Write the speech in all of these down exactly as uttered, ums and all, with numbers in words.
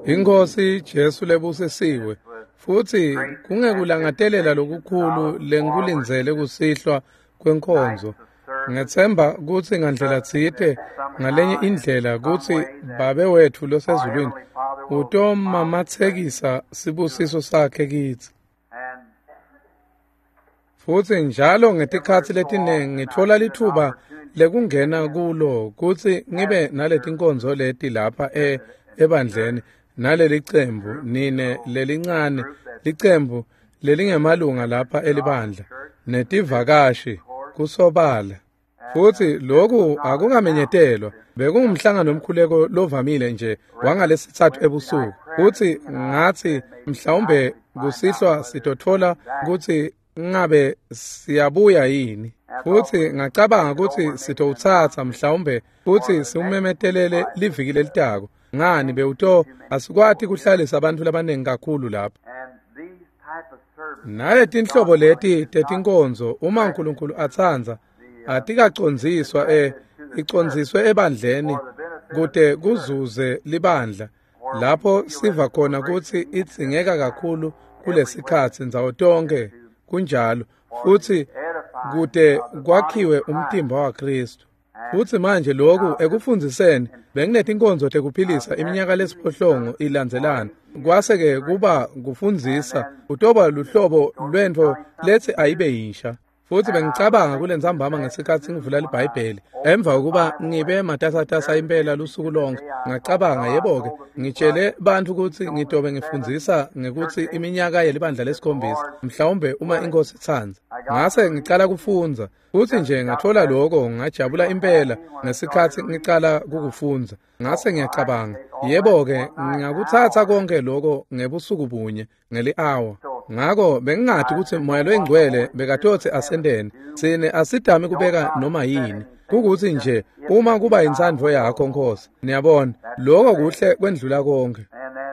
Inkosi Jesu lebusisiwe futhi kungekulangatelela lokukhulu lengikulindzele kusihlwa kwenkonzo. Ngethemba kutsi ngandlela tsite ngalenye indlela kutsi Babe wetfu losezulwini utomamatsekisa sibusiso sakhe kitsi. Futsi njalo ngetikhatsi letiningi ngitfola litfuba lekungena kulo kutsi ngibe naletinkonzo leti lapha e ebandleni nalelicembu nine lelincane licembu lelingemalunga lapha elibandla netivakashi kusobala. Futsi lokhu akungamenyetelwa, bekungumhlangano wemkhuleko lovamile nje wangalesitsatfu ebusuku. Futsi ngatsi mhlawumbe kusihlwa sitotfola kutsi ngabe siyabuya yini. Futsi ngacabanga kutsi sitowutsatsa mhlawumbe futsi siwumemetelele liviki lelitako. Ngani bewuto asikwati kuhlalisa abantu labaningi kakhulu lapha. Naletinhlobo leti tetinkonzo uma uNkulunkulu atsandza atikacondziswa e icondziswe ebandleni kute kuzuze libandla lapho siva khona kutsi idzingeka kakhulu kulesikhatsi ndzawo tonke kunjalo futsi kute kwakhiwe umtimba waKristu. Futsi manje lokhu ekufundziseni benginetinkonzo tekuphilisa iminyaka lesiphohlongo ilandzelana kwase-ke kuba kufundzisa kutoba luhlobo lwentfo letsi ayibe yinsha. Futsi bengicabanga kulentsambama ngesikhatsi ngivula liBhayibheli emva kokuba ngibe matasatasa impela lusuku lonke ngacabanga yebo-ke ngitshele bantfu kutsi ngitobe ngifundzisa ngekutsi iminyaka yelibandla lesikhombisa mhlawumbe uma inkosi itsandza. Ngase ngicala kufundza futsi nje ngatfola loko ngajabula impela ngesikhatsi ngicala kukufundza. Ngase ngiyacabanga yebo-ke ngingakutsatsa konke loko ngebusuku bunye ngeli-awa. Ngako bengingati kutsi Moya loyiNgcwele bekatotsi asenteni tsine asidami kubeka noma yini kukutsi nje uma kuba intsandvo yakho Nkosi. Niyabona lokho kuhle kwendlula konke.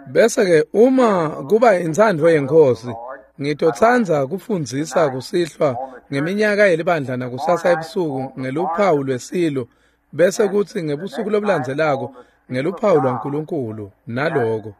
Bese-ke uma kuba intsandvo yeNkosi ngitotsandza kufundzisa kusihlwa ngeminyaka yelibandla nakusasa ebusuku ngeluphawu lwesilo bese kutsi ngebusuku lobulandzelako ngeluphawu lwaNkulunkulu naloko.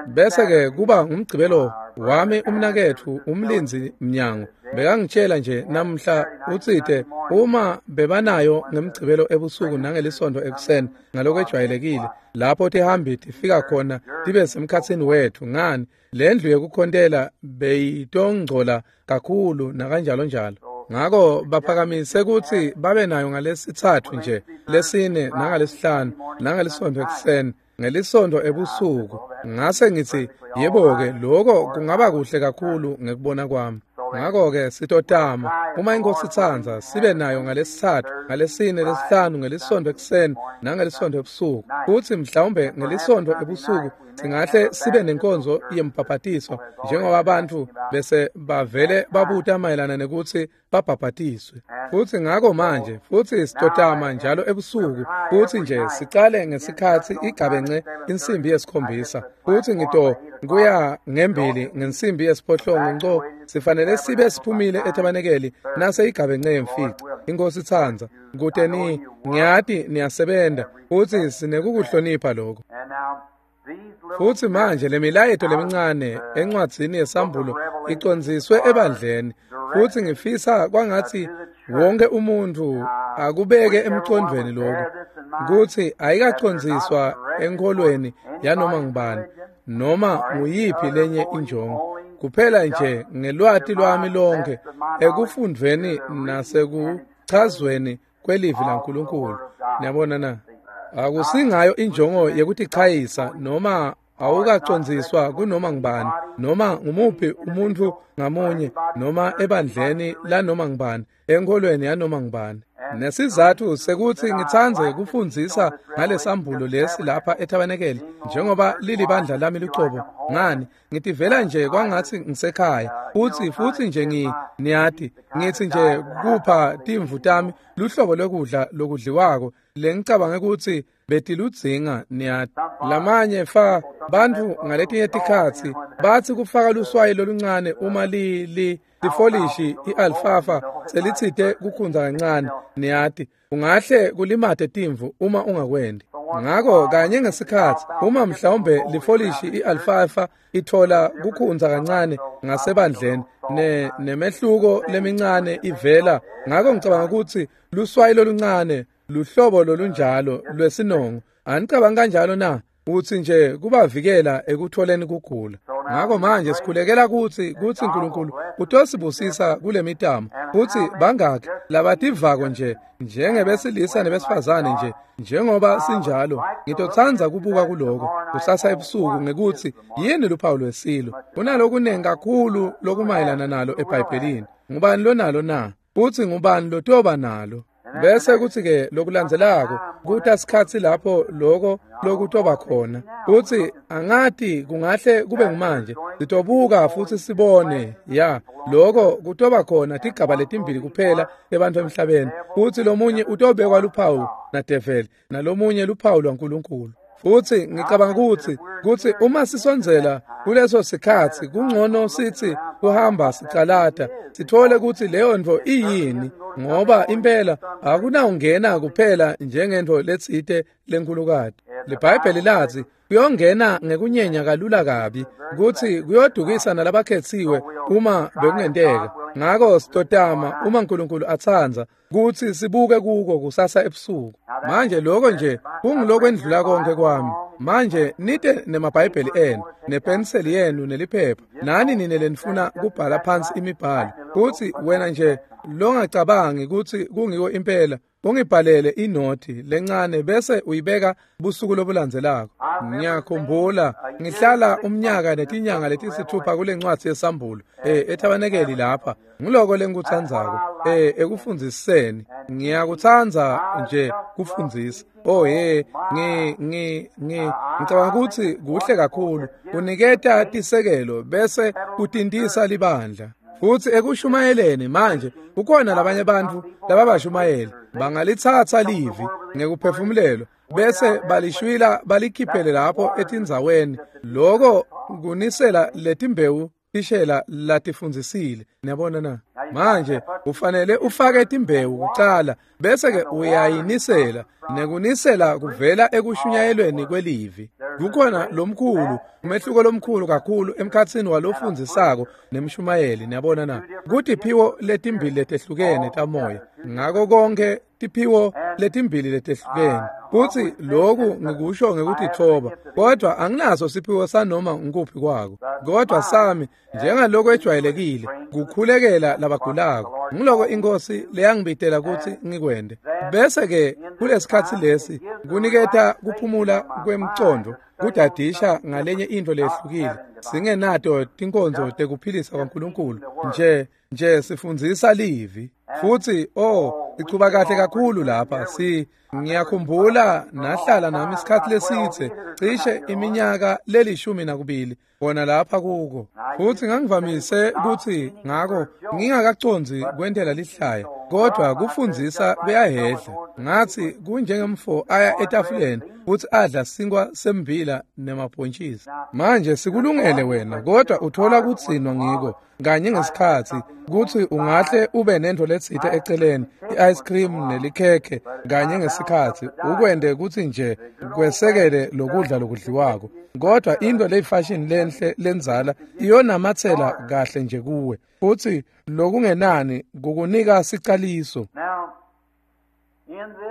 Bese-ke kuba ngumgcibelo wami umnaketfu umlindzi mnyango bekangitshela nje namhla utsite uma bebanayo ngemgcibelo ebusuku nangelisonto ekuseni ngalokwejwayelekile lapho tihambi tifika khona tibe semkhatsini wetfu ngani lendlu yekukhontela beyitongcola kakhulu nakanjalo njalo. Ngako baphakamise kutsi babe nayo ngalesitsatfu nje lesine nangalesihlanu nangelisontfo ekuseni ngelisonto ebusuku. Ngase ngitsi yebo-ke lokho kungaba kuhle kakhulu ngekubona kwami. Ngako-ke sitotama uma inkosi itsandza sibe nayo ngalesitsatfu ngalesine lesihlanu ngelisontfo ekuseni nangelisontfo ebusuku. Futsi mhlawumbe ngelisontfo ebusuku singahle sibe nenkonzo yembhabhatiso njengoba abantu bese bavele babuta mayelana nekutsi babhabhatiswe. Futsi ngako manje futsi sitotama njalo ebusuku futsi nje sicale ngesikhatsi igabence insimbi yesikhombisa futsi ngito kuya ngembili ngensimbi yesiphohlongo nco sifanele sibe siphumile etabanekeli nase igabence yemfica. Inkosi itsandza kute ni ngiyati niyasebenta futsi sinekukuhlonipha lokho. Futsi manje lemilayeto lemincane encwadzini yesambulo icondziswe ebandleni futsi ngifisa kwangatsi wonke umuntfu akubeke emcondvweni lokhu kutsi ayikacondziswa enkholweni yanoma ngubani noma nguyiphi lenye injongo kuphela nje ngelwati lwami lonke ekufundveni nasekuchazweni kwelivi laNkulunkulu. Niyabona na? Akusingayo injongo yekutichayisa noma awukacondziswa kunoma ngubani noma ngumuphi umuntfu ngamunye noma ebandleni lanoma ngubani enkholweni yanoma ngubani. Nesizatfu sekutsi ngitsandze kufundzisa ngalesambulo lesi lapha etabanekeli njengoba lilibandla lami lucobo ngani ngitivela nje kwangatsi ngisekhaya futsi futsi nje ngi niyati ngitsi nje kupha timvu tami luhlobo lwekudla lokudliwako lengicabange kutsi betiludzinga niyati. Lamanye fa bantfu ngaletinye tikhatsi batsi kufaka luswayi loluncane uma li li lifolishi i-alfafa selitsite kukhundza kancane niyati, ungahle kulimate timvu uma ungakwendi. Ngako kanye ngesikhatsi uma mhlawumbe lifolishi i-alfafa ithola kukhundza kancane ngasebandleni ne nemehluko lemincane ivela, ngako ngicabanga ukuthi luswayi loluncane luhlobo lolunjalo lwesinongo. Anicabangi kanjalo na? Utsi nje kubavikela ekutholeni kugula. Ngako manje sikhulekela kutsi kutsi uNkulunkulu utosibusisa kulemitamo, kutsi bangaki labativako nje njengebesilisa nebesifazane nje njengoba sinjalo. Ngitotsandza kubuka kuloko kusasa ebusuku ngekutsi yini luphawu lwesilo. Kunalokunengi kakhulu lokumayelana nalo eBhayibhelini. Ngubani lonalo na? Futsi ngubani lotoba nalo? Bese kutsi-ke lokulandzelako kuta sikhatsi lapho loko lokutoba khona. Futsi angati kungahle kube ngumanje. Sitobuka futsi sibone ya loko kutoba khona tigaba letimbili kuphela ebantfu emhlabeni. Futsi lomunye utobekwa luphawu nadeveli nalomunye luphawu lwaNkulunkulu. Futsi ngicabanga kutsi kutsi uma sisondzela kuleso sikhatsi kungcono sithi kuhamba sicalata sithole kutsi leyo ntfo iyini, ngoba impela akunawungena kuphela njengentfo letsite lenkhulukati. LiBhayibheli latsi kuyongena ngekunyenya kalula kabi, kutsi kuyodukisa nalabakhetsiwe uma bekungenteka. Ngako sitotama uma uNkulunkulu atsandza kutsi sibuke kuko kusasa ebusuku. Manje lokho nje kungilokwendlula konke kwami. Manje nite nemaBhayibheli enu nepenseli yenu neliphepha, nani nine lenifuna kubhala phansi imibhalo, kutsi wena nje longacabangi kutsi kungiko impela ungibhalele inothi lencane bese uyibeka busuku lobulandzelako. Ngiyakhumbula ngihlala umnyaka netinyanga letisithupha kule ncwadi yesambulo eh ethabanekeli lapha. Ngiloko lengikutsandzako eh ekufundziseni. Ngiyakutsandza nje kufundzisa. Oh hey, ngi ngi ngi ngicabanga kutsi kuhle kakhulu kuniketa tisekelo bese kutintisa libandla. Futsi ekushumayeleni manje kukhona labanye bantfu lababashumayeli bangalitsatsa livi ngekuphefumulelwa bese balishwila balikhiphele lapho etindzaweni. Loko kunisela letimbewu tishela latifundzisile. Niyabona na? Manje ufanele ufake timbewu kucala bese ke uyayinisela, nekunisela kuvela ekushunyayelweni kwelivi. Kukhona lomkhulu umehluko lomkhulu kakhulu emkhatsini walofundzisako nemshumayeli. Niyabona na? Kutiphiwo letimbili letehlukene tamoya, ngako konke tiphiwo letimbili letehlukene. Kutsi loku ngikusho ngekutitfoba, kodwa anginaso siphiwo sanoma ngikuphi kwako. Kodwa sami njengaloko ejwayelekile kukhulekela labagulako, ngiloko inkosi leyangibitela kutsi ngikwende. Bese ke kulesikhatsi lesi kuniketa kuphumula kwemcondo, kudadisha ngalenye into lehlukile. Singenato tinkonzo tekuphilisa kwaNkulunkulu nje nje sifundzisa livi. Futsi oh ichuba kahle kakhulu lapha. Si ngiyakhumbula nahlala nami isikhathi lesithe cishe iminyaka lelishumi nakubili bona lapha kuko. Futsi ngangivamise kutsi ngako ngingakacondzi kwentela lihlaya, kodwa kufundzisa kuyahedla. Ngathi kunjengemfo aya etafuleni futsi adla sinkwa sembila nemabhontjisi. Manje sikulungele wena, kodwa uthola kutsinwa ngiko kanye ngesikhatsi kutsi ungahle ube nento letsite eceleni, i-ice cream nelikhekhe kanye ngesikhatsi ukwende kutsi nje kwesekele lokudla lokudliwako. Kodwa into leyifashion lenhle lenzala iyonamatsela kahle nje kuwe, futsi lokungenani kukunika sicaliso.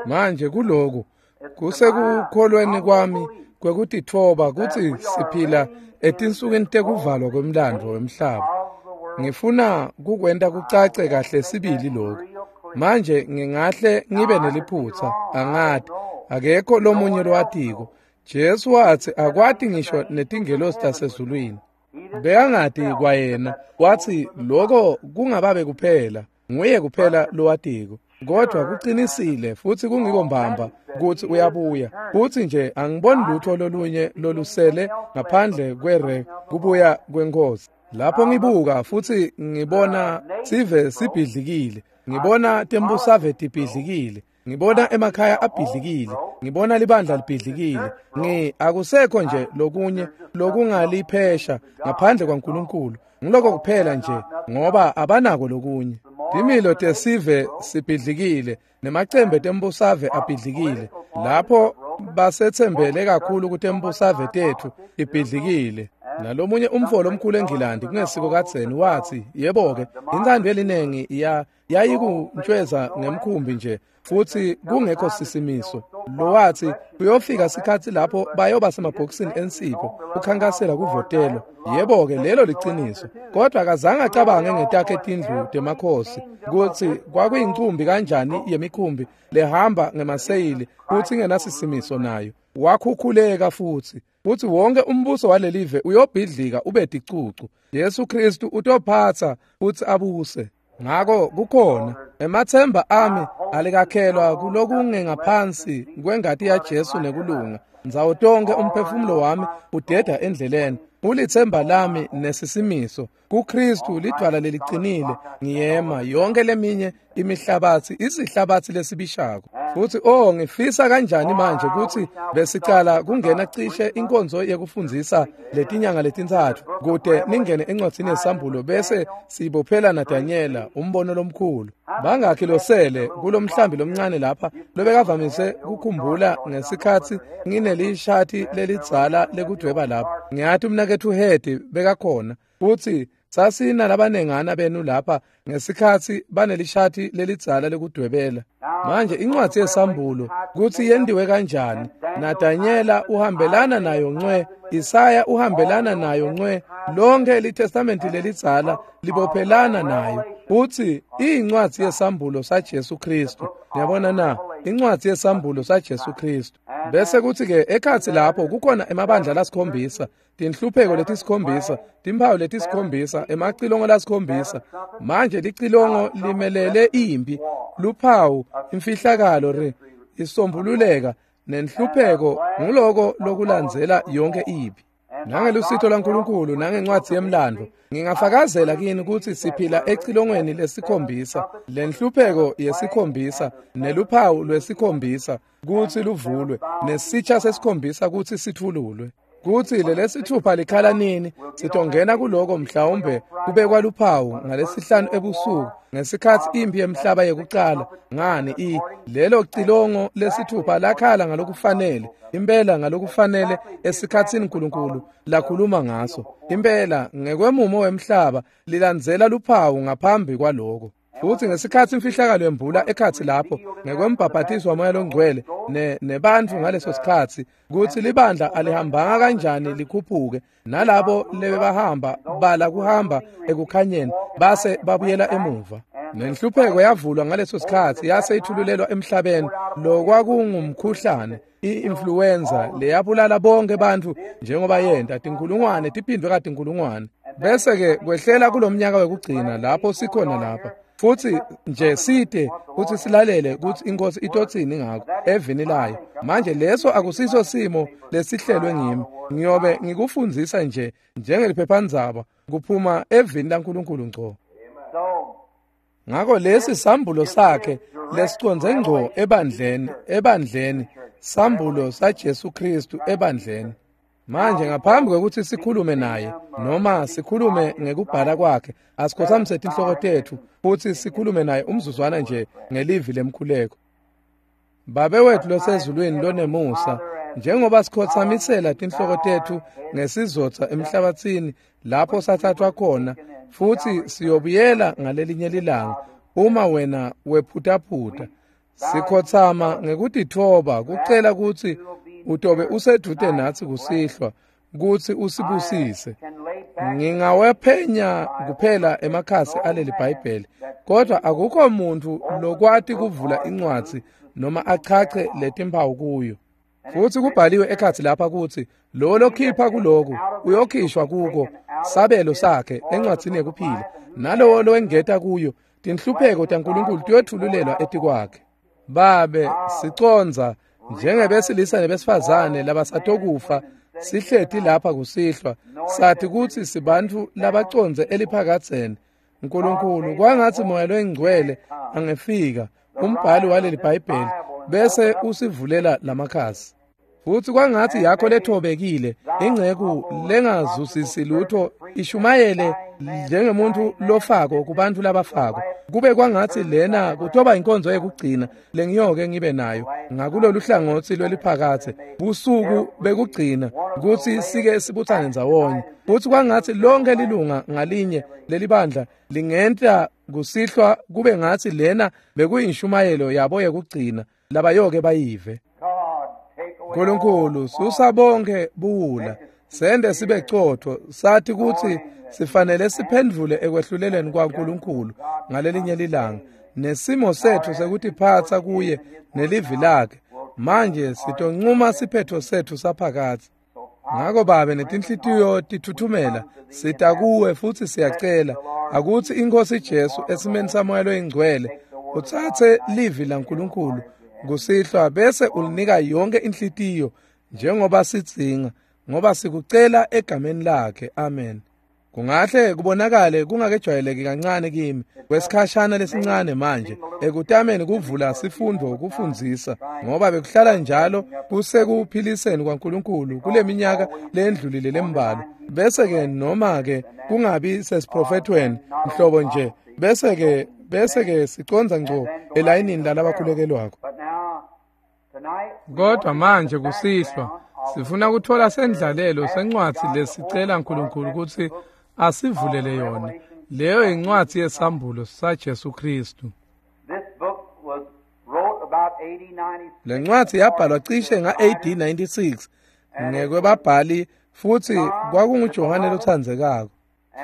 Manje kuloku kusekukholweni kwami kwekutitfoba kutsi siphila etinsukwini tekuvalwa kwemlandvo wemhlaba. Ngifuna kukwenta kucace kahle sibili lokhu. Manje ngingahle ngibe neliphutsa, angati, akekho lomunye lowatiko. Jesu watsi akwati ngisho netingelosi tasezulwini. Bekangati kwayena, watsi loko kungababe kuphela, nguye kuphela lowatiko. Kodwa kuqinisile futsi kungiko mbamba kutsi uyabuya. Futsi nje angiboni lutho lolunye lolusele ngaphandle kwere kubuya kwenkosi. Lapho ngibuka futsi ngibona sive sibhidlikile, ngibona tembusave tibhidlikile, Ngibona emakhaya abhidlikile, ngibona libandla libhidlikile. Ngi akusekho nje lokunye lokungaliphesha ngaphandle kwaNkulunkulu. Ngiloko kuphela nje ngoba abanako lokunye. Timilo tesive sibhidlikile nemacembe tembusave abhidlikile. Lapho basethembele kakhulu kutembusave tethu ibhidlikile. Nalomunye umfo lomkhulu eNgilandi kungesiko kadzeni wathi, yebo-ke, intsandvo yelinengi ya yayikuntshweza ngemkhumbi nje futhi kungekho sisimiso. Lo wathi kuyofika sikhatsi lapho bayoba semabhokisini ensipho kukhankasela kuvotelwa. Yebo-ke, lelo liciniso. Kodwa akazange acabange ngetakhe tindlu temakhosi kutsi kwakuyincumbi kanjani yemikhumbi lehamba ngemaseyili futsi ingenasisimiso nayo. Wakhukhuleka futhi futhi wonke umbuso walelive uyobhidlika ube ticucu. Jesu Kristu utophatsa futsi abuse. Ngako kukhona emathemba ami alikakhelwa kulokungengaphansi kwengati yaJesu nekulunga. Ndzawo tonke umphefumulo wami udeda endleleni. Ulithemba lami nesisimiso kuKristu lidwala leliqinile. Ngiyema yonke leminye imihlabathi isihlabathi lesibishako. Futhi oh ngifisa kanjani manje ukuthi besicala kungena cishe inkonzo yekufundzisa letinyanga letintsatfu kute ningene encwadzini yesambulo bese sibophela naDanyela umbono lomkhulu. Bangakhi losele kulomhlambi lomncane lapha lobekavamise kukhumbula ngesikhatsi nginelishati lelidzala lekudweba lapha. Ngiyathi umnaketfu Hedi bekakhona futhi sasina labanengana benu lapha ngesikhatsi banelishati lelidzala lekudwebela. Manje incwadi yesambulo kutsi yendiwe kanjani, naDanyela uhambelana nayo ncwe, Isaya uhambelana nayo ncwe, lonke liTestamenti lelidzala libophelana nayo. Uthi iyincwadi yesambulo saJesu Kristu. Niyabona na? Incwadi yesambulo saJesu Kristu. Bese kuthi ke ekhatsi lapho kukhona emabandla lasikhombisa, tinhlupheko letisikhombisa, timphawu letisikhombisa, emacilongo lasikhombisa. Manje licilongo limelele impi, luphawu, imfihlakalo re isombululeka nenhlupheko nguloko lokulandzela yonke impi. Nangelusito laNkulunkulu nangencwadi yemlando ngingafakazela kini ukuthi siphila ecilongweni lesikhombisa, lenhlupheko yesikhombisa neluphawu lwesikhombisa kutsi luvulwe nesitsha sesikhombisa kutsi sithululwe. Kutsi lelesithupha likhala nini sitongena kuloko mhlawumbe kubekwa luphawu ngalesihlanu ebusuku ngesikhatsi impi yemhlaba yekucala. Ngani i lelo cilongo lesithupha lakhala ngalokufanele impela ngalokufanele esikhatsini uNkulunkulu lakhuluma ngaso. Impela ngekwemumo wemhlaba lilandzela luphawu ngaphambi kwaloko. Futhi ngesikhatsi imfihlakalo yembula ekhatsi lapho ngekwembhaphathiso waMoya loNgcwele ne nebantfu ngaleso sikhatsi kutsi libandla alihambanga kanjani likhuphuke, nalabo lebebahamba bala kuhamba ekukhanyeni base babuyela emuva. Nenhlupheko yavulwa ngaleso sikhatsi yase ithululelwa emhlabeni lokwakungumkhuhlane i-influenza leyabulala bonke bantfu njengoba yenta tinkulungwane tiphindwe katinkulungwane. Bese ke kwehlela kulomnyaka wekugcina lapho sikhona lapha. Futhi nje side futhi silalele ukuthi inkosi itotsini ngakho evini layo. Manje leso akusiso simo lesihlelwe ngimi. Ngiyobe ngikufundzisa nje njengeliphephandzaba kuphuma evini laNkulunkulu ngco. Ngako lesi sambulo sakhe lesicondze ngco ebandleni, ebandleni, sambulo saJesu Kristu ebandleni. Manje ngaphambi kwekuthi sikhulume naye noma sikhulume ngekubhala kwakhe, asikhothamise tinhloko tetfu futhi sikhulume naye umzuzwana nje ngelivi lemkhuleko. Babe wethu losezulwini lonemusa, njengoba sikhothamisela tinhloko tetfu ngesizotha emhlabathini lapho sathathwa khona, futhi siyobuyela ngalelinye lilanga uma wena wephutaphutha. Sikhothama ngekutitfoba kucela kutsi utobe usedvute natsi kusihlwa kutsi usibusise. Ngingawephenya kuphela emakhasi aleli Bhayibheli, kodwa akukho muntu lokwati kuvula incwadzi noma achache letimphawu kuyo. Futhi kubhaliwe ekhatsi lapha kutsi lo lokhipha kuloku uyokhishwa kuko sabelo sakhe encwadzini yekuphila, nalowo lowengeta kuyo tinhlupheko taNkulunkulu tiyothululelwa etikwakhe. Babe, sicondza njengebesilisa nebesifazane labasatokufa sihleti lapha kusihlwa, sathi kutsi sibantfu labacondze eliphakadzeni. Nkulunkulu, kwangatsi Moya loyiNgcwele angefika umbhali waleli Bhayibheli, bese usivulela lamakhasi. Futsi kwangatsi yakho lethobekile inceku lengazuzisi lutho ishumayele njengemuntu lofako kubantu labafako. Kube kwangatsi lena kutoba inkonzo yekugcina lengiyoke ngibe nayo ngakulolu hlangotsi lweliphakatse, busuku bekugcina kutsi sike sibutsane ndzawonye. Futsi kwangatsi lonke lilunga ngalinye lelibandla lingenta kusihlwa kube ngatsi lena bekuyinshumayelo yabo yekugcina labayoke bayive. Nkulunkulu, susa bonke buwula, sende sibe cotfo, sathi kutsi sifanele siphendvule ekwehluleleni kwaNkulunkulu ngalelinye lilanga, nesimo setfu sekutiphatsa kuye nelivi lakhe. Manje sitoncuma siphetfo setfu saphakadze. Ngako Babe, netinhlitiyo tithuthumela, sita kuwe futsi siyacela akutsi iNkhosi Jesu esimeni saMoya loyiNgcwele utsatse livi laNkulunkulu kusihlwa bese ulinika yonke inhlitiyo njengoba sidzinga, ngoba sikucela egameni lakhe. Amen. Kungahle kubonakale kungakejwayeleki kancane kimi kwesikhashana lesincane manje ekutameni kuvula sifundvo kufundzisa, ngoba bekuhlala njalo kusekuphiliseni kwaNkulunkulu kuleminyaka lendlulile lembalwa, bese ke noma ke kungabi sesiprofethweni mhlobo nje, bese ke bese ke siconza ngco elayinini lalabakhulekelwako. Kodwa manje kusihlwa sifuna kuthola sendlalelo sencwadzi lesicela Nkulunkulu kutsi asivulele yona. Leyo incwadzi yesambulo saJesu Kristu. Le ncwadzi yabhalwa cishe nga-A D ninety-six ngekwebabhali, futsi kwakunguJohane lotsandzekako.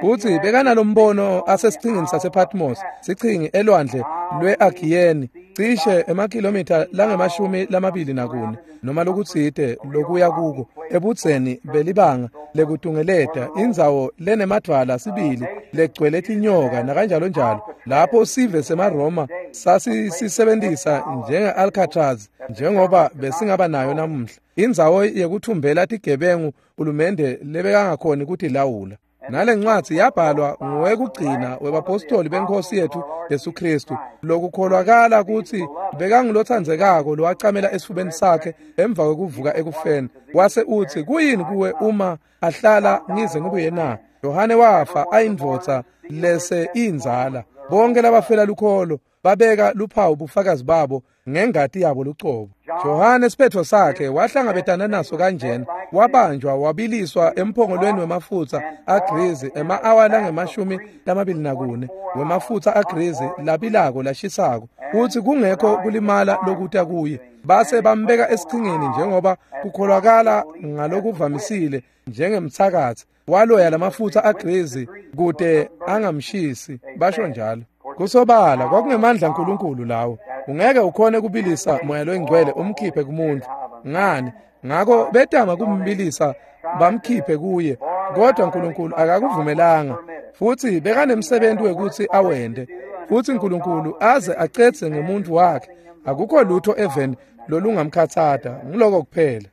Futsi bekanalombono asesichingini sasePatmos, sichingi elwandle lwe-Agiyeni, cishe emakhilomitha langemashumi lamabili nakune noma lokutsite lokuya kuko, ebudzeni belibanga lekutungeleta indzawo lenemadvwala sibili legcwele tinyoka nakanjalo njalo, lapho sive semaRoma sasisebenzisa njenge-Alcatraz njengoba besingaba nayo namuhla, indzawo yekuthumbela tigebengu hulumende lebekangakhoni kutilawula. Nale ncwadzi yabhalwa nguwekugcina webapostoli beNkhosi yethu Jesu Kristu, lokukholwakala kutsi bekangulotsandzekako lowacamela esifubeni sakhe emva kwekuvuka ekufeni. Wase utsi, kuyini kuwe uma ahlala ngize ngibuye na? Yohane wafa ayindvodza lese inzala. Bonke labafela lukholo babeka luphawu bufakazi babo ngengati yabo lucobo. Johane siphetho sakhe wahlangabetana naso kanjena, wabanjwa wabiliswa emphongolweni wemafutsa agrizi ema-awa langemashumi lamabili nakune wemafutsa agrizi labilako lashisako, kutsi kungekho kulimala lokuta kuye. Base bambeka esichingeni njengoba kukholwakala ngalokuvamisile njengemtsakatsi, waloya lamafutsa agrizi kute angamshisi, basho njalo. Kusobala kwakungemandla aNkulunkulu lawo. Ungeke ukhone kubilisa moya loyingcwele umkhiphe kumuntu. Ngani? Ngako betama kumbilisa bamkhiphe kuye, kodwa uNkulunkulu akakuvumelanga. Futsi bekanemsebenzi wekutsi awende. Futsi uNkulunkulu aze acedze ngemuntu wakhe. Akukho lutho eveni lolungamkhatsata, ngiloko kuphela.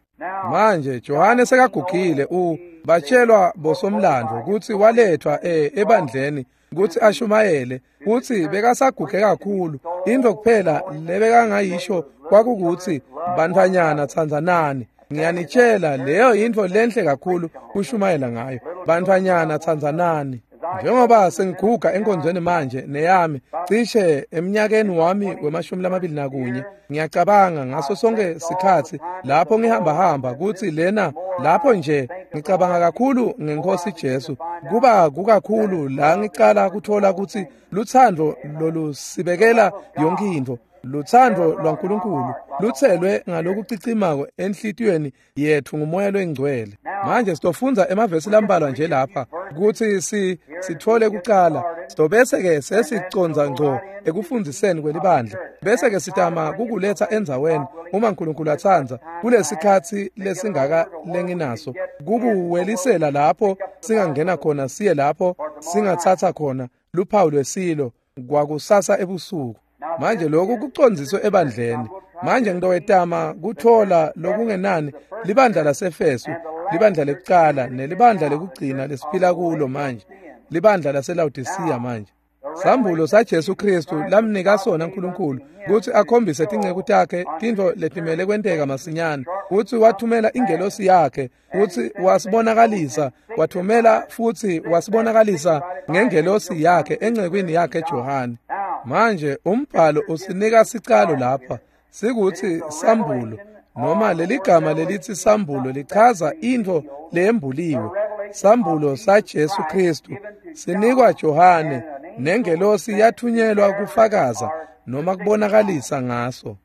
Manje Johane sekagugile, u batshelwa bosomlandvo kutsi walethwa e ebandleni kutsi ashumayele, kutsi bekasaguge kakhulu. Into kuphela lebekangayisho kwakukutsi, bantfwanyana tsandzanani. Ngiyanitshela, leyo yintfo lenhle kakhulu kushumayela ngayo. Bantfwanyana tsandzanani. Njengoba sengiguga enkonzweni manje neyami cishe eminyakeni wami wemashumi lamabili nakunye, ngiyacabanga ngaso sonke sikhatsi lapho ngihamba hamba kutsi lena lapho nje ngicabanga kakhulu ngeNkhosi Jesu. Kuba kukakhulu la ngicala kuthola kutsi lutsandvo lolusibekela yonke intfo, lutsandvo lwaNkulunkulu lutselwe ngalokucicimako enhlitiyweni yetfu nguMoya loyiNgcwele. Manje sitofundza emavesi lambalwa nje lapha kutsi si sitfole kucala, sitobese ke sesicondza ngco ekufundziseni kwelibandla, bese ke sitama kukuletsa endzaweni uma uNkulunkulu atsandza kulesikhatsi lesingaka lenginaso kukuwelisela lapho singangena khona siye lapho singatsatsa khona luphawu lwesilo kwakusasa ebusuku. Manje lokhu kucondziswe ebandleni. Manje ngitowetama kuthola lokungenani libandla laseEfesu, libandla lekucala nelibandla lekugcina lesiphila kulo manje, libandla laseLaodicea manje. Sambulo saJesu Kristu lamnika sona uNkulunkulu kutsi akhombise tinceku takhe tintfo letimele kwenteka masinyane, kutsi wathumela ingelosi yakhe kutsi wasibonakalisa, wathumela futsi wasibonakalisa ngengelosi yakhe encekwini yakhe Johane. Manje umbhalo usinika sicalo lapha sikutsi sambulo, noma leligama lelitsi sambulo lichaza intfo leyembuliwe. Sambulo saJesu Kristu sinikwa Johane, nengelosi yathunyelwa kufakaza noma kubonakalisa ngaso.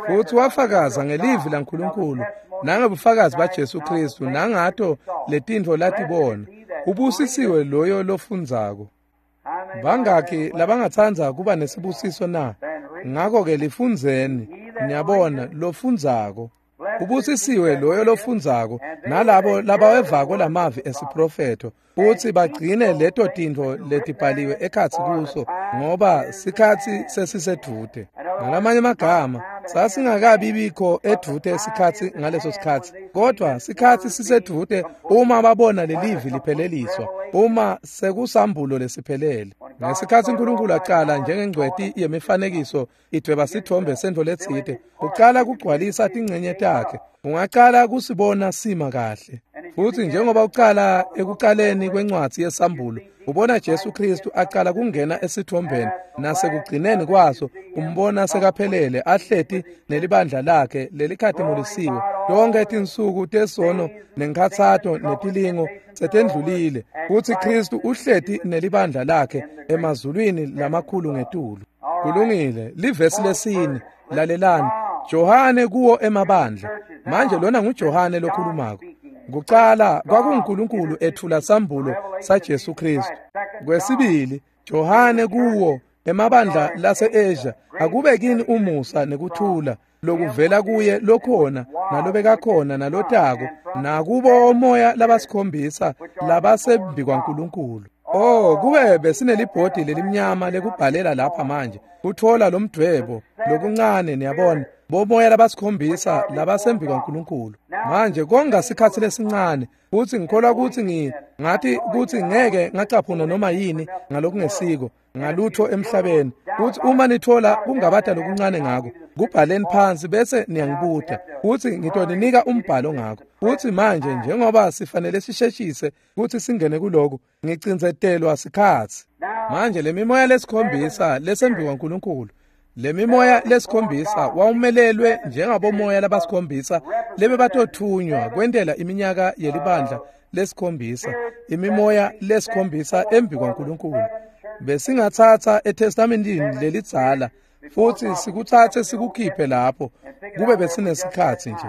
Futsi wafakaza ngelivi laNkulunkulu nangebufakazi baJesu Kristu nangato letintfo latibona. Ubusisiwe loyo lofundzako. Bangaki labangatsandza kuba nesibusiso na? Ngako-ke lifundzeni, niyabona, lofundzako. Ubusisiwe loyo lofundzako nalabo labawevako lamavi esiprofetho, futsi bagcine leto tintfo letibhaliwe ekhatsi kuso, ngoba sikhatsi sesisedvute. Ngalamanye amagama, sasingakabi bikho edvute sikhatsi ngaleso sikhatsi, kodwa sikhatsi sisedvute uma babona lelivi lipheleliswa, uma sekusambulo lesiphelele. Ngesikhatsi uNkulunkulu aqala njengengcweti yemifanekiso idweba sithombe sentfo letsite, ucala kugcwalisa tingcenye takhe, ungacala kusibona sima kahle. Futsi njengoba ucala ekucaleni kwencwadzi yesambulo, ubona Jesu Kristu aqala kungena esithombeni, nasekugcineni kwaso umbona sekaphelele ahleti nelibandla lakhe lelikhatimulisiwe. Tonke tinsuku tesono nenkhatsato netilingo setendlulile, futsi Kristu uhleti nelibandla lakhe emazulwini lamakhulu ngetulu. Kulungile, livesi lesine, lalelani. Johane kuwo emabandla. Manje lona nguJohane lokhulumako. Kucala kwakunguNkulunkulu ethula sambulo saJesu Kristu. Kwesibili, Johane kuwo emabandla lase-Asia, akube kini umusa nekuthula lokuvela kuye lokhona nalobekakhona nalotako, nakubo omoya labasikhombisa labasembi kwaNkulunkulu. Oh, kube besinelibhodi lelimnyama lekubhalela lapha manje kuthola lomdvwebo lokuncane, niyabona, bomoya labasikhombisa labasembi kwaNkulunkulu. Manje konga sikhatsi lesincane, futsi ngikholwa kutsi ngi ngathi kutsi ngeke ngacaphuna noma yini ngalokungesiko ngalutho emhlabeni. Kutsi uma nithola kungabata lokuncane ngako, kubhaleni phansi bese niyangibuta, kutsi ngitoninika umbhalo ngako. Futsi manje njengoba sifanele sisheshise kutsi singene kuloku, ngicindzetelwa sikhatsi. Manje lemimoya lesikhombisa lesembi kwaNkulunkulu, lemimoya lesikhombisa wawumelelwe njengabomoya labasikhombisa lebebatothunywa kwentela iminyaka yelibandla lesikhombisa, imimoya lesikhombisa embi kwaNkulunkulu. Besingatsatsa eTestamentini lelidzala futsi sikutsatse sikukhiphe lapho kube besinesikhatsi nje.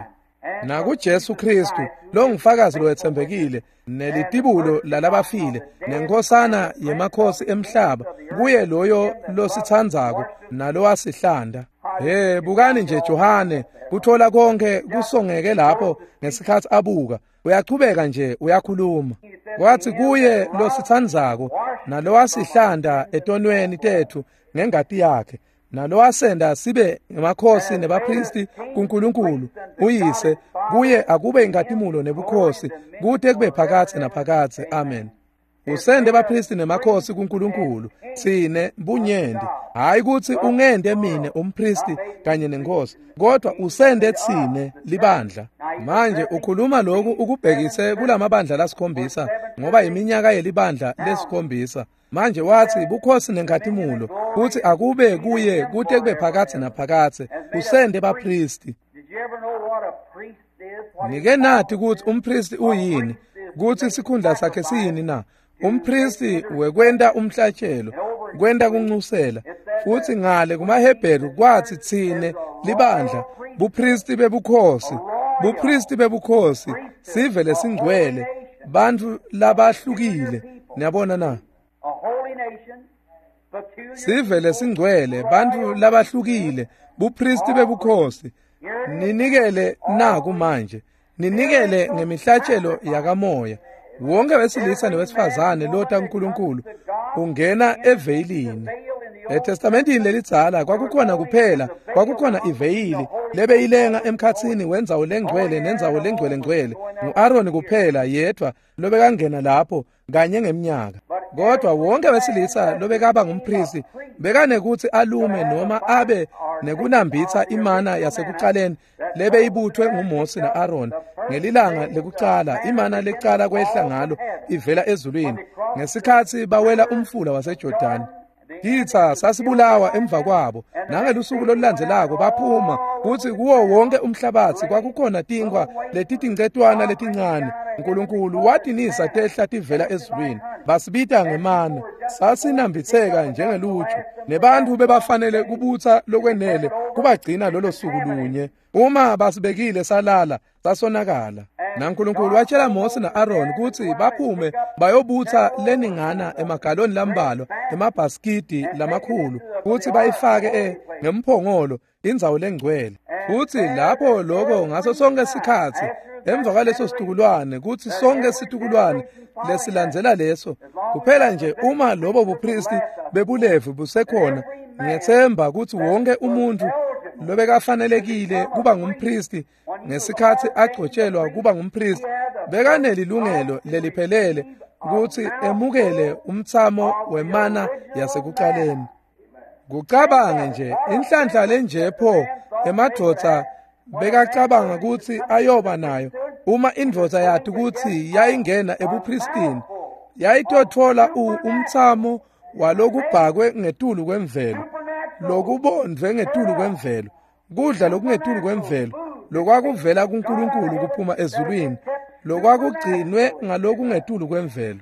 NakuJesu Kristu longufakazi lowetsembekile nelitibulo lalabafile nenkosana yemakhosi emhlaba, kuye loyo lositsandzako nalowasihlanda. Hey, bukani nje Johane kuthola konke kusongeke lapho ngesikhatsi abuka, uyachubeka nje uyakhuluma. Kwathi kuye lositsandzako nalowasihlanda etonweni tethu ngengati yakhe, nalowasenda sibe ngemakhosi nebapristi kuNkulunkulu uyise, kuye akube inkatimulo nebukhosi kute kube phakathe naphakathe. Amen. Usende bapristi nemakhosi kuNkulunkulu tsine bunyenti, hayi kutsi ungende mine umpristi kanye nenkosi, kodwa usende tsine libandla. Manje ukhuluma lokhu ukubhekise kulamabandla lasikhombisa, ngoba iminyaka yelibandla lesikhombisa. Manje wathi bukhosi nenkatimulo kutsi akube kuye kute kube phakathe naphakathe, usende bapristi. Nike nathi kutsi umpristi uyini, kutsi sikhundla sakhe siyini na? Umpristi wekwenta umhlatshelo, kwenta kunxusela. Futsi ngale kumaHebheru kwathi tsine libandla, bupristi bebukhosi, bupristi bebukhosi, sive lesingcwele, bantfu labahlukile. Niyabona na? Sive lesingcwele, bantfu labahlukile, bupristi bebukhosi. Ninikele naku manje, ninikele ngemihlatshelo yakamoya. Wonke wesilisa newesifazane lota uNkulunkulu ungena eveyilini. ETestamentini lelidzala kwakukhona kuphela, kwakukhona iveyili lebeyilenga emkhatsini wendzawo lengcwele nendzawo lengcwele ngcwele. Ngu-Aroni kuphela yedvwa lobekangena lapho kanye ngemnyaka. Kodwa wonke wesilisa lobekaba ngumpristi bekanekuthi alume noma abe nekunambitha imana yasekuqaleni lebeyibuthwe nguMose na-Aaron ngelilanga lekucala, imana lecala kwehla ngalo ivela ezulwini ngesikhathi bawela umfula waseJordani. Titsa sasibulawa emva kwabo, nangelusuku lolulandzelako baphuma kutsi kuwo wonke umhlabatsi kwakukhona tinkwa letitincetwana letincane. Nkulunkulu watinisa tehla tivela ezulwini, basibita ngemana, sasinambitseka njengeluju, nebantfu bebafanele kubutsa lokwenele kubagcina lolo suku lunye. Uma basibekile salala, sasonakala. NaNkulunkulu watshela Mose na-Aaron kutsi baphume bayobutsa leningana emagaloni lambalwa, emabhaskidi lamakhulu, kutsi bayifake e ngemphongolo indzawo lengcwele. Futsi lapho lokho ngaso sonke sikhatsi emva kwaleso situkulwane, kutsi sonke situkulwane lesilandzela leso, kuphela nje uma lobo bupristi bebulevi busekhona, ngiyethemba kutsi wonke umuntu lobekafanelekile kuba ngumpristi ngesikhathi agcotshelwa kuba ngumpristi bekanelilungelo leliphelele kutsi emukele umtsamo wemana yasekuqaleni. Kucabange nje inhlanhla lenje pho emadvodza bekacabanga kutsi ayoba nayo uma indvodza yathi kutsi yayingena ebupristini, yayitotfola umtsamo walokubhakwe ngetulu kwemvelo, lokubondvwe ngetulu kwemvelo, kudla lokungetulu kwemvelo, lokwakuvela kuNkulunkulu kuphuma ezulwini, lokwakugcinwe ngalokungetulu kwemvelo.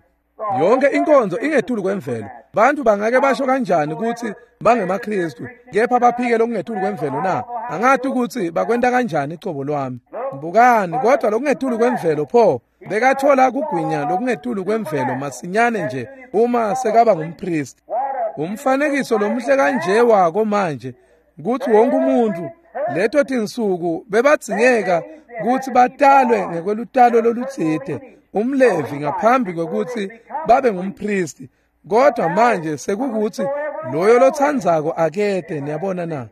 Yonke inkonzo ingetulu kwemvelo. Bantu bangake basho kanjani kutsi bangemaKristu kepha baphike lokungetulu kwemvelo na? Angathi ukuthi bakwenta kanjani icobo lwami. Bukani, kodwa lokungetulu kwemvelo pho bekathola kugwinya lokungetulu kwemvelo masinyane nje uma sekaba ngumpristi. Umfanekiso lomuhle kanje wako manje kutsi wonke umuntu leto tinsuku bebadzingeka kutsi batalwe ngekwelutalo lolutsite umlevi ngaphambi kwekutsi babe ngumpristi, kodwa manje sekukuthi loyo lotsandzako akete. Niyabona na?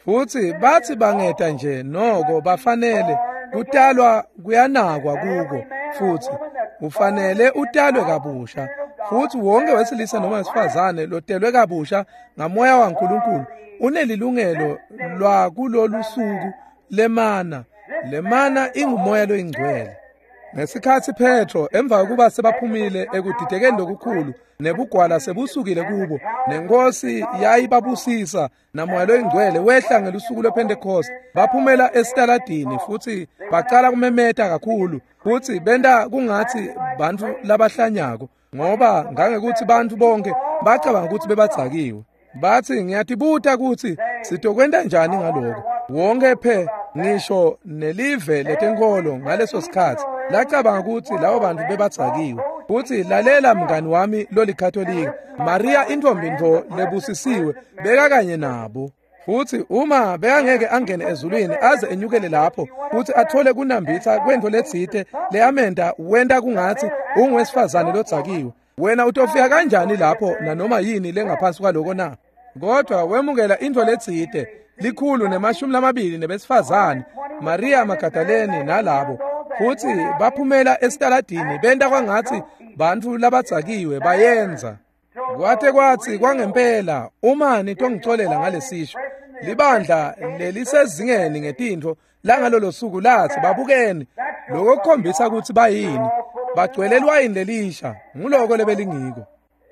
Futsi batsi bangeta nje noko bafanele kutalwa kuyanakwa kuko, futsi ufanele utalwe kabusha. Futsi wonke wesilisa noma wesifazane lotelwe kabusha ngamoya waNkulunkulu unelilungelo lwakulolu suku lemana. Lemana ingumoya loyingcwele. Ngesikhatsi Petro emva kokuba sebaphumile ekudidekeni lokukhulu nebugwala sebusukile kubo, nenkosi yayibabusisa namoya loyingcwele wehla ngelusuku lwePentecost, baphumela esitaladini futsi bacala kumemeta kakhulu futsi benta kungatsi bantfu labahlanyako, ngoba ngangekuthi bantfu bonke bacabanga ukuthi bebadzakiwe. Batsi, ngiyatibuta kutsi sitokwenta njani ngaloko. Wonke phe ngisho nelive letenkolo ngaleso sikhatsi lacabanga kutsi labo bantu bebadzakiwe. Futsi lalela mngani wami lolikatolika, Maria intombi ntfo lebusisiwe bekakanye nabo. Futsi uma bekangeke angene ezulwini aze enyukele lapho futsi athole kunambitsa kwentfo letsite leyamenta wenta kungatsi ungwesifazane lodzakiwe, wena utofika kanjani lapho nanoma yini lengaphansi kwaloko na? Kodwa wemukela intfo letsite likhulu nemashumi lamabili nebesifazane, Maria Magdalene nalabo, futsi baphumela esitaladini benta kwangatsi bantfu labadzakiwe bayenza. Kwate kwatsi kwangempela, uma nitongicolela ngalesisho, libandla lelisezingeni ngetintfo langalolo suku latsi babukeni lokho kukhombisa kutsi bayini, bagcwele liwayini lelisha, nguloko lebelingiko.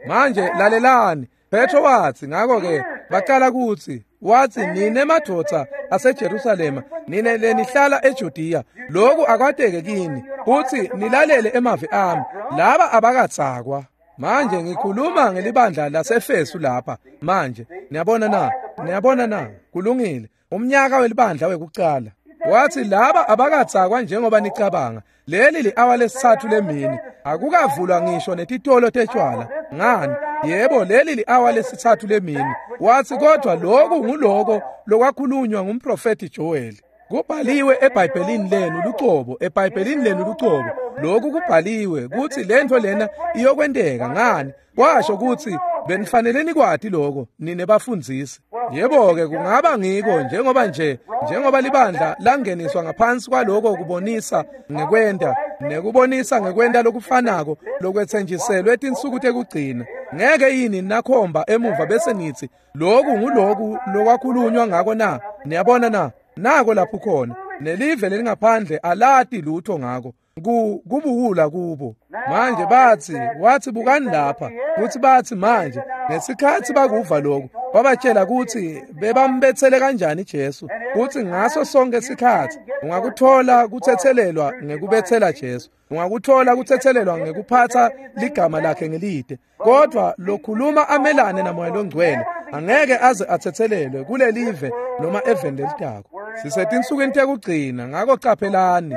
Manje lalelani, Petro watsi, ngako-ke bacala kutsi watsi, nine madvodza aseJerusalema, nine lenihlala eJudiya, lokhu akwateke kini kutsi nilalele emavi ami, laba abakadzakwa. Manje ngikhuluma ngelibandla laseEfesu lapha manje. Niyabona na? Niyabona na? Kulungile. Umnyaka welibandla wekucala. Wathi laba abakadzakwa njengoba nicabanga. Leli li-awa lesithathu lemini. Akukavulwa ngisho netitolo tetshwala. Ngani? Yebo, leli li-awa lesithathu lemini. Wathi kodwa lokhu nguloko lokwakhulunywa ngumprofeti Joel. Kubhaliwe eBhayibhelini lenu lucobo, eBhayibhelini lenu lucobo. Lokhu kubhaliwe kutsi lentfo lena iyokwenteka. Ngani? Kwasho kutsi benifanele nikwati lokho nine bafundzisi. Yebo-ke kungaba ngiko njengoba nje njengoba libandla langeniswa ngaphansi kwaloko kubonisa ngekwenta Nekubonisa ngekwenta lokufanako lokwetsenjiselwe tinsuku tekugcina. Ngeke yini nakhomba emuva bese nitsi loku nguloku lokwakhulunywa ngako na? Niyabona na? Nako lapho khona. Nelive lelingaphandle alati lutho ngako. Ku kubuwula kubo. Manje batsi, wathi bukani lapha, kutsi batsi manje ngesikhatsi bakuva lokhu, wabatshela kutsi bebambetsele kanjani Jesu, kutsi ngaso sonke sikhatsi ungakuthola kutsetselelwa ngekubetsela Jesu, ungakuthola kutsetselelwa ngekuphatsa ligama lakhe ngelide, kodwa lokhuluma amelane naMoya loNgcwele angeke aze atsetselelwe kulelive noma eveni lelitako. Sisetinsukwini tekugcina, ngako caphelani.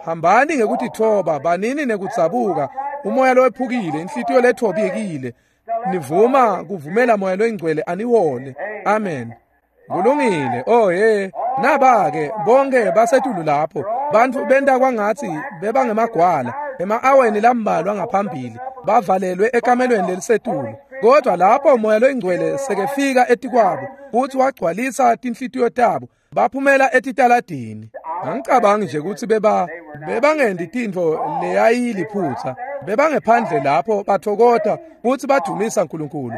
Hambani ngekutitfoba, banini nekudzabuka, umoya lowephukile, inhlitiyo lethobekile, nivuma kuvumela Moya loNgcwele anihole. Amen. Kulungile. Oh hey, naba-ke bonke basetulu lapho. Bantfu benta kwangatsi bebangemagwala ema-aweni lambalwa ngaphambili, bavalelwe ekamelweni lelisetulu. Kodwa lapho Moya loNgcwele sekefika etikwabo futsi wagcwalisa tinhlitiyo tabo, baphumela etitaladini. Angicabangi nje kutsi beba bebangendi tintfo leyayiliphutsa. Bebangephandle lapho bathokota futsi badumisa uNkulunkulu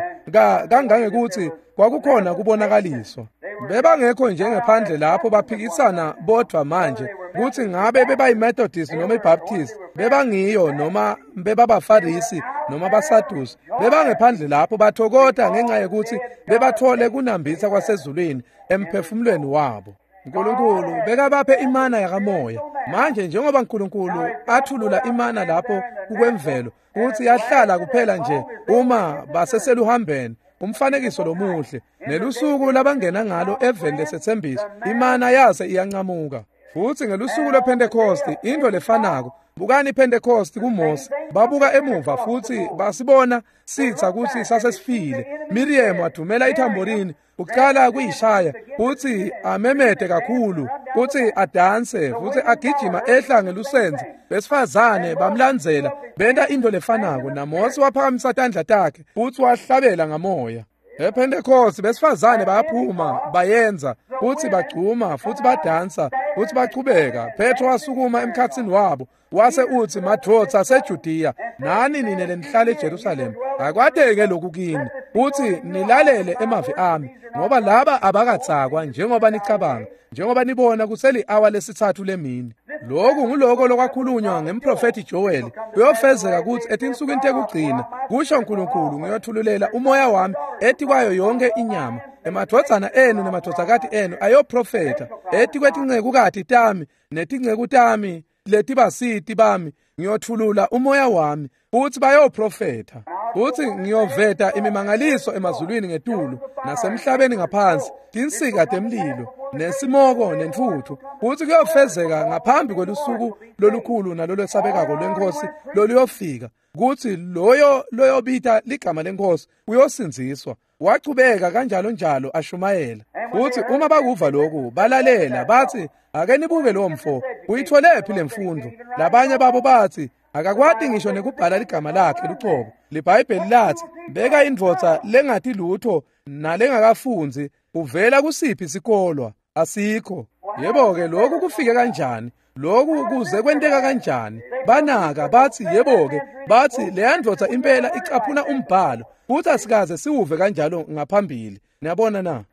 kangangekutsi kwakukhona kubonakaliswa. Bebangekho njengephandle lapho baphikisana bodvwa manje kutsi ngabe bebayiMethodist noma iBaptist, bebangiyo noma bebabaFarisi noma baSadusi. Bebangephandle lapho bathokota ngenxa yekutsi bebathole kunambitsa kwasezulwini emphefumulweni wabo. uNkulunkulu bekabaphe imana yakamoya. Manje njengoba uNkulunkulu athulula imana lapho kukwemvelo, kutsi yahlala kuphela nje uma baseseluhambeni, umfanekiso lomuhle, nelusuku labangena ngalo eveni lesetsembiso, imana yase iyancamuka. Futsi ngelusuku lwePhentekosti intfo lefanako. Bukani iPhentekosti kuMose, babuka emuva futsi basibona sitsa kutsi sasesifile. Miriam wadumela ithamborini, ucala kuyishaya futsi amemete kakhulu, futsi adanse futsi agijima ehla ngelusenze. Besifazane bamlandzela benta intfo lefanako, naMose waphakamisa tandla takhe futsi wahlabela ngamoya. EPhentekosti besifazane bayaphuma bayenza futsi bagcuma futsi badansa futsi bachubeka. Petro wasukuma emkhatsini wabo wase utsi, madvodza aseJudiya nani nine lenihlala eJerusalema, akwateke lokhu kini futsi nilalele emavi ami, ngoba laba abakatsakwa njengoba nicabanga, njengoba nibona kuseli-awa lesitsatfu lemini. Lokhu nguloko lokwakhulunywa ngemprofethi Joel. Kuyofezeka kutsi etinsukwini tekugcina, kusho uNkulunkulu, ngiyothululela umoya wami etikwayo yonke inyama. Emadvodzana enu nemadvodzakati enu ayoprofetha, etikwetincekukati tami netinceku tami letibasiti bami ngiyothulula umoya wami, futsi bayoprofetha. Futsi ngiyoveta imimangaliso emazulwini ngetulu nasemhlabeni ngaphansi, tinsika temlilo nesimoko nentfutfu. Futsi kuyofezeka ngaphambi kwelusuku lolukhulu nalolwesabekako lweNkhosi loluyofika, kutsi loyo loyobita ligama leNkhosi uyosindziswa. Wachubeka kanjalo njalo ashumayela. Futsi uma bakuva lokhu balalela, bathi, ake nibuke lo mfo, uyitholephi lemfundo? Labanye babo bathi, akakwati ngisho nekubhala ligama lakhe lucobo. LiBhayibheli lathi, beka indvodza lengati lutho nalengakafundzi, uvela kusiphi sikolwa? Asikho. Yebo-ke, lokhu kufike kanjani? Lokhu kuze kwenteka kanjani? Banaka bathi, yebo-ke, bathi leya ndvodza impela icaphuna umbhalo, futhi asikaze siwuve kanjalo ngaphambili. Niyabona na?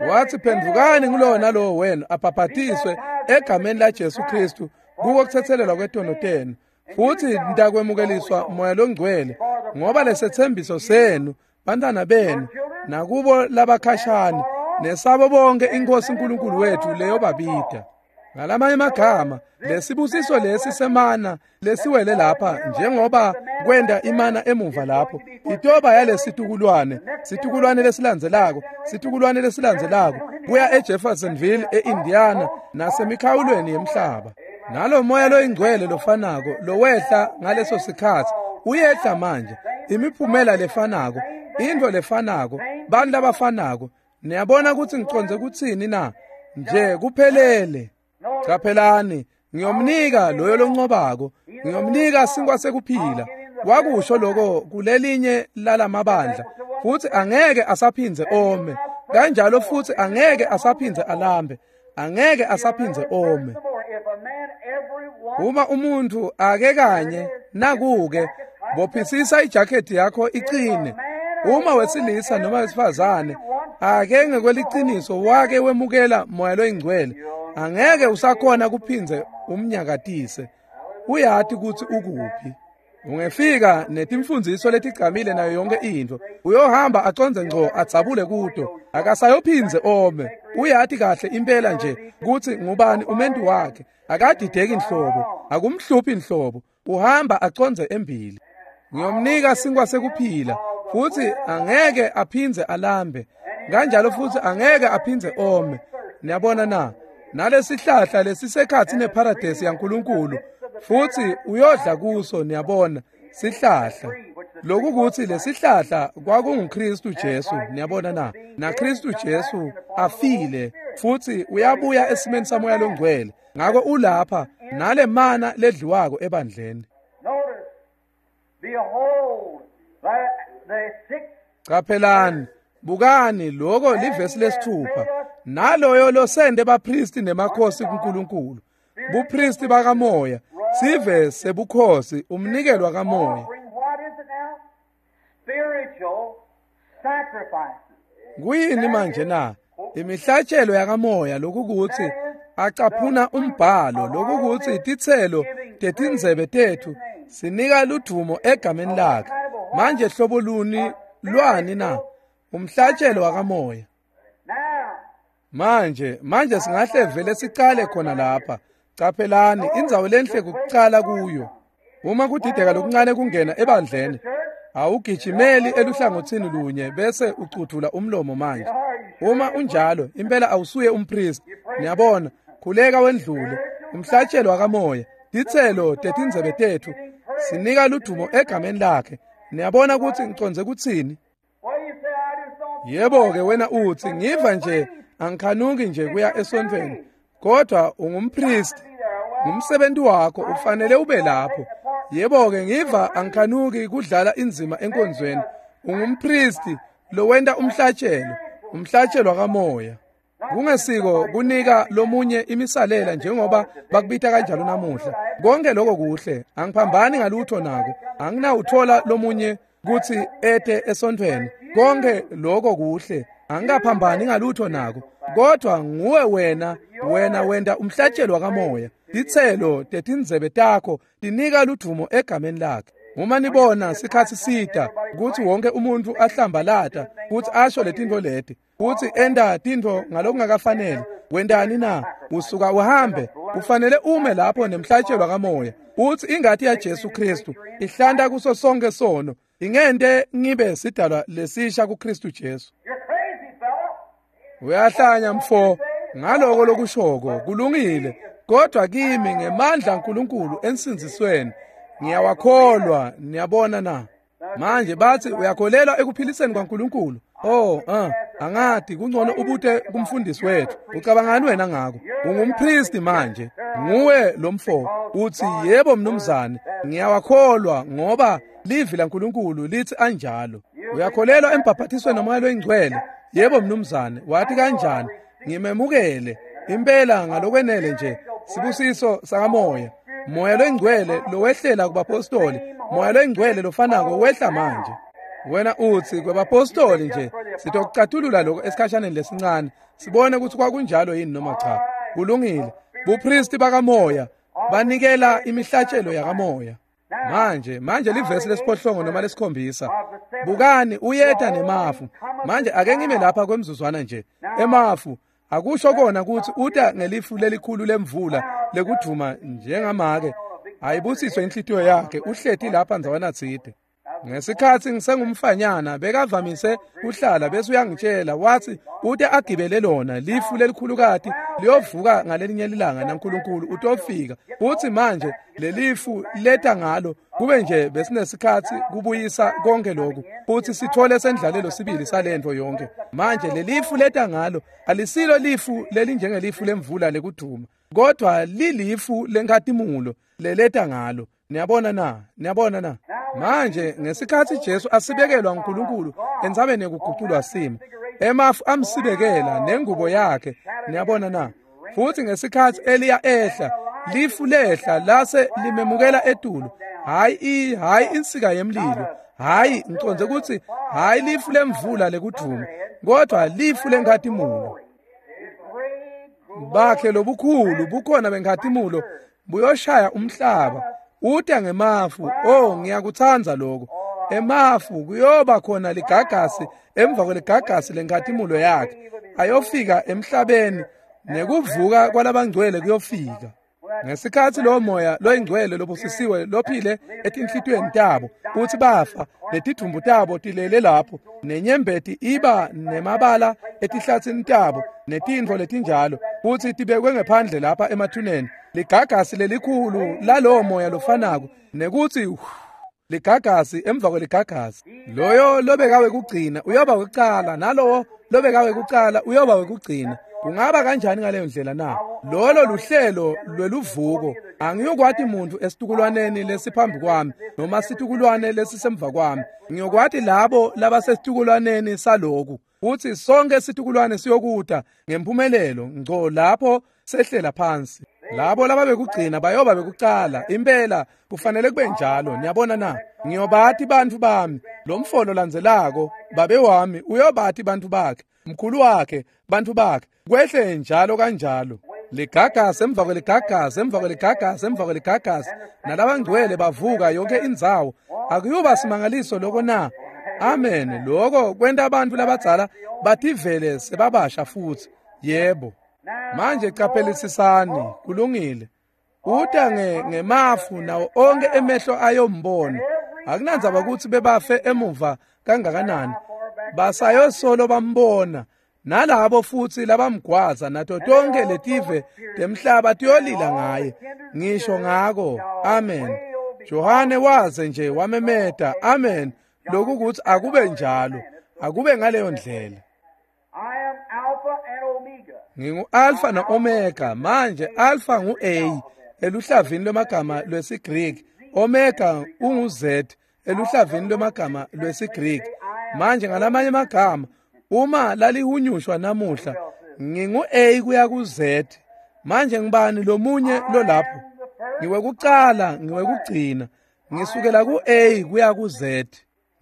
Wathi, phendvukani ngulowo nalowo wenu abhabhatiswe egameni laJesu Kristu kuko kutsetselelwa kwetono tenu, futhi nitakwemukeliswa Moya loNgcwele, ngoba lesetsembiso senu, bantwana benu, nakubo labakhashane, nesabo bonke iNkhosi uNkulunkulu wethu leyobabida. Ngalamanye amagama, lesibusiso lesi semana lesiwele lapha, njengoba kwenda imana emuva lapho, itoba yalesitukulwane, situkulwane lesilandzelako, situkulwane lesilandzelako, kuya eJeffersonville, eIndiana, nasemikhawulweni yemhlaba. Nalo moya loyingcwele lofanako lowehla ngaleso sikhatsi uyehla manje, imiphumela lefanako, intfo lefanako, bantu labafanako. Niyabona kutsi ngicondze kutsini na? Nje kuphelele. Caphelani, ngiyomnika loyo loncobako, ngiyomnika sinkwa sekuphila. Wakusho lokho kulelinye lalamabandla, futhi angeke asaphindze ome, kanjalo futhi angeke asaphindze alambe, angeke asaphindze ome. Uma umuntu ake kanye nakuke bophisisa ijakhethi yakho iqine. Uma wesilisa noma wesifazane ake ngekweliciniso wake wemukela moya loyingcwele, angeke usakhona kuphinze umnyakatise. Uyati ukuthi ukuphi. Ungefika netimfundiso letigcamile nayo yonke into, uyohamba aconze ngco adzabule kuto, akasayophinze ome. Uyati kahle impela nje kutsi ngubani umentu wakhe, akadideki nhlobo, akumhluphi nhlobo, uhamba aconze embili. Ngiyomnika sinkwa sekuphila, futhi angeke aphindze alambe, kanjalo futhi angeke aphindze ome. Niyabona na? Nalesihlahla lesisekhathi neparadesi yaNkulunkulu, futhi uyodla kuso. Niyabona, sihlahla lokukuthi lesihlahla kwakunguKristu Jesu. Niyabona na? NaKristu Jesu afile futhi uyabuya esimeni samoya longcwele. Ngakho ulapha nale mana ledliwako ebandleni. Qaphelani, bukani lokho livesi lesithupha. Naloyo losende bapristi nemakhosi kuNkulunkulu, bupristi bakamoya, sive sebukhosi, umnikelwa kamoya. Kuyini manje na? Imihlatshelo yakamoya, lokukuthi acaphuna umbhalo, lokukuthi titselo tetindzebe tethu sinika ludumo egameni lakhe. Manje hlobo luni lwani na? Umhlatshelo wakamoya. Manje manje singahle vele sicale khona lapha. Qaphelani, indzawo lenhle kucala kuyo. Uma kudideka lokuncane kungena ebandleni, awugijimeli eluhlangothini lunye bese ucuthula umlomo manje. Uma unjalo, impela awusuye umpristi. Niyabona, khuleka wendlule. Umhlatshelo wakamoya, titselo tetindzebe tethu sinika ludumo egameni lakhe. Niyabona ukuthi ngiconze kutsini? Yebo ke wena uthi ngiva nje angikhanuki nje kuya esontweni, kodwa ungumpristi, ngumsebenzi wakho, ufanele ube lapho. Yebo ke ngiva angikhanuki kudlala inzima enkonzweni, ungumpristi lowenta umhlatshelo, umhlatshelo kamoya. Kungesiko kunika lomunye imisalela njengoba bakubita kanjalo namuhla. Konke lokho kuhle, angiphambani ngalutho nako, anginawuthola lomunye kuthi ete esontweni. Konke lokho kuhle, angikaphambani ngalutho nako, kodwa nguwe wena, wena wenda umhlatshelo kamoya. Titselo tetindzebe takho tinika ludumo egameni lakhe. Uma nibona sikhathi sita kuthi wonke umuntu ahlambalata, kuthi asho letinto leti, kuthi enda tintfo ngalokungakafanele, wendani na? Usuka uhambe. Ufanele ume lapho nemhlatshelo kamoya, uthi ingati ya Jesu Kristu ihlanta kuso sonke sono, ingente ngibe sidalwa lesisha kuKristu Jesu. Uyahlanya mfo ngaloko lokushoko, kulungile, kodwa kimi ngemandla kaNkulunkulu ensindzisweni ngiyawakholwa. Niyabona na? Manje bathi uyakholelwa ekuphiliseni kwaNkulunkulu. Oh, ah, angati kungcono ubute kumfundisi wethu. Ucabangani wena ngako? Ungumpristi manje, nguwe lomfo. Uthi yebo mnumzane, ngiyawakholwa ngoba livi laNkulunkulu lithi anjalo. Uyakholelwa embhaphatisweni nomoya loyingcwele? Yebo mnumzane. Wathi kanjani? Ngimemukele impela ngalokwenele nje sibusiso sakamoya. Moya loyingcwele lowehlela kubapostoli, moya loyingcwele lofanako wehla manje. Wena uthi kwebapostoli nje, sitokucatulula lokho esikhashaneni lesincane, sibone ukuthi kwakunjalo yini noma cha. Kulungile. Bupristi bakamoya banikela imihlatshelo yakamoya. Manje manje livesi lesiphohlongo noma lesikhombisa. Bukani uyeta nemafu. Manje ake ngime lapha kwemzuzwana nje. Emafu akusho kona ukuthi uta ngelifu lelikhulu lemvula lekudvuma njengamake. Ayibusiswe inhlitiyo yakhe, uhleti lapha ndzawana tsite. Ngesikhathi ngisengumfanyana bekavamise kuhlala bese uyangitshela, wathi ute agibele lona lifu lelikhulukati liyovuka ngalelinye ilanga naNkulunkulu utofika. Uthi manje lelifu leta ngalo kube nje besinesikhathi kubuyisa konke lokhu, futhi sithole sendlalelo sibili salento yonke. Manje lelifu leta ngalo alisilo lifu lelinjengelifu lemvula lekuduma, kodwa lilifu lenkatimulo leleta ngalo. Niyabona na? Niyabona na? Manje ngesikhathi Jesu asibekelwa uNkulunkulu entsabeni yekuguculwa simo, emafu amsibekela nengubo yakhe. Niyabona na? Futhi ngesikhathi Eliya ehla Lifu lehla lase limemukela etulu. Hayi hayi insika yemlilo, hayi ngicondze ukuthi hayi lifu lemvula lekudvuma, kodwa lifu lenkhatimulo. Bakhe lobukhulu bukhona benkhatimulo buyoshaya umhlaba uta ngemafu. Oh, ngiyakutsandza lokho. Emafu kuyoba khona ligagasi emva kweligagasi lenkhatimulo yakhe ayofika emhlabeni, nekuvuka kwalabangcwele kuyofika. Ngesikhathi lo moya loyingcwele lobusisiwe lophile etinhlitiyweni tabo uthi bafa, letidvumbu tabo tilele lapho, nenyembeti iba nemabala etihlatsini tabo netintfo letinjalo, futhi tibekwe ngephandle lapha emathuneni. Ligagasi lelikhulu lalowo moya lofanako, nekuthi ligagasi emva kweligagasi. Loyo lobekawe kugcina uyoba wekucala, nalowo lobekawe kucala uyoba wekugcina. Kungaba kanjani ngaleyo ndlela na? Lolo luhlelo lweluvuko. Angiyokwati muntu esitukulwaneni lesiphambi kwami noma situkulwane lesisemva kwami. Ngiyokwati labo labasesitukulwaneni saloku. Uthi sonke situkulwane siyokuta ngempumelelo ngco lapho sehlela phansi. Labo lababekugcina bayoba bekucala. Impela kufanele kube njalo. Niyabona na? Ngiyobati bantfu bami. Lo mfolo landzelako babe wami uyobati bantfu bakhe, mkhulu wakhe bantfu bakhe, kwehle njalo kanjalo. Ligagasi emva kweligagasi emva kweligagasi emva kweligagasi, nalabangcwele bavuka yonke indzawo. Akuyuba simangaliso lokho na? Amen. Lokho kwenta abantu labadzala bativele sebabasha futhi. Yebo. Manje qaphelisisani, kulungile. Uta nge ngemafu nawo onke emehlo ayombona. Akunandzaba ukuthi bebafe emuva kangakanani, basayosolo bambona. Nalabo futhi labamgwaza nato tonke letive temhlaba tiyolila ngaye. Ngisho ngako. Amen. Johane waze nje wamemeta amen, lokhu kuthi akube njalo, akube ngaleyo ndlela. Ngingu-Alpha na-Omega. Manje Alpha ngu-A eluhlavini lwemagama lwesiGreek, Omega ungu-Z eluhlavini lwemagama lwesiGreek. Manje ngalamanye amagama uma lalihunyushwa namuhla, ngingu-A kuya ku-Z. Manje ngibani lomunye lolapho? Ngiwekucala, ngiwekugcina. Ngisukela ku-A kuya ku-Z.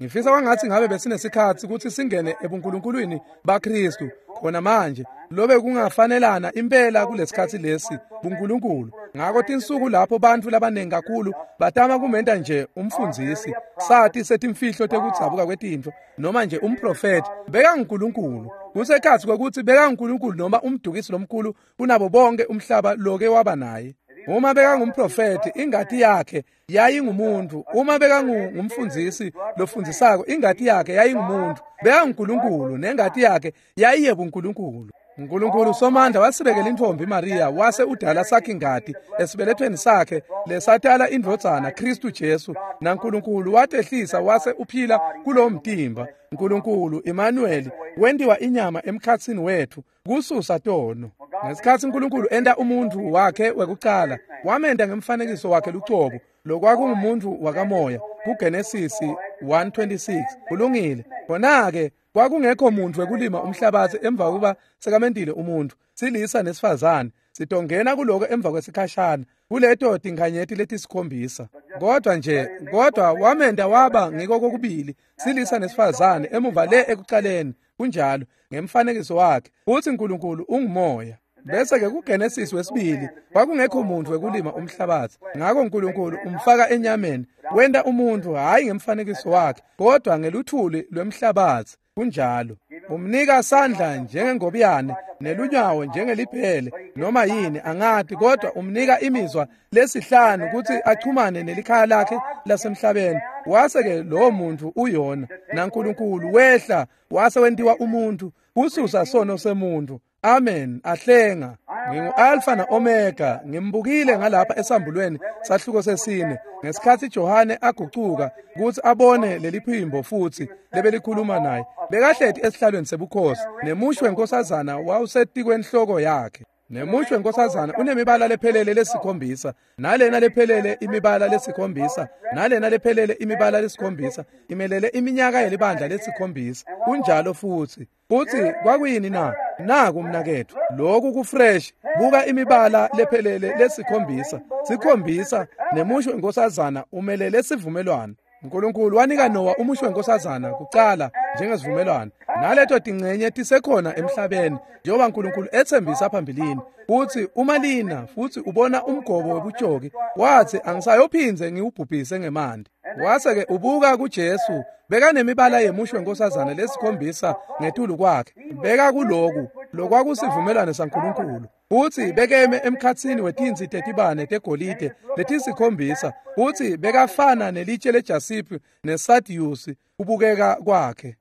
Ngifisa kwangathi ngabe besinesikhathi ukuthi singene ebunkulunkulwini baKristu khona manje, lobe kungafanelana impela kulesikhathi lesi buNkulunkulu. Ngakho tinsuku lapho bantfu labanengi kakhulu batama kumenta nje umfundzisi, sati setimfihlo tekudzabuka kwetintfo, noma nje umprofeti, bekanguNkulunkulu. Kusekhatsi kwekutsi bekanguNkulunkulu noma umdukisi lomkhulu kunabo bonke umhlaba loke waba naye. Uma bekangumprofeti, ingati yakhe yayingumuntu. Uma bekangumfundzisi lofundzisako, ingati yakhe yayingumuntu. BekanguNkulunkulu nengati yakhe yayiyebuNkulunkulu. uNkulunkulu Somandla wasibekela intfombi Maria, wase udala sakhe ingati esibelethweni sakhe lesatala indvodzana Kristu Jesu, naNkulunkulu watehlisa wase uphila kulowo mtimba. Nkulunkulu Emmanuel wentiwa inyama emkhatsini wethu kususa tono. Ngesikhathi uNkulunkulu enta umuntu wakhe wekucala, wamenta ngemfanekiso wakhe lucobo, lokwakungumuntu wakamoya, kuGenesis one twenty-six. Kulungile. Khona-ke kwakungekho muntu wekulima umhlabathi emva kokuba sekamentile umuntu, silisa nesifazane. Sitongena kuloko emva kwesikhashana, kuleto tinkhanyeti letisikhombisa. Kodwa nje, kodwa wamenta waba ngiko kokubili, silisa nesifazane emuva le ekucaleni, kunjalo, ngemfanekiso wakhe. Futhi uNkulunkulu ungumoya. Bese ke kuGenesis wesibili kwakungekho muntu wekulima umhlabathi. Ngakho uNkulunkulu umfaka enyameni, wenta umuntu hayi ngemfanekiso wakhe, kodwa ngeluthuli lwemhlabathi. Kunjalo. Umnika sandla njengengobiyane nelunyawo njengeliphele noma yini angati, kodwa umnika imizwa lesihlanu ukuthi achumane nelikhaya lakhe lasemhlabeni. Wase ke lowo muntu uyona, naNkulunkulu wehla wase wentiwa umuntu kususa sono semuntu. Amen. Ahlenga. Ngingu-Alpha na-Omega. Ngimbukile ngalapha esambulweni sahluko sesine ngesikhathi Johane agucuka ukuthi abone leli phimbo futhi lebelikhuluma naye. Bekahleti esihlalweni sebukhosi nemushi wenkosazana wawusetikwenhloko yakhe. Nemusho wenkosazana unemibala lephelele lesikhombisa, nalena lephelele imibala lesikhombisa, nalena lephelele imibala lesikhombisa, imelele iminyaka yelibandla lesikhombisa. Kunjalo futhi. Futhi kwakuyini na? Naku mnaketfu, lokhu kufresh. Buka imibala lephelele lesikhombisa, sikhombisa nemusho wenkosazana umelele sivumelwano. uNkulunkulu wanika Noah umusho wenkosazana kucala njengesivumelwano. Naleto tingcenye tisekhona emhlabeni njengoba uNkulunkulu ethembisa phambilini. Futhi uma lina futhi ubona umgobo webutjoki, wathi angisayophindze ngiwubhubhise ngemanti. Wase ke ubuka kuJesu, bekanemibala yemusho wenkosazana lesikhombisa ngetulu kwakhe. Beka kuloku lokwakusivumelwano saNkulunkulu. Futhi bekeme emkhatsini wetinsi tetibane tegolide letisikhombisa. Futhi bekafana nelitshe lejasiphi nesardiyusi kubukeka kwakhe.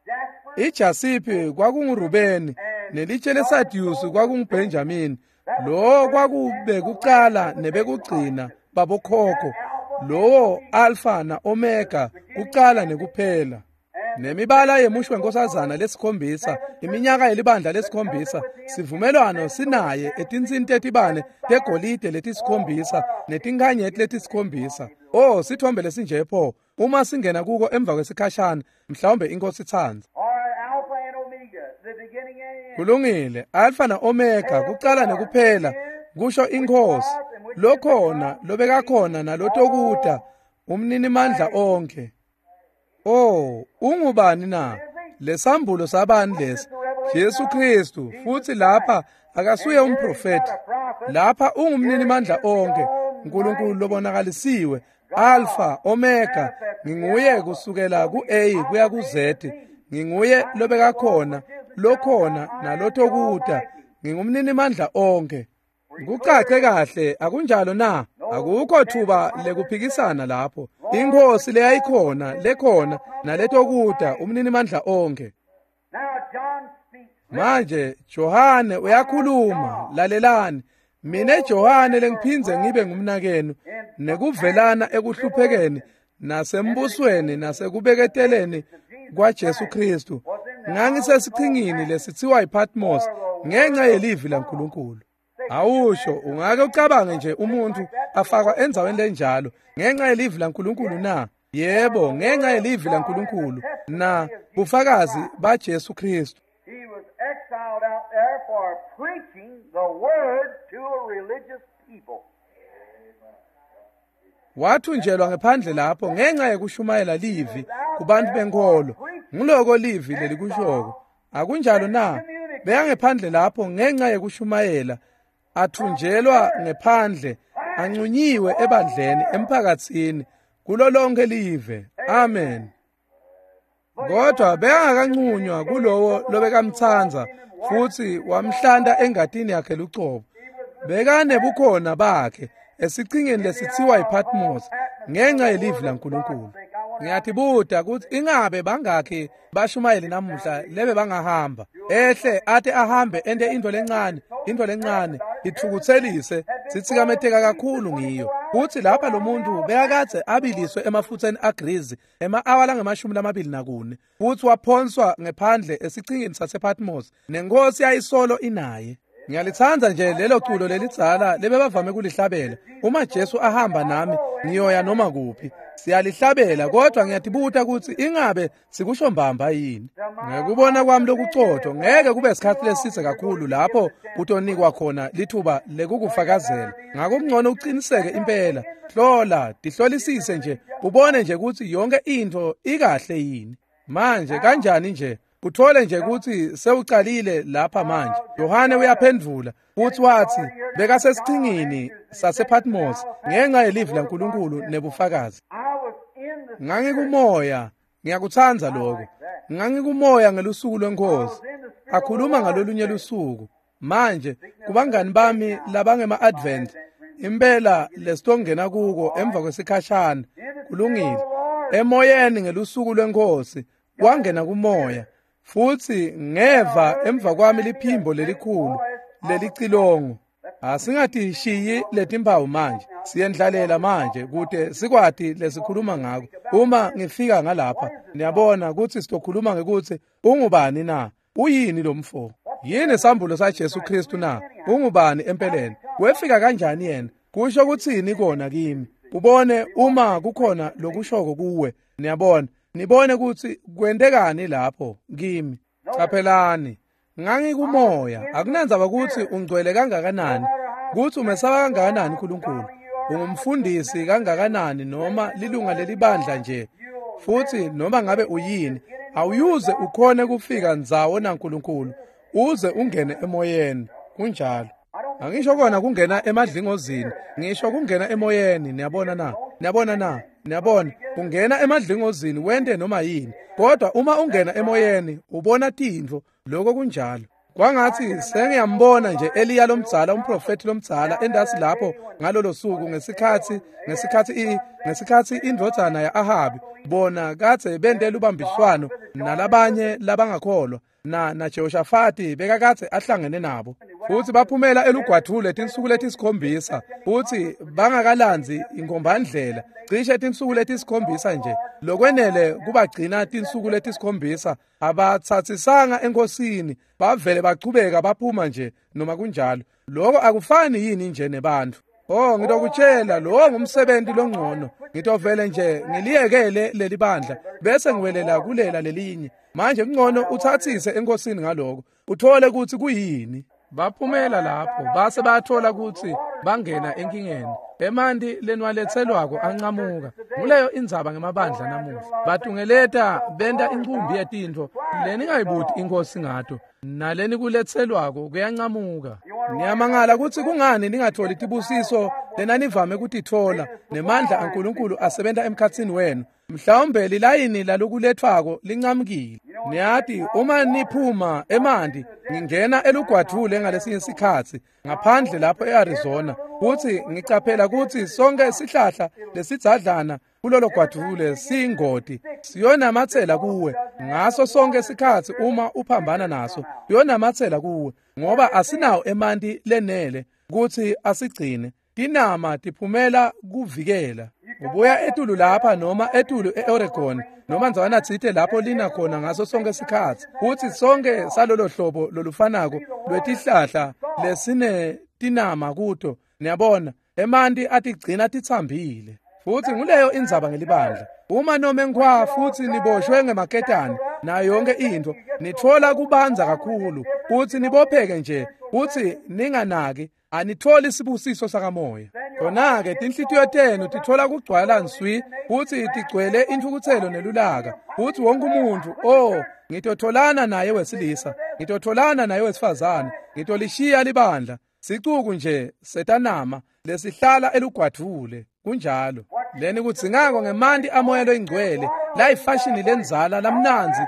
Ijasiphi kwakunguRubeni nelitshe lesardiyusi kwakunguBenjamini. Lo kwakube kucala nebekugcina babokhokho. Lowo Alpha na Omega, kucala nekuphela. Nemibala yemusho wenkosazana lesikhombisa, iminyaka yelibandla lesikhombisa, sivumelwano sinaye etinsini tetibane tegolide letisikhombisa netinkhanyeti letisikhombisa. Oh, sithombe lesinje pho, uma singena kuko emva kwesikhashana, mhlawumbe inkosi itsandza. Kulungile, Alpha na Omega, kucala nekuphela, kusho inkosi, lokhona, lobekakhona nalotokuta, umninimandla onke. Oh, ungubani na? Lesambulo sabani lesi? Jesu Kristu. Futhi lapha akasuye umprofeti. Lapha ungumninimandla onke, uNkulunkulu lobonakalisiwe, Alpha, Omega, nginguye kusukela ku-A kuya ku-Z, nginguye lobekakhona, lokhona nalotokuta, ngingumninimandla onke. Kucace kahle, akunjalo na? Akukho thuba lekuphikisana lapho. Inkosi leyayikhona, lekhona naletokuta, umninimandla onke. Manje Johane uyakhuluma, lalelani. Mine Johane lengiphindze ngibe ngumnakenu nekuvelana ekuhluphekeni nasembusweni nasekubeketeleni kwaJesu Kristu. Ngangisesichingini lesitsiwa iPatmos ngenxa yelivi laNkulunkulu. Awusho, ungake ucabange nje umuntu afakwa endzaweni lenjalo ngenxa yelivi laNkulunkulu na? Yebo, ngenxa yelivi laNkulunkulu na bufakazi baJesu Kristu. He was exiled out there for preaching the word to a religious people. Wathunjelwa ngephandle lapho ngenxa yekushumayela livi kubantu benkolo. Nguloko livi lelikushoko. Akunjalo na? Beyangephandle lapho ngenxa yekushumayela, athunjelwa ngephandle, ancunyiwe ebandleni, emphakatsini, kulo lonke live. Amen. Kodwa bekangakancunywa kulowo lobekamtsandza futhi wamhlanta engatini yakhe lucobo. Bekanebukhona bakhe esichingeni lesitsiwa iPatmos ngenxa yelivi laNkulunkulu. Ngiyatibuta ukuthi ingabe bangakhi bashumayeli namuhla lebe bangahamba ehle ate ahambe ente into lencane, into lencane ithukuthelise, sitsikameteka kakhulu ngiyo. Kuthi lapha lo muntu bekakadze abiliswe emafutheni agrizi ema-awa langemashumi lamabili nakune, futhi waphonswa ngephandle esichingeni sasePatmos, nenkosi yayisolo inaye. Ngiyalithanda nje lelo culo lelidzala lebebavame kulihlabela. Uma Jesu ahamba nami ngiyoya noma kuphi. Siyalihlabela, kodwa ngiyatibuta ukuthi ingabe sikusho mbamba yini. Ngekubona kwami lokucotho, ngeke kube isikhathi lesithe kakhulu lapho utonikwa khona lithuba lekukufakazela. Ngakho kungcono uqiniseke impela. Hlola, tihlolisise nje, ubone nje ukuthi yonke into ikahle yini. Manje kanjani nje? Uthole nje ukuthi sewucalile lapha manje. Yohane uyaphendvula futhi wathi bekasesichingini sasePatmos ngenxa yelivi laNkulunkulu nebufakazi. Ngangikumoya, ngiyakutsandza lokho. Ngangikumoya ngelusuku lwenkosi. Akhuluma ngalolunye lusuku. Manje kubangani bami labangema-Advent, impela lesitongena kuko emva kwesikhashana. Kulungile. Emoyeni ngelusuku lwenkosi wangena kumoya. Futhi ngeva emva kwami liphimbo lelikhulu lelicilongo. Asingatishiyi letimpawu manje, siyendlalela manje kute sikwati lesikhuluma ngako. Uma ngifika ngalapha, niyabona ukuthi sitokhuluma ngekuthi ungubani na? Uyini lo mfo? Yini sambulo saJesu Kristu na? Ungubani empeleni? Wefika kanjani yena? Kusho kutsini kona kimi? Ubone uma kukhona lokushoko kuwe. Niyabona, nibone kutsi kwentekani lapho kimi. Caphelani, ngangikumoya. Akunandzaba kutsi ungcwele kangakanani, kutsi umesaba kangakanani uNkulunkulu, ungumfundisi kangakanani noma lilunga lelibandla nje, futhi noma ngabe uyini, awuyuze ukhone kufika ndzawo naNkulunkulu uze ungene emoyeni. Kunjalo. Angisho kona kungena emadlingozini, ngisho kungena emoyeni. Niyabona na? Niyabona na? Niyabona, ungena emadlingozini wente noma yini, kodwa uma ungena emoyeni ubona tintfo. Lokho kunjalo. Kwangathi sengiyambona nje Eliya lomdzala, umprofeti lomdzala endasi lapho ngalolo suku ngesikhathi ngesikhathi ngesikhathi indvodzana ya-Ahabi bona kadze bente lubambiswano nalabanye labangakholwa na na Jehoshafati bekakadze ahlangene nabo, futhi baphumela elugwadvule tinsuku letisikhombisa, futhi bangakalandzi inkombandlela cishe tinsuku letisikhombisa nje, lokwenele kubagcina tinsuku letisikhombisa. Abathathisanga enkosini, bavele bachubeka baphuma nje noma kunjalo. Lokho akufani yini nje nebantfu? Oh, ngitokutshela, lo ngumsebenzi longcono. Ngitovele nje ngiliyekele leli bandla bese ngiwelela kulela lelinye. Manje kungcono uthathise enkosini ngaloko, uthole ukuthi kuyini. Baphumela lapho base bayathola ukuthi bangena enkingeni. Emanti lenwaletselwako ancamuka. Nguleyo indzaba ngemabandla namuhla. Batungeleta benta incumbi yetintfo leningayibuti inkosi ngato, naleni kuletselwako kuyancamuka. Niyamangala kutsi kungani ningatholi tibusiso lenanivame kutitfola nemandla aNkulunkulu asebenta emkhatsini wenu. Mhlawumbe lilayini lalokulethwako lincamukile. Niyati, uma niphuma emanti ngingena elugwadvule ngalesinye sikhatsi ngaphandle lapho eArizona, kutsi ngicaphela kutsi sonke sihlahla lesidzadlana kulolo gwadvule siyingoti, siyonamatsela kuwe ngaso sonke sikhatsi. Uma uphambana naso siyonamatsela kuwe, ngoba asinawo emanti lenele kutsi asigcine. Tinama tiphumela kuvikela. Ubuya etulu lapha noma etulu eOregon noma ndzawana tsite lapho lina khona ngaso sonke sikhatsi, kutsi sonke salolo hlobo lolufanako lwetihlahla lesine tinama kuto. Niyabona, emanti atigcina titsambile. Futhi nguleyo indzaba ngelibandla. Uma noma enkhwa futhi niboshwe ngemaketane nayo yonke intfo, nitfola kubanza kakhulu kutsi nibopheke nje kutsi ninganaki, anitholi sibusiso sakamoya. Khona-ke tinhlitiyo tenu titfola kugcwala nswi, kutsi tigcwele intfukutselo nelulaka, kutsi wonke umuntfu, oh, ngitotholana naye wesilisa, ngitotholana naye wesifazane, ngitolishiya libandla. Sicuku nje setanama lesihlala elugwadvule. Kunjalo. Leni kudzingako ngemanti amoya loyingcwele layifashini lenzala lamnandzi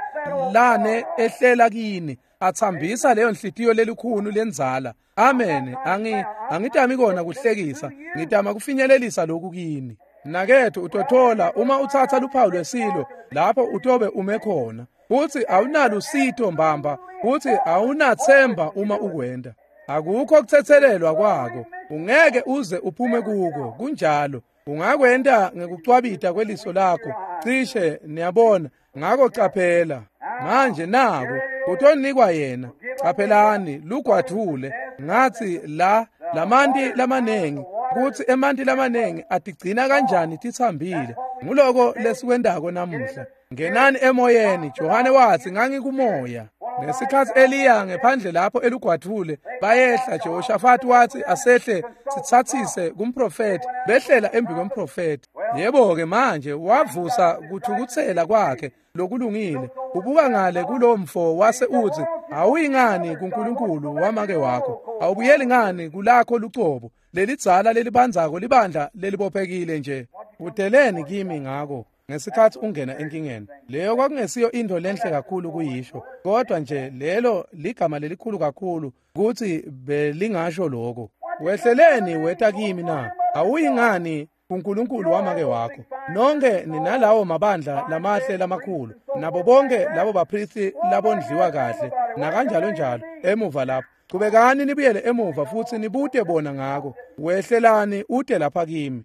lane ehlela kini, atsambisa leyo nhlitiyo lelikhulu lenzala. Amen. Angi angitami kona kuhlekisa, ngitama kufinyelelisa lokhu kini. Nakethu utothola uma utsatsa luphawu lwesilo lapho utobe ume khona, futsi awunalusito mbamba, futsi awunathemba uma ukwenda. Akukho kutsetselelwa kwako, ungeke uze uphume kuko. Kunjalo. Ungakwenta ngekucwabita kweliso lakho cishe, niyabona. Ngako caphela manje, nako utonikwa yena. Caphelani lugwadvule. Ngathi la lamanti lamanengi, kutsi emanti lamanengi atigcina kanjani titsambile. Nguloko lesikwendako namuhla. Ngenani emoyeni. Johane watsi ngangikumoya. Ngesikhatsi Eliya ngephandle lapho elugwadvule bayehla, Jehoshafati watsi asehle sitsatsise kumprofeti. Behlela embi kwemprofeti. Yebo-ke manje wavusa kuthukutsela kwakhe lokulungile. Ubuka ngale kulo mfo wase utsi, awuyingani kuNkulunkulu wamake wakho, awubuyeli ngani kulakho lucobo lelidzala lelibandzako libandla lelibophekile nje. Uteleni kimi ngako ngesikhatsi ungena enkingeni. Leyo kwakungesiyo into lenhle kakhulu kuyisho, kodwa nje lelo ligama lelikhulu kakhulu kutsi belingasho lokho. Wehleleni weta kimi na? Awuyingani kuNkulunkulu wamake wakho? Nonke ninalawo mabandla lamahle lamakhulu, nabo bonke labo bapristi labondliwa kahle nakanjalo njalo emuva lapho. Chubekani nibuyele emuva futhi nibute bona ngako. Wehlelani ute lapha kimi.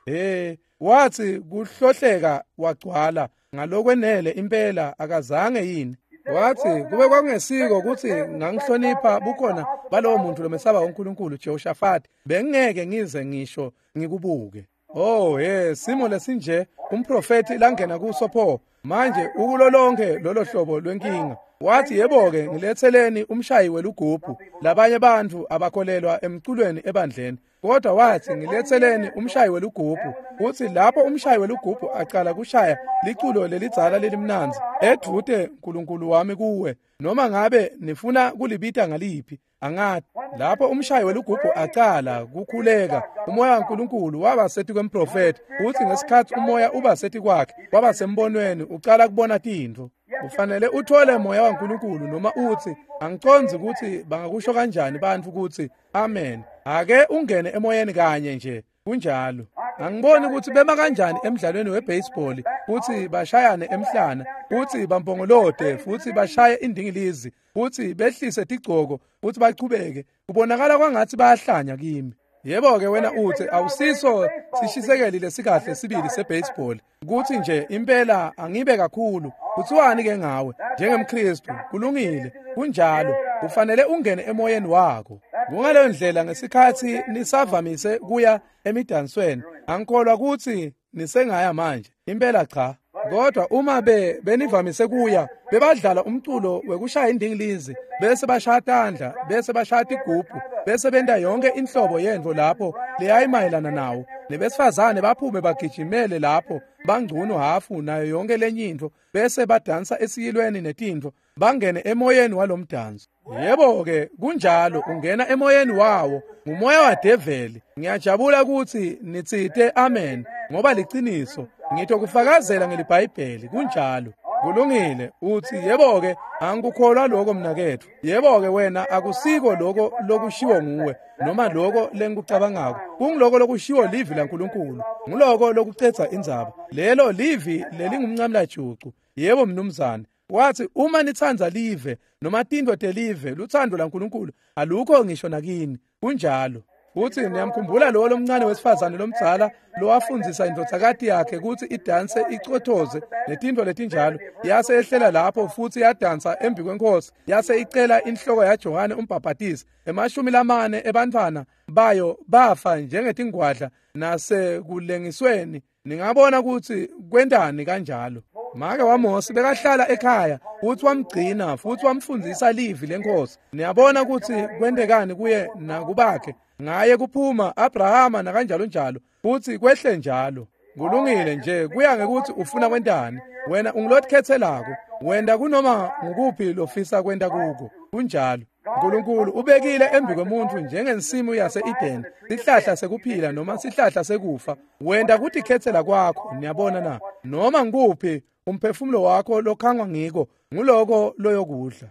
Hey, wathi kuhlohleka wagcwala ngalokwenele impela, akazange yini? Wathi kube kwakungesiko kutsi ngangihlonipha bukhona balowo muntu lomesaba uNkulunkulu Jehoshaphat, bengeke ngize ngisho ngikubuke. Oh he, simo lesinje umprofeti langena kuso pho manje ukulo lonke lolo hlobo lwenkinga. Wathi yebo-ke ngiletheleni umshayi welugubhu. Labanye bantfu abakholelwa emculweni ebandleni, kodwa wathi ngiletheleni umshayi welugubhu. Uthi lapho umshayi welugubhu acala kushaya liculo lelidzala lelimnandzi, edvute Nkulunkulu wami kuwe, noma ngabe nifuna kulibita ngaliphi angathi. Lapho umshayi welugubhu acala kukhuleka, umoya waNkulunkulu waba sethi kwemprofeti. Uthi ngesikhathi umoya uba sethi kwakhe, waba sembonweni, ucala kubona tintfo. Ufanele uthole moya waNkulunkulu, noma uthi angiconzi ukuthi bangakusho kanjani bantfu ukuthi amen. Ake ungene emoyeni kanye nje, kunjalo. Angiboni ukuthi bema kanjani emidlalweni webaseball, futhi bashayane emhlana, futhi bampongolode, futhi bashaye indingilizi, futhi behlise tigcoko, futhi bachubeke. Kubonakala kwangathi bayahlanya kimi. Yebo-ke wena uthi awusiso sishisekeli lesikahle sibili sebaseball, kuthi nje impela angibe kakhulu. Kuthiwani ke ngawe njengemKristu? Kulungile, kunjalo. Ufanele ungene emoyeni wakho. Kungaleyo ndlela ngesikhathi nisavamise kuya emidansweni, angikholwa ukuthi nisengaya manje, impela cha. Kodwa uma be benivamise kuya, bebadlala umculo wekushaya indingilizi, bese bashaya tandla, bese bashaya tigubhu, bese benta yonke inhlobo yentfo lapho leyayimayelana nawo. Nebesifazane baphume bagijimele lapho bangcuno hafu nayo yonke lenye intfo, bese badansa esiyilweni netintfo, bangene emoyeni walomdanso. Yebo-ke kunjalo, ungena emoyeni wawo, ngumoya wadeveli. Ngiyajabula ukuthi nitsite amen, ngoba liciniso. Ngitokufakazela ngeliBhayibheli, kunjalo. Kulungile. Uthi yebo-ke angikukholwa lokho mnaketfu. Yebo-ke wena akusiko lokho lokushiwo nguwe noma lokho lengikucabangako. Kungiloko lokushiwo livi laNkulunkulu. Nguloko lokucedza indzaba. Lelo livi lelingumncamlajucu. Yebo mnumzane. Wathi uma nitsandza live noma tintfo telive, lutsandvo laNkulunkulu alukho ngisho nakini. Kunjalo. Futhi niyamkhumbula lowo lomncane wesifazane lomdzala lowafundzisa indvodzakati yakhe kutsi idanse icothoze netintfo letinjalo. Yase ehlela lapho futhi yadansa embi kwenkosi, yase icela inhloko yaJohane umbhabhatisi. Emashumi lamane ebantfwana bayo bafa njengetingwadla nasekulengisweni. Ningabona kutsi kwentani kanjalo. Make waMose bekahlala ekhaya futhi wamgcina futhi wamfundzisa livi lenkosi. Niyabona kutsi kwentekani kuye nakubakhe. Ngaye kuphuma Abrahama nakanjalo njalo, futhi kwehle njalo. Kulungile nje, kuya ngekuthi ufuna kwentani. Wena ungilothethelako, wenda kunoma ngukuphi lofisa kwenta kuko. Kunjalo. uNkulunkulu ubekile embi kwemuntfu njengensimu yase-Eden, sihlahla sekuphila noma sihlahla sekufa. Wenda kutikhetsela kwakho, niyabona na? Noma ngukuphi umphefumulo wakho lokhangwa ngiko, nguloko loyokudla.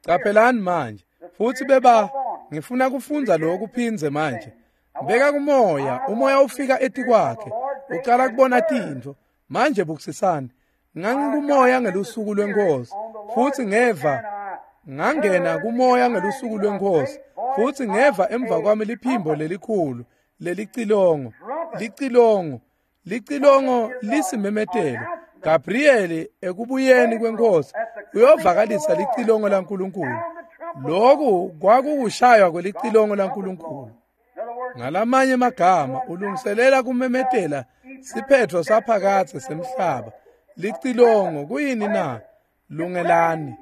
Caphelani manje, futhi beba ngifuna kufundza lokhu phindze manje. Beka kumoya, umoya ufika etikwakhe, ucala kubona tintfo. Manje bukisisani, ngangikumoya ngelusuku lwenkosi, futhi ngeva ngangena kumoya ngelusuku lwenkosi, futhi ngeva emva kwami liphimbo lelikhulu lelicilongo, licilongo, licilongo lisimemetelo. Gabrieli ekubuyeni kwenkosi uyovakalisa licilongo laNkulunkulu. Lokhu kwakukushaywa kwelicilongo laNkulunkulu. Ngalamanye magama ulungiselela kumemetela siphetho saphakadze semhlaba. Licilongo kuyini na? Lungelani.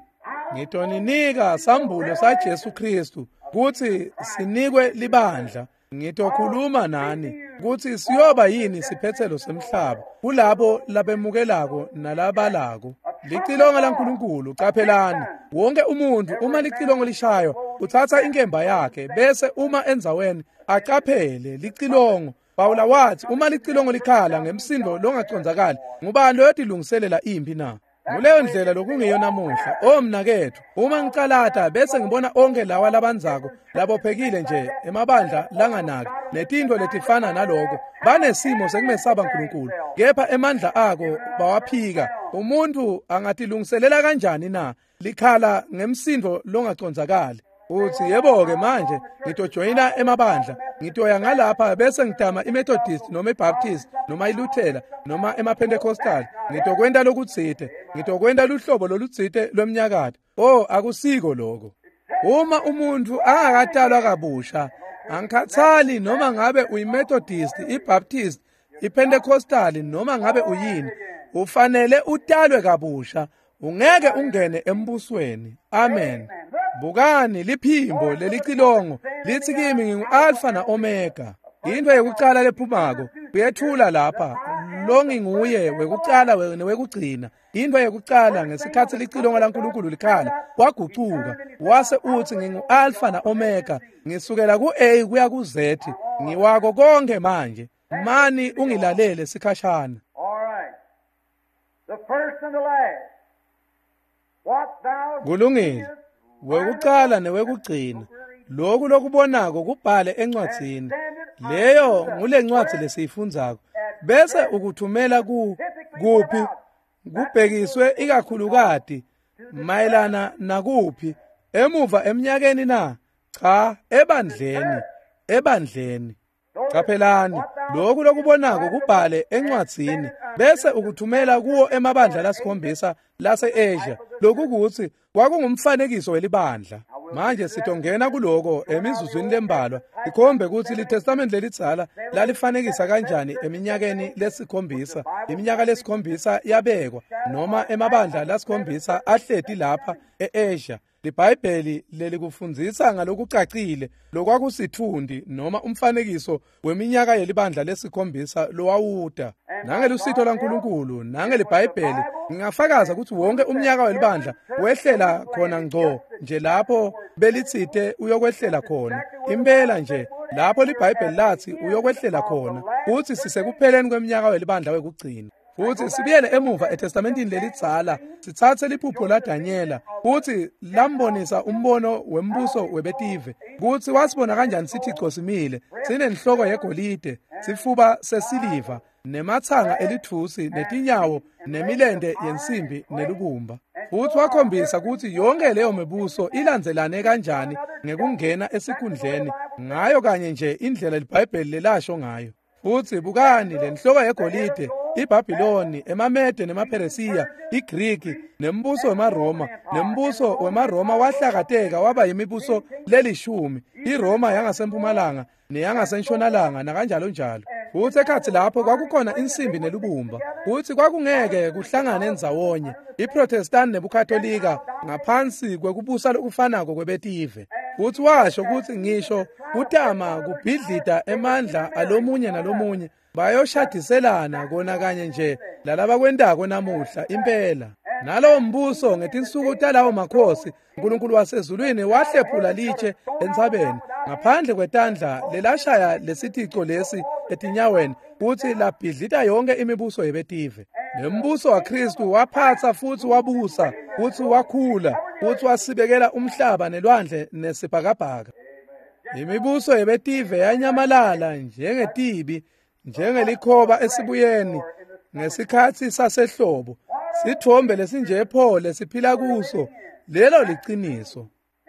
Ngitoninika sambulo saJesu Kristu kutsi sinikwe libandla. Ngitokhuluma nani kutsi siyoba yini siphethelo semhlaba kulabo labemukelako nalabalako. Licilongo laNkulunkulu. Caphelani, wonke umuntu uma licilongo lishaywa utsatsa inkemba yakhe, bese uma endzaweni acaphele licilongo. Pawula wathi uma licilongo likhala ngemsindo longacondzakali, ngubani loyotilungiselela impi na? Nguleyo ndlela lokungiyo namuhla. O mnaketfu, uma ngicalata bese ngibona onke lawa labandzako labophekile nje emabandla langanaki netintfo letifana naloko, banesimo sekumesaba uNkulunkulu, kepha emandla ako bawaphika. Umuntu angatilungiselela kanjani na? Likhala ngemsindo longacondzakali. Uthi yebo-ke manje ngitojoyina emabandla, ngitoya ngalapha bese ngitama iMethodist noma iBaptist noma iLuthela noma emaPentecostal, ngitokwenta lokutsite, ngitokwenta luhlobo lolutsite lwemnyakato. Oh, akusiko lokho. Uma umuntu angakatalwa kabusha, angikhathali noma ngabe uyiMethodist, iBaptist, iPentecostal noma ngabe uyini, ufanele utalwe kabusha, ungeke ungene embusweni. Amen. Bukani liphimbo lelicilongo lithi kimi ngingu-Alpha na-Omega. Into yekucala lephumako uyethula lapha lo nginguye wekucala newekugcina. Into yekucala ngesikhathi licilongo laNkulunkulu likhala wagucuka wase uthi ngingu-Alpha na-Omega, ngisukela ku-A kuya ku-Z, ngiwako konke manje. Mani ungilalele sikhashana. Kulungile. Wekucala newekugcina, lokhu lokubonako kubhale encwadzini. Leyo ngulencwadzi lesiyifundzako. Bese ukuthumela ku kuphi kubhekiswe ikakhulukati mayelana nakuphi emuva eminyakeni na? Cha, ebandleni, ebandleni. Qaphelani, lokhu lokubonako kubhale encwadzini bese ukuthumela kuwo emabandla lasikhombisa lase-Asia. Lokhu kuthi kwakungumfanekiso welibandla. Manje sitongena kuloko emizuzwini lembalwa ikhombe ukuthi liTestament lelidzala lalifanekisa kanjani eminyakeni lesikhombisa. Iminyaka lesikhombisa yabekwa noma emabandla lasikhombisa ahleti lapha e-Asia. LiBhayibheli lelikufundzisa ngalokucacile lokwakusithundi noma umfanekiso weminyaka yelibandla lesikhombisa lowawuta. Nangelusito laNkulunkulu nangeliBhayibheli ngingafakaza ukuthi wonke umnyaka welibandla wehlela khona ngco nje lapho belitsite uyokwehlela khona. Impela nje lapho liBhayibheli lathi uyokwehlela khona, uthi sisekupheleni kweminyaka welibandla wekugcina. Futhi sibuyele emuva eTestamentini lelidzala sitsatse liphupho laDanyela futhi lambonisa umbono wembuso webetive kutsi wasibona kanjani sithico simile sinenhloko yegolide, sifuba sesiliva, nemathanga elithusi, netinyawo nemilente yensimbi nelubumba. Futhi wakhombisa ukuthi yonke leyo mibuso ilandzelane kanjani ngekungena esikhundleni ngayo kanye nje indlela liBhayibheli lelasho ngayo. Futhi bukani lenhloko yegolide, iBhabhiloni, emaMede nemaPheresiya, iGriki, nembuso wemaRoma. Nembuso wemaRoma wahlakateka waba yimibuso lelishumi, iRoma yangasempumalanga neyangasentshonalanga nakanjalo njalo. Futhi ekhathi lapho kwakukhona insimbi nelubumba, futhi kwakungeke kuhlangane ndzawonye iProtestant nebuKatolika ngaphansi kwekubusa lokufanako kwebetive. Futhi washo ukuthi ngisho kutama kubhidlita emandla alomunye nalomunye bayoshadiselana kona kanye nje lalabakwentako namuhla impela. Nalowo mbuso ngetinsuku talawo makhosi uNkulunkulu wasezulwini wahlephula litshe entsabeni ngaphandle kwetandla lelashaya lesithico lesi etinyaweni futhi labhidlita yonke imibuso yebetive. Nembuso waKristu waphatsa futhi wabusa futhi wakhula futhi wasibekela umhlaba nelwandle nesibhakabhaka. Imibuso yebetive yanyamalala njengetibi, njengelikhoba esibuyeni ngesikhathi sasehlobo. Sithombe lesinje pho lesiphila kuso, lelo liciniso.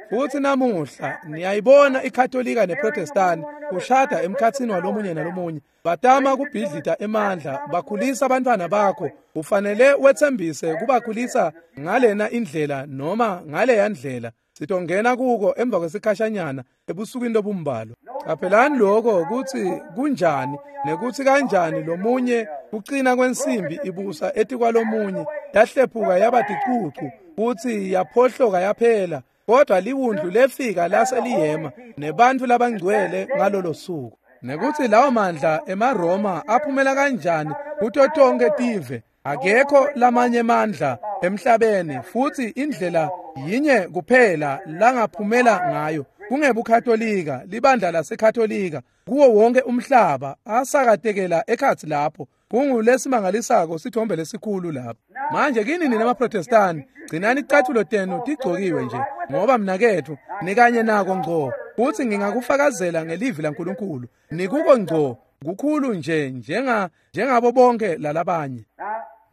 Futhi namuhla niyayibona iKatolika neProtestant kushada emkhathini walomunye nalomunye, batama kubhidlita emandla, bakhulisa abantwana bakho. Ufanele wethembise kubakhulisa ngalena indlela noma ngaleya ndlela. Sitongena kuko emva kwesikhashanyana ebusukwini lobumbalwa. Qaphelani lokho ukuthi kunjani nekuthi kanjani lomunye kucina kwensimbi ibusa etikwalomunye yahlephuka yaba ticucu futhi yaphohloka yaphela, kodwa liwundlu lefika lase liyema nebantfu labangcwele ngalolo suku. Nekuthi lawo mandla emaRoma aphumela kanjani kuto tonke tive, akekho lamanye mandla emhlabeni futhi indlela yinye kuphela langaphumela ngayo kungebuKatolika, libandla laseKatolika kuwo wonke umhlaba asakatekela ekhathi lapho. Kungulesimangalisako sithombe lesikhulu lapho. Manje kini nina maProtestani, gcinani icathulo tenu tigcokiwe nje, ngoba mnakethu nikanye nako ngco, futhi ngingakufakazela ngelivi laNkulunkulu. Nikuko ngco kukhulu nje njenga njengabo bonke lalabanye.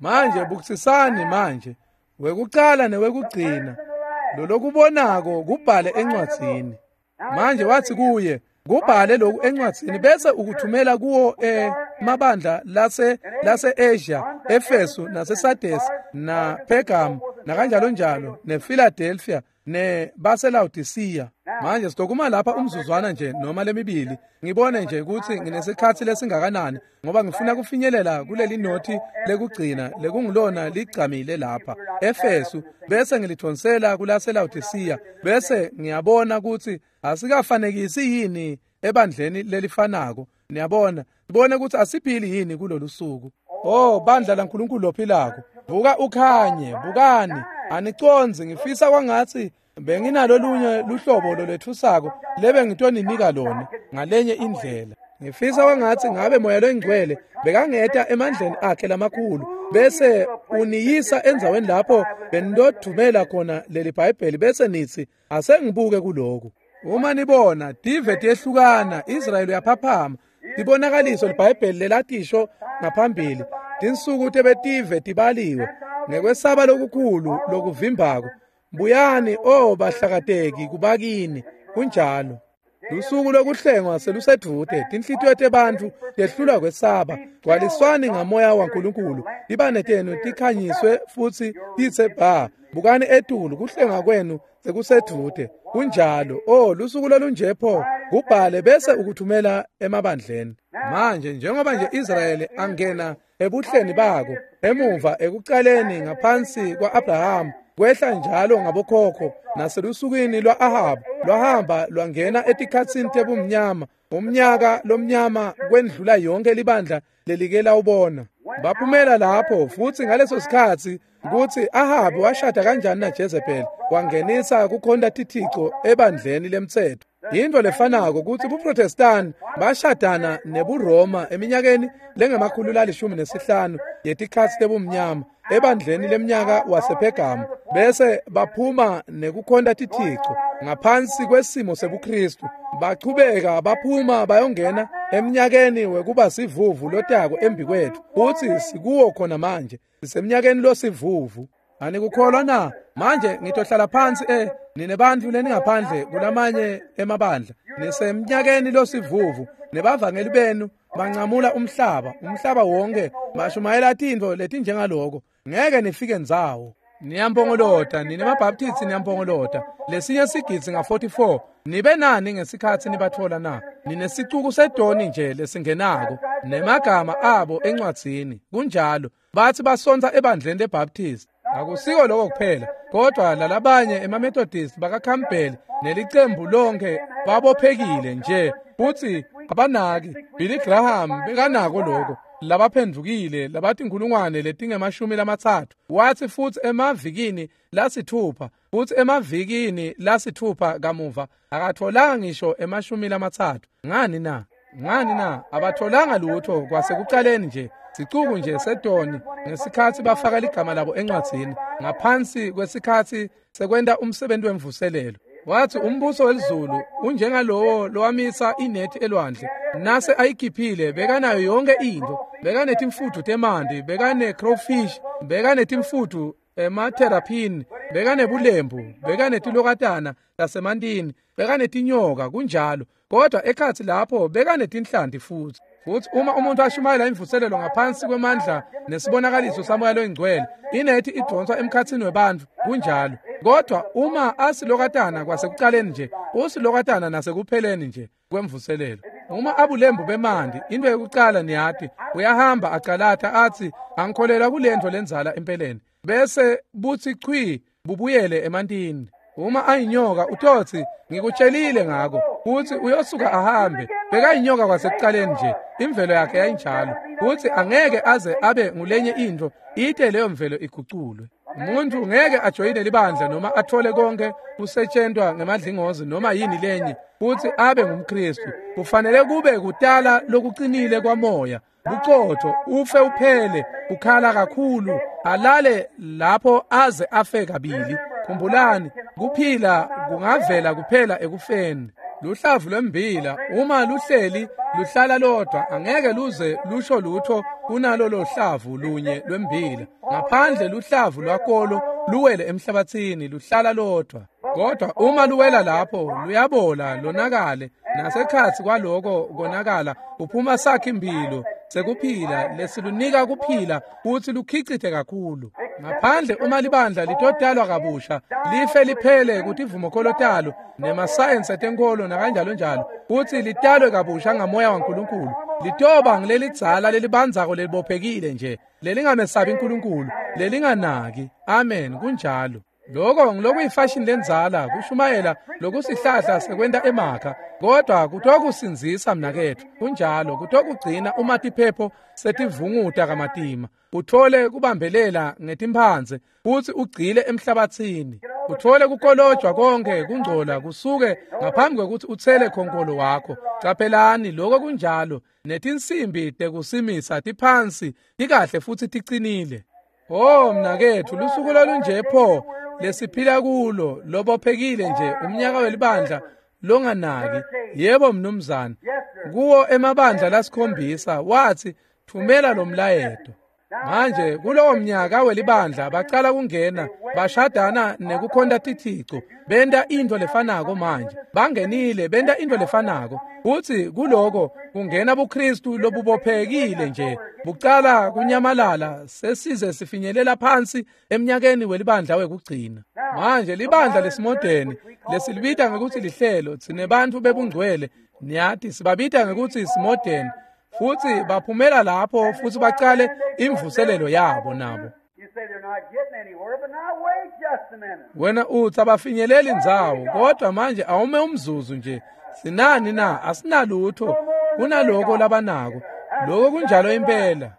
Manje bukisisani manje, wekucala newekugcina, Lolokubonako kubhale encwadzini. Manje wathi kuye, kubhale lokhu encwadzini bese ukuthumela kuwo emabandla lase lase-Asia, Efesu naseSardesi na Pergam nakanjalo njalo nePhiladelphia nebaseLaodicea. Manje sitokuma lapha umzuzwana nje noma lemibili ngibone nje ukuthi nginesikhatsi lesingakanani, ngoba ngifuna kufinyelela kuleli nothi lekugcina lekungulona ligcamile lapha Efesu, bese ngilithonsela kulaseLaodicea, bese ngiyabona ukuthi asikafanekisi yini ebandleni lelifanako. Niyabona, sibone ukuthi asiphili yini kulolu suku. Oh bandla laNkulunkulu lophilako, vuka ukhanye, bukani, anicondzi. Ngifisa kwangatsi benginalo lunye luhlobo lolwethusako lebe ngitoninika lona ngalenye indlela. Ngifisa kwangatsi ngabe Moya loNgcwele bekangeta emandleni akhe lamakhulu bese uniyisa endzaweni lapho benidodumela khona leli Bhayibheli, bese nithi asengibuke kuloku. Uma nibona tive tiyehlukana, Israyeli uyaphaphama, tibonakaliso liBhayibheli lelatisho ngaphambili, tinsuku tebetive tibaliwe ngekwesaba lokukhulu lokuvimbako. Buyani, oh bahlakateki, kubakini. Kunjalo. Lusuku lokuhlengwa selusedvute, tinhlitiyo tebantfu tehlulwa kwesaba. Gcwaliswani ngamoya waNkulunkulu, tibane tenu tikhanyiswe futsi titse bha. Bukani etulu, kuhlenga kwenu sekusedvute. Kunjalo. Oh lusuku lolunje pho, kubhale bese ukuthumela emabandleni. Manje njengoba nje Israyeli angena ebuhleni bako emuva ekucaleni ngaphansi kwa-Abraham, kwehla njalo ngabokhokho naselusukwini lwa-Ahab, lwahamba lwangena etikhatsini tebumnyama, umnyaka lomnyama kwendlula yonke libandla lelike lawubona. Baphumela lapho futsi ngaleso sikhatsi kutsi Ahab washada kanjani naJezebel, wangenisa kukhonta tithico ebandleni lemtsetfo. Yintfo lefanako kutsi buProtestani bashadana nebuRoma eminyakeni lengemakhulu lalishumi nesihlanu yetikhatsi tebumnyama ebandleni lemnyaka wasePhergamu, bese baphuma nekukhonta tithico ngaphansi kwesimo sebuKristu. Bachubeka baphuma bayongena eminyakeni wekuba sivuvu lotako embikwethu, futsi sikuwo khona manje, sisemnyakeni losivuvu. Anikukholwa na? Manje ngitohlala phansi eh nine bantfu leningaphandle kulamanye emabandla, nisemnyakeni losivuvu, nebavangeli benu bancamula umhlaba, umhlaba wonke, bashumayela tintfo letinjengaloko, ngeke nifike ndzawo. Niyampongolota nine maBaptisti, niyampongolota lesinye sigidzi nga forty-four. Nibe nani ngesikhatsi nibathola na? Ninesicuku sedoni nje lesingenako nemagama abo encwadzini. Kunjalo. Bathi basontsa ebandleni leBaptist. Akusiko lokho kuphela, kodwa lalabanye emaMethodist bakaCampbell nelicembu lonke babophekile nje futsi abanaki. Billy Graham bekanako lokho, labaphendvukile labatinkhulungwane letingemashumi lamatsatfu. Wathi futsi emavikini lasithupha, futsi emavikini lasithupha kamuva akatholanga ngisho emashumi lamatsatfu. Ngani na? Ngani na? Abatholanga lutho kwasekucaleni nje, sicuku nje sedoni ngesikhatsi bafaka ligama labo encwadzini ngaphansi kwesikhatsi sekwenta umsebenzi wemvuselelo. Wathi umbuso welizulu unjengalowo lowamisa inethi elwandle, nase ayikhiphile bekanayo yonke intfo, bekanetimfutfu temanti, bekane-crowfish, bekanetimfutfu ematerapini, bekanebulembu, bekanetilokatana tasemantini, bekanetinyoka. Kunjalo. Kodwa ekhatsi lapho bekanetinhlanti futsi. Futsi uma umuntu ashumayela imvuselelo ngaphansi kwemandla nesibonakaliso saMoya loNgcwele, inethi idonswa emkhatsini webantfu. Kunjalo. Kodwa uma asilokatana kwasekucaleni nje, usilokatana nasekupheleni nje kwemvuselelo. Uma abulembu bemanti, into yekucala niyati, uyahamba acalata atsi angikholelwa kulentfo lendzala empeleni, bese butsi chwi bubuyele emantini. Uma ayinyoka utotsi ngikutshelile ngako, futsi uyosuka ahambe. Bekayinyoka kwasekucaleni nje, imvelo yakhe yayinjalo, futsi angeke aze abe ngulenye intfo ite leyo mvelo iguculwe. Umuntu ngeke ajoyine libandla noma athole konke kusetshentwa ngemadlingozi noma yini lenye futsi abe ngumKristu. Kufanele kube kutala lokucinile kwamoya, bucotfo, ufe uphele, ukhala kakhulu, alale lapho aze afe kabili. Khumbulani, kuphila kungavela kuphela ekufeni. Luhlavu lwembila uma luhleli luhlala lodwa angeke luze lusho lutho kunalolo hlavu lunye lwembila. Ngaphandle luhlavu lwakolo luwele emhlabathini luhlala lodwa. Kodwa uma luwela lapho luyabola lonakale, nasekhatsi kwaloko konakala kuphuma sakhi impilo sekuphila lesilunika kuphila futsi lukhicite kakhulu. Ngaphandle uma libandla litotalwa kabusha life liphele kutivumokholo talo nemasayensi etenkolo nakanjalo njalo, futsi litalwe kabusha ngamoya waNkulunkulu, litoba ngilelidzala lelibandzako lelibophekile nje lelingamesabi uNkulunkulu lelinganaki. Amen, kunjalo. Lokho ngilokuyifashini lendzala kushumayela lokusihlahla sekwenta emakha, kodwa kutokusindzisa mnaketfu. Kunjalo, kutokugcina uma tiphepho setivunguta kamatima, uthole kubambelela ngetimphandze futsi ugcile emhlabathini, uthole kukolojwa konke kungcola kusuke ngaphambi kwekutsi utsele khonkolo wakho. Caphelani, lokho kunjalo. Netinsimbi tekusimisa tiphansi tikahle futsi ticinile. Oh mnaketfu, lusuku lolunje pho lesiphila kulo, lobophekile nje umnyaka welibandla longanaki. Yebo mnumzane, kuwo emabandla lasikhombisa wathi thumela lo mlayeto. Manje kulowo mnyaka welibandla bacala kungena bashadana nekukhonta tithico, benta intfo lefanako. Manje bangenile benta intfo lefanako, futsi kuloko kungena buKristu lobubophekile nje bucala kunyamalala sesize sifinyelela phansi emnyakeni welibandla wekugcina. Manje libandla lesimodeni lesilibita ngekutsi lihlelo, tsine bantfu bebungcwele niyati sibabita ngekutsi simodeni, futsi baphumela lapho futsi bacale imvuselelo yabo nabo. Wena utsi abafinyeleli ndzawo, kodwa manje awume umzuzu nje. Sinani na? Asinalutho kunaloko labanako. Lokho kunjalo impela.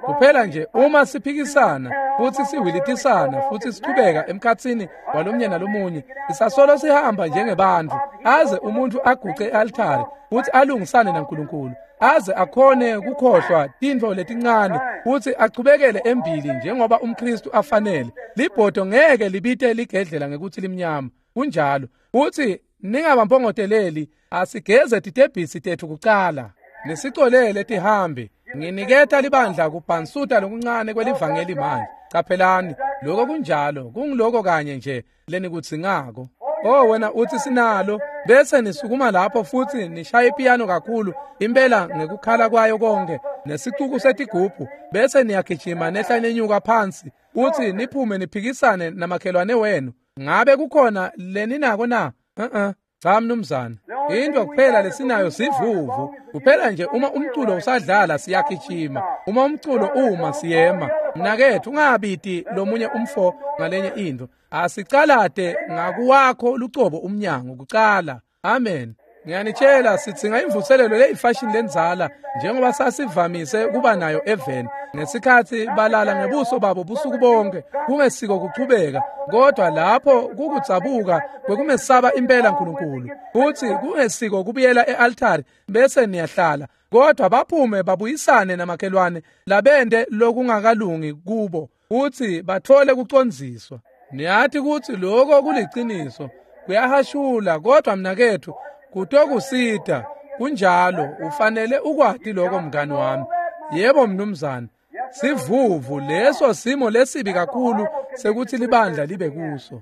Kuphela nje uma siphikisana futsi siwilitisana futsi sichubeka emkhatsini walomnye nalomunye, sisasolo sihamba njengebantfu aze umuntu aguce e-altari futsi alungisane naNkulunkulu, aze akhone kukhohlwa tintfo letincane futsi achubekele embili njengoba umKristu afanele. Libhodo ngeke libite ligedlela ngekutsi limnyama. Kunjalo. Futsi ningabampongoteleli, asigeze titebhisi tetfu kucala nisicolele tihambi. Nginiketa libandla kubhansuta lokuncane kwelivangeli manje. Caphelani, lokho kunjalo, kungiloko kanye nje lenikudzingako. Oh wena utsi sinalo, bese nisukuma lapho futsi nishaya ipiyano kakhulu impela ngekukhala kwayo konke nesicuku setigubhu, bese niyagijima nehla nenyuka phansi futsi niphume niphikisane namakhelwane wenu. Ngabe kukhona leninako na? Uh-uh. Cha mnumzane, into kuphela lesinayo sivuvu. Kuphela nje uma umculo usadlala siyagijima, uma umculo uma siyema. Mnaketfu, ungabiti lomunye umfo ngalenye into. Asicalate ngakuwakho lucobo umnyango kucala. Amen. Ngiyanitshela, sidzinga imvuselelo leyifashini lendzala njengoba sasivamise kuba nayo eveni ngesikhatsi balala ngebuso babo busuku bonke, kungesiko kuchubeka, kodwa lapho kukudzabuka kwekumesaba impela uNkulunkulu, futsi kungesiko kubuyela e-altari bese niyahlala, kodwa baphume babuyisane namakhelwane labende lokungakalungi kubo futsi bathole kucondziswa. Niyati kutsi lokho kuliciniso, kuyahashula, kodwa mnaketfu kutokusita. Kunjalo, ufanele ukwati lokho mngani wami. Yebo mnumzane, sivuvu leso simo lesibi kakhulu sekuthi libandla libe kuso.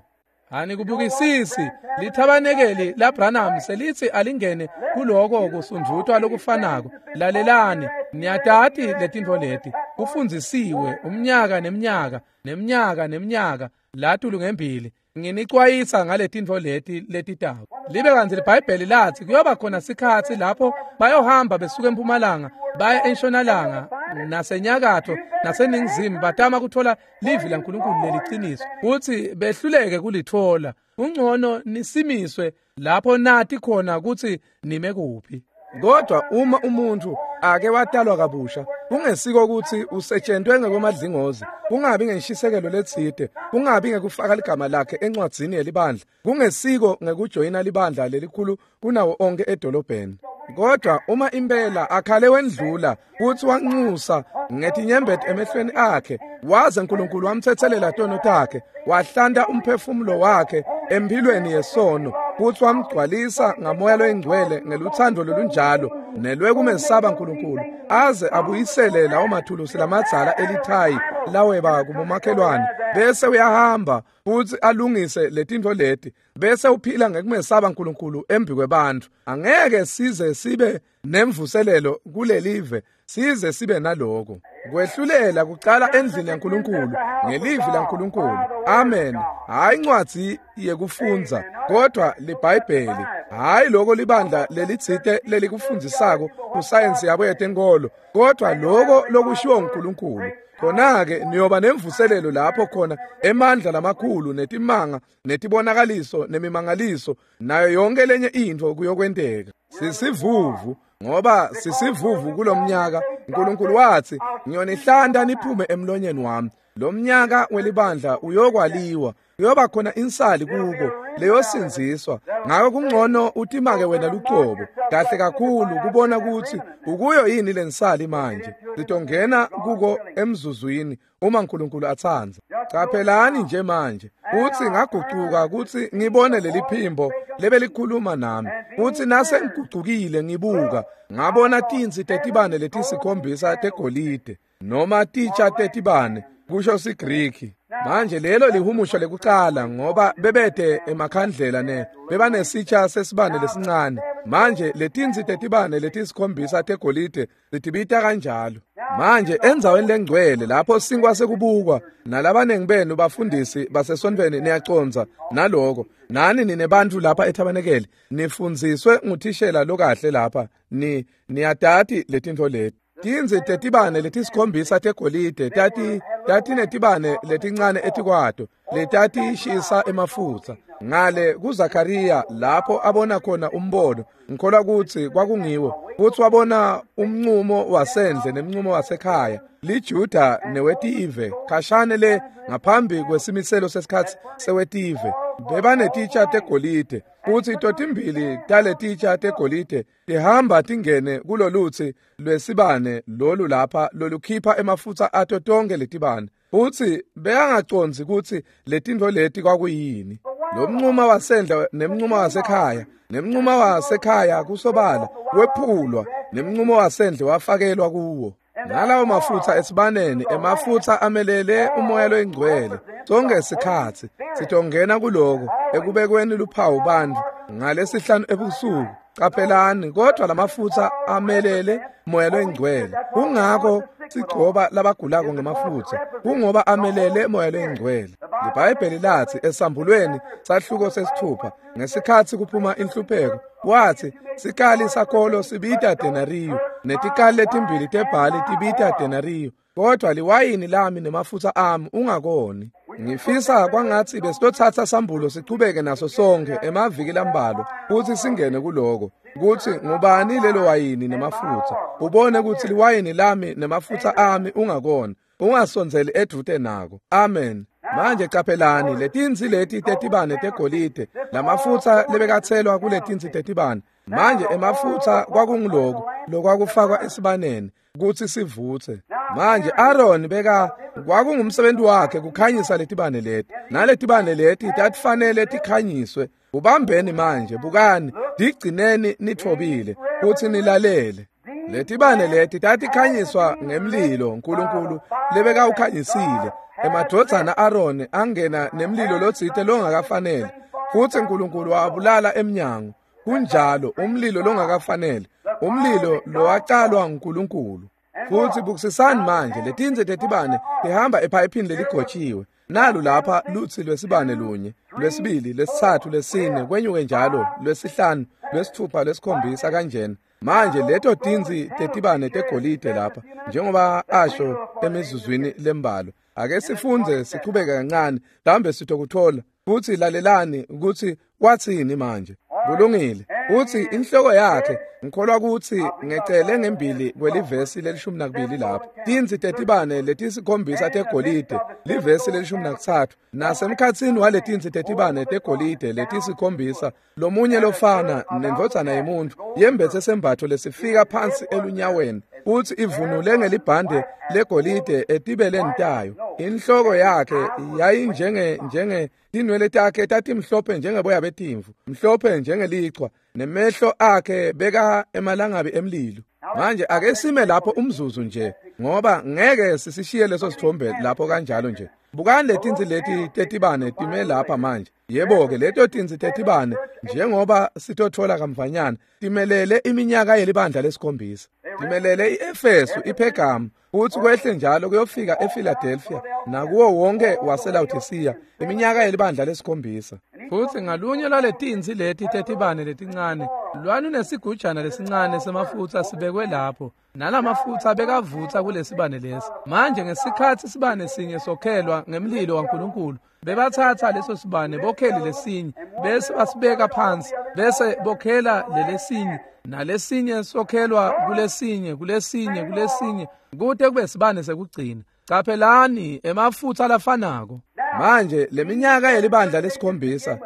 Anikubukisisi lithabanekeli laBranham selithi alingene kuloko kusundvutwa lokufanako. Lalelani, niyatati letintfo leti kufundzisiwe umnyaka neminyaka neminyaka neminyaka latulu ngembili. Nginicwayisa ngaletintfo leti letitako. Libe kantsi liBhayibheli lathi kuyoba khona sikhatsi lapho bayohamba besuka empumalanga baya entshonalanga nasenyakatfo naseningizimu batama kuthola livi laNkulunkulu leliciniso futsi behluleke kulitfola. Kungcono nisimiswe lapho nati khona kutsi nime kuphi. Kodwa uma umuntu ake watalwa kabusha, kungesiko kutsi usetshentwe ngekwemadlingozi, kungabi ngenshisekelo letsite, kungabi ngekufaka ligama lakhe encwadzini yelibandla, kungesiko ngekujoyina libandla lelikhulu kunawo onke edolobheni. Kodwa uma impela akhale wendlula kutsi wanxusa ngetinyembeti emehlweni akhe, waze uNkulunkulu wamtsetselela tono takhe, wahlanta umphefumulo wakhe Empilweni yesono kutsi wamgcwalisa ngamoya loyingcwele ngeluthando lolunjalo nelwekumesaba uNkulunkulu aze abuyisele lawo mathulusi lamadzala elithayi laweba kubomakhelwane bese uyahamba futsi alungise letintfo leti bese uphila ngekumesaba uNkulunkulu embi kwebantfu. Angeke size sibe nemvuselelo kulelive size sibe naloko kwehlulela kucala endlini yaNkulunkulu ngelivi laNkulunkulu. Amen. Hayi incwadzi yekufundza kodwa liBhayibheli, hayi lokho libandla lelitsite lelikufundzisako kusayensi yabo yetenkolo, kodwa lokho lokushiwo uNkulunkulu. Khona-ke niyoba nemvuselelo lapho khona emandla lamakhulu netimanga netibonakaliso nemimangaliso nayo yonke lenye intfo kuyokwenteka. Sisivuvu ngoba sisivuvu kulomnyaka. uNkulunkulu wathi ngiyonihlanta niphume emlonyeni wami. Lo mnyaka welibandla uyokwaliwa, kuyoba khona insali kuko leyosindziswa. Ngako kungcono utimake wena lucobo kahle kakhulu kubona ukuthi ukuyo yini lensali manje. Sitongena kuko emzuzwini uma uNkulunkulu atsandza. Caphelani nje manje uthi ngagucuka kutsi ngibone leli phimbo lebelikhuluma nami, uthi nase ngigucukile ngibuka ngabona tintsi tetibane letisikhombisa tegolide noma titsha tetibane kusho siGriki. Manje lelo lihumusho lekucala ngoba bebete emakhandlela ne bebanesitsha sesibane lesincane. Manje letintsi tetibane letisikhombisa tegolide litibita kanjalo. Manje endzaweni lengcwele lapho sinkwa sekubukwa nalabanengi benu bafundisi basesontfweni niyaconza naloko, nani ninebantfu lapha ethabanekele nifundziswe nguthishela lokahle lapha, ni niyatati letintfo leti. Tintsi tetibane letisikhombisa tegolide tati tatinetibane letincane etikwato letatishisa emafutsa. Ngale kuZakaria lapho abona khona umbono, ngikholwa kutsi kwakungiwo, kutsi wabona umncumo wasendle nemncumo wasekhaya liJuda newetive khashane le ngaphambi kwesimiselo sesikhatsi sewetive. Bebanetitsha tegolide futsi totimbili taletitsha tegolide tihamba tingene kulolutsi lwesibane lolu lapha lolukhipha emafutsa ato tonke letibane, futsi beyangacondzi kutsi letintfo leti kwakuyini. Lo mnquma wasendle nemnquma wasekhaya nemnquma wasekhaya kusobala wephulwa nemnqumo wasendle wafakelwa kuwo. Nalawo mafutsa esibaneni, emafutsa amelele umoya loyingcwele sonke sikhatsi. Sitongena kuloko ekubekweni luphawu bantfu ngalesihlanu ebusuku. Caphelani, kodwa lamafutsa amelele moya loyingcwele. Kungako sigcoba labagulako ngemafutsa, kungoba amelele moya loyingcwele. LiBhayibheli lathi esambulweni sahluko sesithupha ngesikhatsi kuphuma inhlupheko, wathi sikali sakolo sibita denariyo netikali letimbili tebhali tibita denariyo, kodwa liwayini lami nemafutsa ami ungakoni. Ngifisa kwangatsi besitothatha sambulo sichubeke naso sonke emaviki lambalwa kutsi singene kuloko kutsi ngubani lelo wayini nemafutsa, ubone kutsi liwayini lami nemafutsa ami ungakoni, ungasondzeli edvute nako. Amen. Manje caphelani letintsi leti tetibane tegolide lamafutsa lebekatselwa kuletintsi tetibane. Manje emafutsa kwakunguloku lokwakufakwa esibaneni kutsi sivutse. Manje Aaron beka kwakungumsebenzi wakhe kukhanyisa letibane leti, naletibane leti tatifanele tikhanyiswe. Ubambeni manje, bukani, digcineni nithobile kutsi nilalele. Letibane leti tatikhanyiswa ngemlilo uNkulunkulu lebekawukhanyisile. Emadvodzana Aaron angena nemlilo lotsite longakafanele, futsi uNkulunkulu wabulala emnyango. Kunjalo, umlilo longakafanele, umlilo lowacalwa uNkulunkulu. Futsi bukisisani manje letintsi tetibane tihamba ephayiphini leligotshiwe. Nalu lapha lutsi lwesibane lunye, lwesibili, lwesitsatfu, lwesine, kwenyuke njalo, lwesihlanu, lwesitfupha, lwesikhombisa kanjena. Manje leto tintsi tetibane tegolide lapha njengoba asho emizuzwini lembalwa. Ake sifundze sichubeke kancane mhlawumbe sitokuthola. Futsi lalelani kutsi watsini manje. Kulungile. Uthi inhloko yakhe, ngikholwa kutsi ngecele ngembili kwelivesi lelishumi nakubili lapha. Tintsi tetibane letisikhombisa tegolide, livesi lelishumi nakutsatfu. Nasemkhatsini waletintsi tetibane tegolide letisikhombisa, lomunye lofana nendvodzana yemuntfu yembetse sembatfo lesifika phansi elunyaweni, futsi ivunule ngelibhande legolide etibeleni tayo. Inhloko yakhe yayinjenge njenge tinwele takhe tatimhlophe njengeboya betimvu, mhlophe njengelichwa, nemehlo akhe beka emalangabi emlilo. Manje ake sime lapho umzuzu nje, ngoba ngeke sisishiye leso sithombe lapho kanjalo nje. Bukani letinsi leti tetibane time lapha manje. Yebo-ke leto tinsi tetibane njengoba sitothola kamvanyana timelele iminyaka yelibandla lesikhombisa. Timelele i-Efesu, iPhergamu, futsi kwehle njalo kuyofika ePhiladelphia nakuwo wonke waseLaodicea, iminyaka yelibandla lesikhombisa. Futsi ngalunye lwaletinsi leti tetibane letincane lwalunesigujana lesincane semafutsa sibekwe lapho, nalamafutsa bekavutsa kulesibane lesi. Manje ngesikhatsi sibane sinye sokhelwa ngemlilo waNkulunkulu, bebatsatsa leso sibane bokhele lesinye bese basibeka phansi, bese bokhela lelesinye nalesinye sokhelwa kulesinye kulesinye kulesinye kute kube sibane sekugcina. Caphelani emafutsa lafanako. Manje leminyaka yelibandla lesikhombisa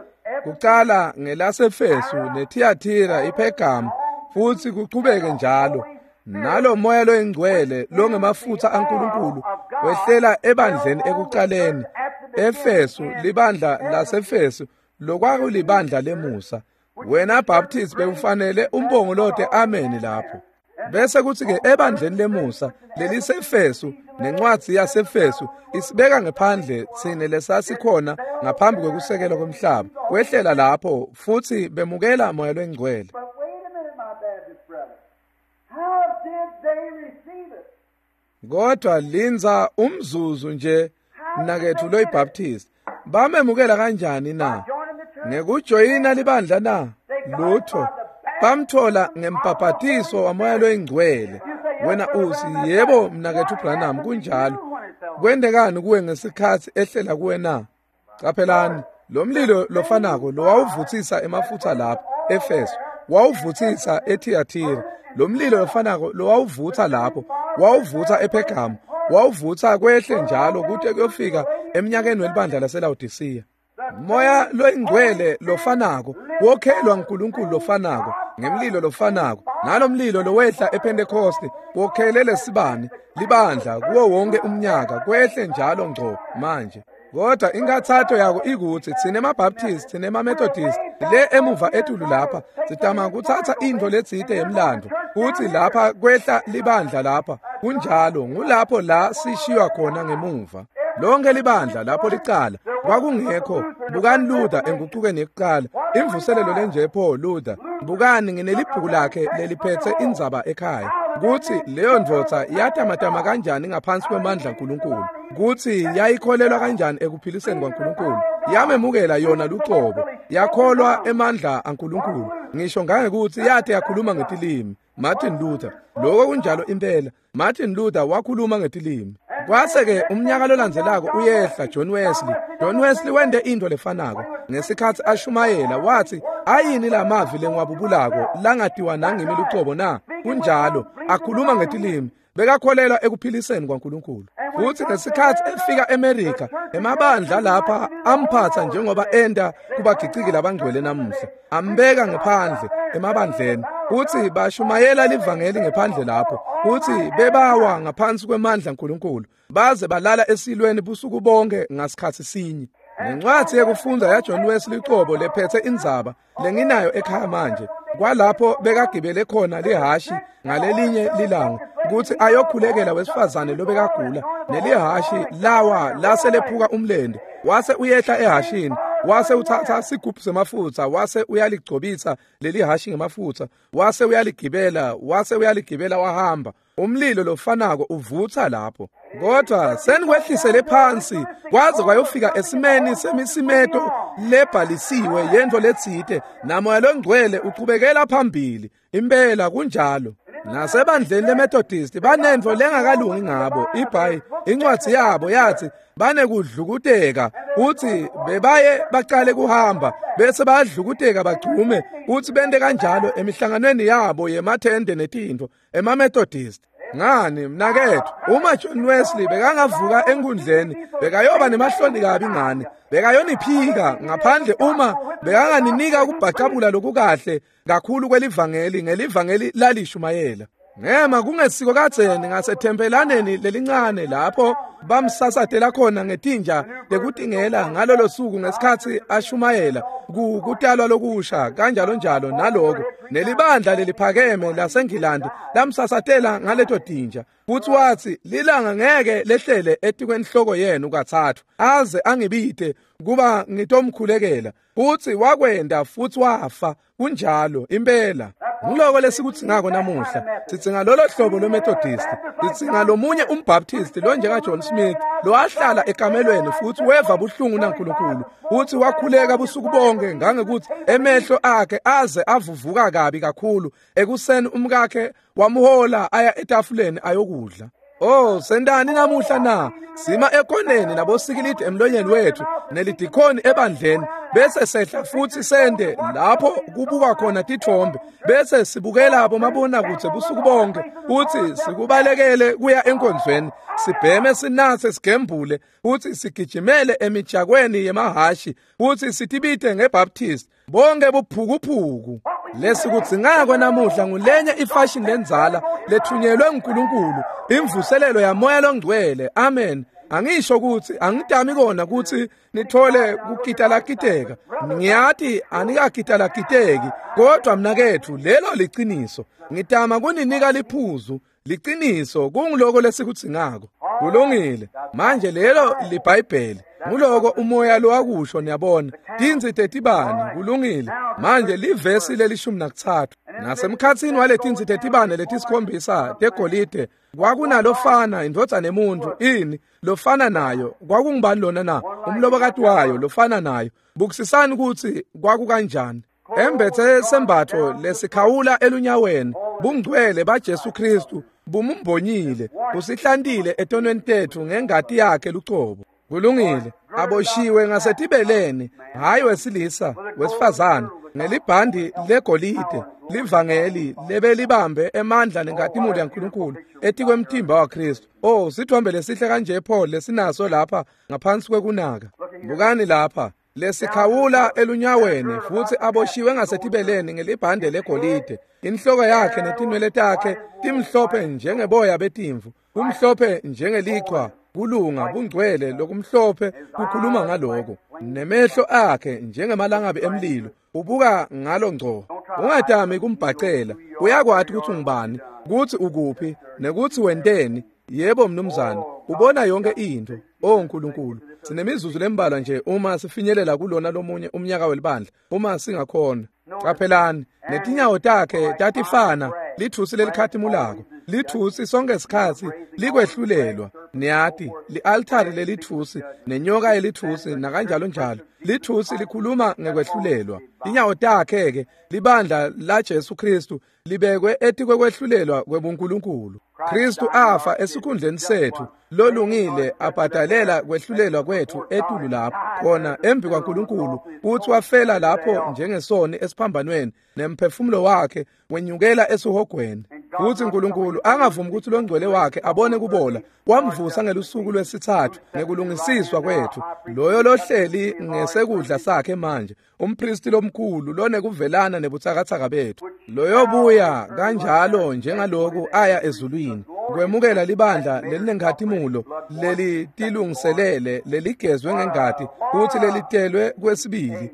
kucala ngelaseFesu neThiatira, iPhergamu, futsi kuchubeke njalo. Nalo moya loyingcwele longemafutsa aNkulunkulu wehlela ebandleni ekucaleni. Efesu, libandla laseFesu lokwakulibandla lemusa. Wena Baptist bekufanele umbongolote amen lapho. Bese kuthi-ke ebandleni lemusa leliseFesu nencwadzi yaseFesu isibeka ngephandle tsine lesasikhona ngaphambi kwekusekelwa kwemhlaba. Kwehlela lapho futsi bemukela moya loyingcwele. But wait a minute, my Baptist brother. How did they receive it? Kodwa lindza umzuzu nje mnaketfu loyiBaptist. Bamemukela kanjani na? Joining the church? Ngekujoyina libandla na? Lutho. Bamthola ngembhabhatiso wamoya loyingcwele. Wena uthi, yebo mnaketfu Branham, kunjalo. Kwendekani kuwe ngesikhatsi ehlela kuwe na? Caphelani, lo mlilo lofanako lowawuvutsisa emafutsa lapho eFeso, wawuvutsisa eThiatira. Lo mlilo lofanako lowawuvutsa lapho, wawuvutsa ePhergamu, wawuvutsa kwehle njalo kute kuyofika eminyakeni welibandla laseLaodicea. Moya loyingcwele lofanako wokhelwa nguNkulunkulu lofanako ngemlilo lofanako, nalomlilo lowehla ePhentekoste wokhele lesibane libandla kuwo wonke umnyaka kwehle njalo ngco manje. Kodwa inkathato yako ikutsi tsine emaBaptist, tsine emaMethodist le emuva etulu lapha sitama kutsatsa intfo letsite yemlandvo kutsi lapha kwehla libandla lapha. Kunjalo, ngulapho la sishiywa khona ngemuva. Lonke libandla lapho licala kwakungekho. Bukani Luther engucukeni yekuqala, imvuselelo lenje pho Luther. Bukani nginelibhuku lakhe leliphethe indzaba ekhaya kutsi leyo ndvodza yatamatama kanjani ngaphansi kwemandla aNkulunkulu, kutsi yayikholelwa kanjani ekuphiliseni kwaNkulunkulu. Yamemukela yona lucobo, yakholwa emandla aNkulunkulu, ngisho ngangekutsi yate yakhuluma ngetilimi. Martin Luther, lokho kunjalo impela. Martin Luther wakhuluma ngetilimi. Kwase-ke umnyaka lolandzelako uyehla John Wesley. John Wesley wente intfo lefanako. Ngesikhatsi ashumayela watsi, ayini lamavi lengiwabubulako langatiwa nangimi lucobo na? Kunjalo, akhuluma ngetilimi. Bekakholelwa ekuphiliseni kwaNkulunkulu. Futsi ngesikhatsi efika eMerika, emabandla lapha amphatsa njengoba enta kubagiciki labangcwele namuhla. Ambeka ngephandle emabandleni, kutsi bashumayela livangeli ngephandle lapho, kutsi bebawa ngaphansi kwemandla aNkulunkulu, baze balala esilweni busuku bonke ngasikhatsi sinye. Nencwadzi yekufundza yaJohn Wesley cobo lephethe indzaba lenginayo ekhaya manje, kwalapho bekagibele khona lihashi ngalelinye lilanga kutsi ayokhulekela wesifazane lobekagula, nelihashi lawa lase lephuka umlente, wase uyehla ehashini, wase utsatsa sigubhu semafutsa, wase uyaligcobisa lelihashi ngemafutsa, wase uyaligibela, wase uyaligibela wahamba. Umlilo lofanako uvutsa lapho. Kodwa senikwehlisele phansi kwaze kwayofika esimeni semisimeto lebhalisiwe yentfo letsite, namoya longcwele uchubekela phambili. Impela kunjalo. Nasebandleni leMethodist banentfo lengakalungi ngabo. Ibhayi incwadzi yabo yathi banekudlukuteka, kutsi bebaye bacale kuhamba bese bayadlukuteka bagcume, kutsi bente kanjalo emihlanganweni yabo yemathende netintfo emaMethodist. Ngani mnaketfu, uma John Wesley bekangavuka enkundleni bekayoba nemahloni kabi ngani, bekayoniphika ngaphandle uma bekanganinika kubhacabula lokukahle kakhulu kwelivangeli ngelivangeli lalishumayela. Ngema kungesiko kadzeni ngasethempelaneni lelincane lapho bamsasatela khona ngetinja tekutingela ngalolo suku ngesikhatsi ashumayela kutalwa lokusha kanjalo njalo naloko nelibandla leliphakeme laseNgilandi lamsasatela ngaleto tinja. Futhi wathi lilanga ngeke lehlele etikwenhloko yenu kathathu aze angibite kuba ngitomkhulekela. Futhi wakwenda futhi wafa. Kunjalo impela. Ngiloko lesikudzingako namuhla. Sidzinga lolo hlobo lweMethodist, sidzinga lomunye umBaptist lo njenga John Smith lowahlala ekamelweni futhi weva buhlungu naNkulunkulu futhi wakhuleka busuku bonke ngangekuthi emehlo akhe aze avuvuka kabi kakhulu. Ekuseni umkakhe wamhola aya etafuleni ayokudla. Oh, sendani namuhla na? Sima ekoneni nabosikilidi emlonyeni wethu nelidikhoni ebandleni bese sehla futhi sende lapho kubuka khona tithombe bese sibukela abomabona kuthe busuku bonke futhi sikubalekele kuya enkonzweni sibheme sinathe sigembule futhi sigijimele emijakweni yemahashi futhi sitibite ngeBaptist bonke buphukuphuku. Lesikudzingako namuhla ngulenye ifashion lenzala lethunyelwe nguNkulunkulu, imvuselelo yamoya longcwele. Amen. Angisho ukuthi angidami kona ukuthi nithole kukitalakiteka, ngiyati anikakitalakiteki, kodwa mnakethu lelo liciniso. Ngitama kuninika liphuzu liciniso kungiloko lesikudzingako. Kulungile. Manje lelo liBhayibheli, nguloko umoya lowakusho, niyabona. Tintsi tetibane, kulungile. Manje livesi lelishumi nakutsatfu. Nasemkhatsini waletintsi tetibane letisikhombisa tegolide kwakunalofana indvodzana emuntfu ini lofana nayo. Kwakungubani lona na? Umlobokati wayo lofana nayo. Bukisisani kutsi kwakukanjani. Embethe sembatfo lesikhawula elunyaweni, bungcwele baJesu Kristu bumumbonyile, busihlantile etonweni tetfu ngengati yakhe lucobo. Kulungile. Aboshiwe ngasetibeleni, hayi wesilisa, wesifazane, ngelibhandi legolide, livangeli lebelibambe emandla nenkatimuli yaNkulunkulu etikwemtimba waKristu. Oh, sithombe lesihle kanje Paul lesinaso lapha ngaphansi kwekunaka. Bukani lapha, lesikhawula elunyaweni futhi aboshiwe ngasetibeleni ngelibhande legolide. Inhloko yakhe netinwele takhe timhlophe njengeboya betimvu, kumhlophe njengelichwa. Kulunga bungcwele lokumhlophe kukhuluma ngaloko. Nemehlo akhe njengemalangabi emlilo, ubuka ngalo ngco. Ungatami kumbhacela, uyakwati ukuthi ungubani, ukuthi ukuphi, nekuthi wenteni. Yebo mnumzane, ubona yonke into. Oh Nkulunkulu, sinemizuzu lembalwa nje uma sifinyelela kulona lomunye umnyaka welibandla, uma singakhona. Qaphelani, netinyawo takhe tatifana lithusi lelikhatimulako. Lithusi sonke isikhatsi likwehlulelwa. Niyati, li-altari lelithusi nenyoka yelithusi nakanjalo njalo. Lithusi likhuluma ngekwehlulelwa. Inyawo takhe ke libandla la Jesu Kristu libekwe etikwehlulelwa kwebuNkulunkulu. Kristu afa esikhundleni sethu, lolungile abhadalela kwehlulelwa kwethu etulu lapho khona embi kwaNkulunkulu, futhi wafela lapho njengesoni esiphambanweni, nemphefumulo wakhe wenyukela esihogweni. Futhi uNkulunkulu angavumi ukuthi longcwele wakhe abone kubola, wamvusa ngelusuku lwesithathu ngekulungisiswa kwethu. Loyo lohleli ngesekudla sakhe manje, umpristi lomkhulu lonekuvelana nebutsakatsaka bethu, loyo buya kanjalo njengaloku aya ezulwini kwemukela libandla lelinenkhatimulo lelitilungiselele leligezwe ngengati futhi lelitelwe kwesibili.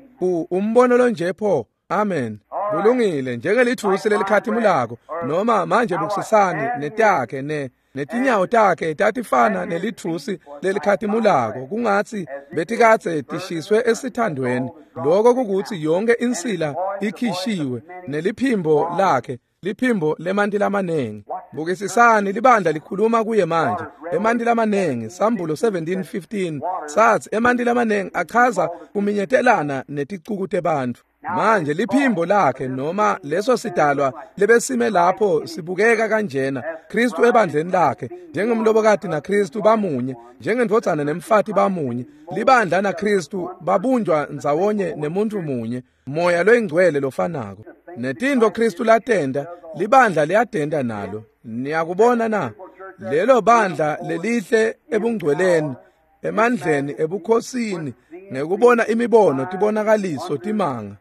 Umbono lonje pho. Amen. Kulungile, njengelithusi lelikhatimulako noma manje bukisisani netakhe ne netinyawo takhe tatifana nelithusi lelikhatimulako, kungatsi betikadze tishiswe esithandweni. Lokho kukuthi yonke insila ikhishiwe, neliphimbo lakhe liphimbo lemanti lamanengi. Bukisisani libandla likhuluma kuye manje emanti lamanengi. Sambulo seventeen fifteen sathi emanti lamanengi achaza kuminyetelana neticuku tebantfu. Manje liphimbo lakhe noma leso sidalwa lebesime lapho sibukeka kanjena, Kristu ebandleni lakhe njengomlobokati naKristu bamunye, njengendvodzana nemfati bamunye, libandla naKristu babunjwa ndzawonye nemuntu munye, moya loyingcwele lofanako. Netintfo Kristu latenda libandla liyatenda nalo. Niyakubona na? Lelo bandla lelihle ebungcweleni, emandleni, ebukhosini, ngekubona imibono, tibonakaliso, timanga,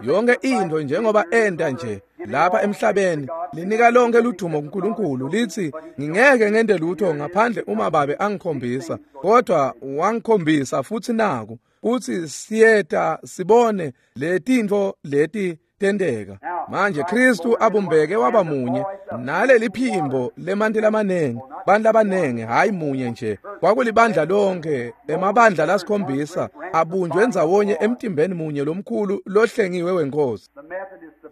yonke into njengoba enda nje lapha emhlabeni, Linika lonke ludumo kuNkulunkulu, lithi ngingeke ngente lutho ngaphandle uma Babe angikhombisa, kodwa wangikhombisa futhi naku uthi siyeta sibone letintfo leti tenteka. Manje Kristu abumbeke waba munye naleli phimbo lemanti lamanengi, bantu labanengi, hayi munye nje, kwakulibandla lonke, emabandla lasikhombisa abunjwe ndzawonye emtimbeni munye lomkhulu lohlengiwe wenkosi.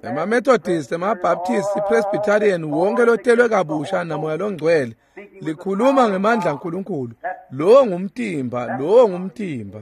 EmaMethodist, emaBaptist, iPresbyterian, wonke lotelwe kabusha namoya longcwele likhuluma ngemandla aNkulunkulu. Lowo ngumtimba, lowo ngumtimba.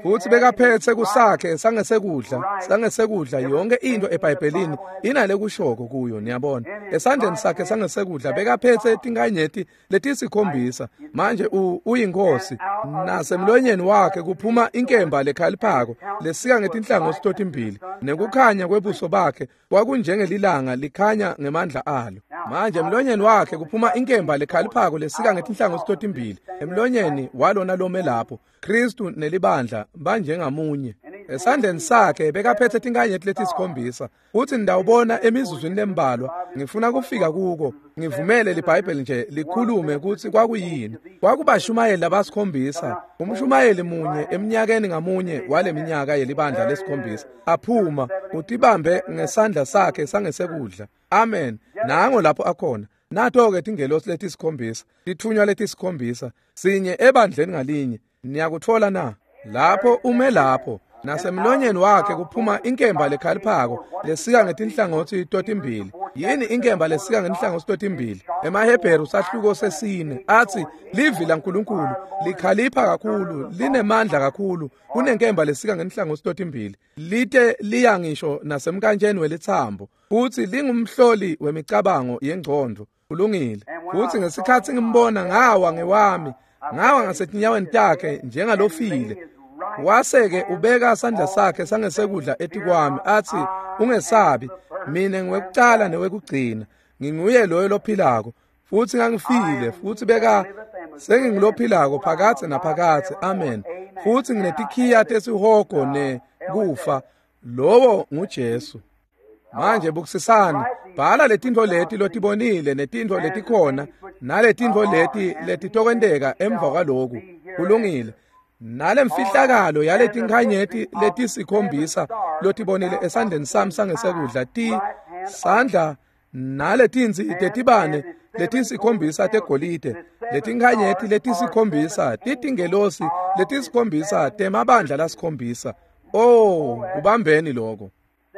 Futhi bekaphethe kusakhe sangesekudla, sangesekudla yonke into eBhayibhelini inale kushoko kuyo, niyabona. Esandleni sakhe sangesekudla bekaphethe tinkanyeti letisikhombisa. Manje uyinkosi, nasemlonyeni wakhe kuphuma inkemba lekhaliphako lesika ngetinhlangothi totimbili, nekukhanya kwebuso bakhe kwakunjengelilanga likhanya ngemandla alo. Manje emlonyeni wakhe kuphuma inkemba lekhaliphako lesika ngetinhlangothi totimbili, emlonyeni walona lome lapho Kristu nelibandla banjengamunye. Esandleni sakhe bekaphethe tinkanyeti letisikhombisa. Uthi ndawubona emizuzwini lembalwa, ngifuna kufika kuko, ngivumele liBhayibheli nje likhulume kutsi kwakuyini. Kwakubashumayeli labasikhombisa, umshumayeli munye eminyakeni ngamunye waleminyaka yelibandla lesikhombisa, aphuma utibambe ngesandla sakhe sangesekudla. Amen. Nango lapho akhona. Nato-ke tingelosi letisikhombisa, tithunywa letisikhombisa, sinye ebandleni ngalinye. Niyakutfola na? Lapho ume lapho, nasemlonyeni wakhe kuphuma inkemba lekhaliphako lesika ngetinhlangothi totimbili. Yini inkemba lesika ngetinhlangothi totimbili? EmaHebheru sahluko sesine athi livi laNkulunkulu likhalipha kakhulu, linemandla kakhulu kunenkemba lesika ngetinhlangothi totimbili, lite liya ngisho nasemkantsheni welitsambo, futhi lingumhloli wemicabango yengcondvo. Kulungile. Futhi ngesikhatsi ngimbona ngawa ngewami, ngawa ngasetinyaweni takhe njengalofile. Wase-ke ubeka sandla sakhe sangesekudla etikwami athi, ungesabi, mina ngiwekucala newekugcina, nginguye loyo lophilako, futhi ngangifile, futhi beka sengingulophilako phakadze naphakadze. Amen. Futhi nginetikhiya tesihogo nekufa. Lowo nguJesu. Manje bukisisani, bhala letintfo leti lotibonile netintfo letikhona naletintfo leti letitokwenteka emva kwaloku. Kulungile. Nalemfihlakalo yaletinkhanyeti letisikhombisa lotibonile esandleni sami sangesekudla ti sandla naletinsi tetibane letisikhombisa tegolide, letinkhanyeti letisikhombisa titingelosi letisikhombisa temabandla lasikhombisa. Oh, kubambeni lokho.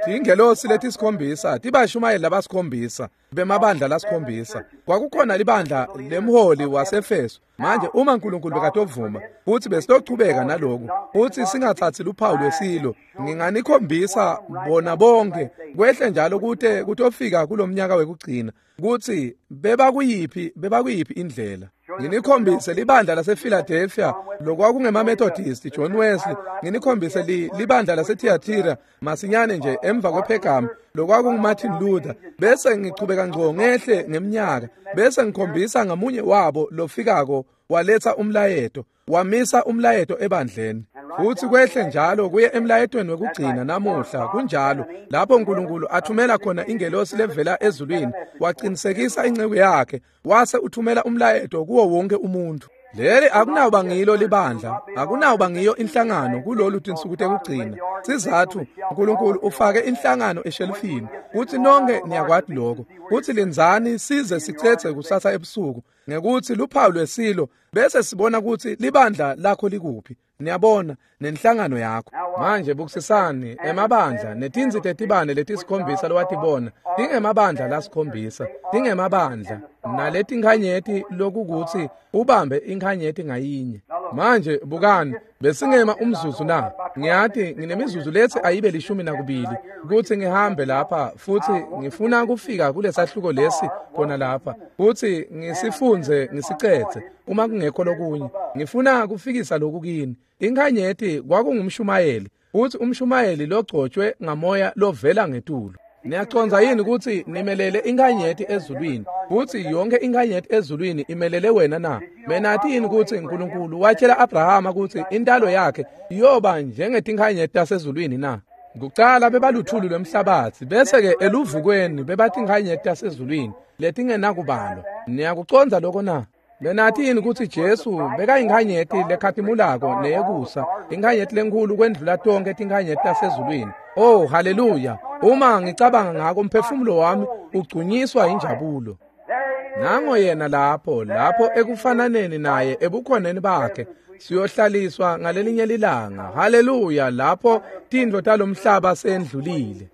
Tingelosi letisikhombisa tibashumayeli labasikhombisa bemabandla lasikhombisa. Kwakukhona libandla lemholi waseEfeso. Manje uma uNkulunkulu bekatovuma futhi besitochubeka naloku, futhi singathathi luphawu lwesilo, nginganikhombisa bona bonke kwehle njalo kute kutofika kulomnyaka wekugcina kutsi bebakuyiphi bebakuyiphi indlela. Nginikhombise libandla lasePhiladelphia lokwakungemamethodisti, John Wesley. Nginikhombise li, libandla laseThiatira masinyane nje emva kwePhergam lokwakunguMartin Luther, bese ngichubeka ngco ngehle ngeminyaka, bese ngikhombisa ngamunye wabo lofikako waletha umlayeto, wamisa umlayeto ebandleni. Futhi kwehle njalo kuye emlayetweni wekugcina namuhla. Kunjalo lapho uNkulunkulu athumela khona ingelosi levela ezulwini, waqinisekisa inceku yakhe, wase uthumela umlayeto kuwo wonke umuntu. Leli akunawuba ngilo libandla, akunawuba ngiyo inhlangano kulolu tinsuku tekugcina. Sizathu uNkulunkulu ufake inhlangano eshelufini, kuthi nonke niyakwati lokho. Kuthi linzani size sicethe kusasa ebusuku ngekuthi luphawu lwesilo, bese sibona ukuthi libandla lakho likuphi. Niyabona nenhlangano yakho. Manje bukisisani emabandla netinsi tetibane letisikhombisa lowatibona tingemabandla lasikhombisa, tingemabandla naletinkhanyeti lokukuthi ubambe inkhanyeti ngayinye. Manje bukani, besingema umzuzu na? Ngiyati nginemizuzu lethi ayibe lishumi nakubili kuthi ngihambe lapha, futhi ngifuna kufika kulesahluko lesi khona lapha futhi ngisifunze ngisicethe uma kungekho lokunye. Ngifuna kufikisa lokhu kini. Inkhanyeti kwakungumshumayeli, futhi umshumayeli logcotshwe ngamoya lovela ngetulu. Niyaconza yini ukuthi nimelele inkhanyeti ezulwini, futhi yonke inkhanyeti ezulwini imelele wena na? Menathi yini ukuthi uNkulunkulu watshela Abrahama ukuthi intalo yakhe iyoba njengetinkhanyeti tasezulwini na? Kucala bebaluthuli lwemhlabatsi, bese-ke eluvukweni bebatinkhanyeti tasezulwini letingenakubalwa. Niyakucondza lokho na? Benathi yini kutsi Jesu bekayinkhanyeti lekhatimulako neyekusa, inkhanyeti lenkhulu kwendlula tonkhe tinkhanyeti tasezulwini? Oh, haleluya! Uma ngicabanga ngako umphefumulo wami ugcunyiswa injabulo. Nango yena lapho, lapho ekufananeni naye ebukhoneni bakhe, siyohlaliswa ngalelinye lilanga. Haleluya! Lapho tintfo talomhlaba sendlulile.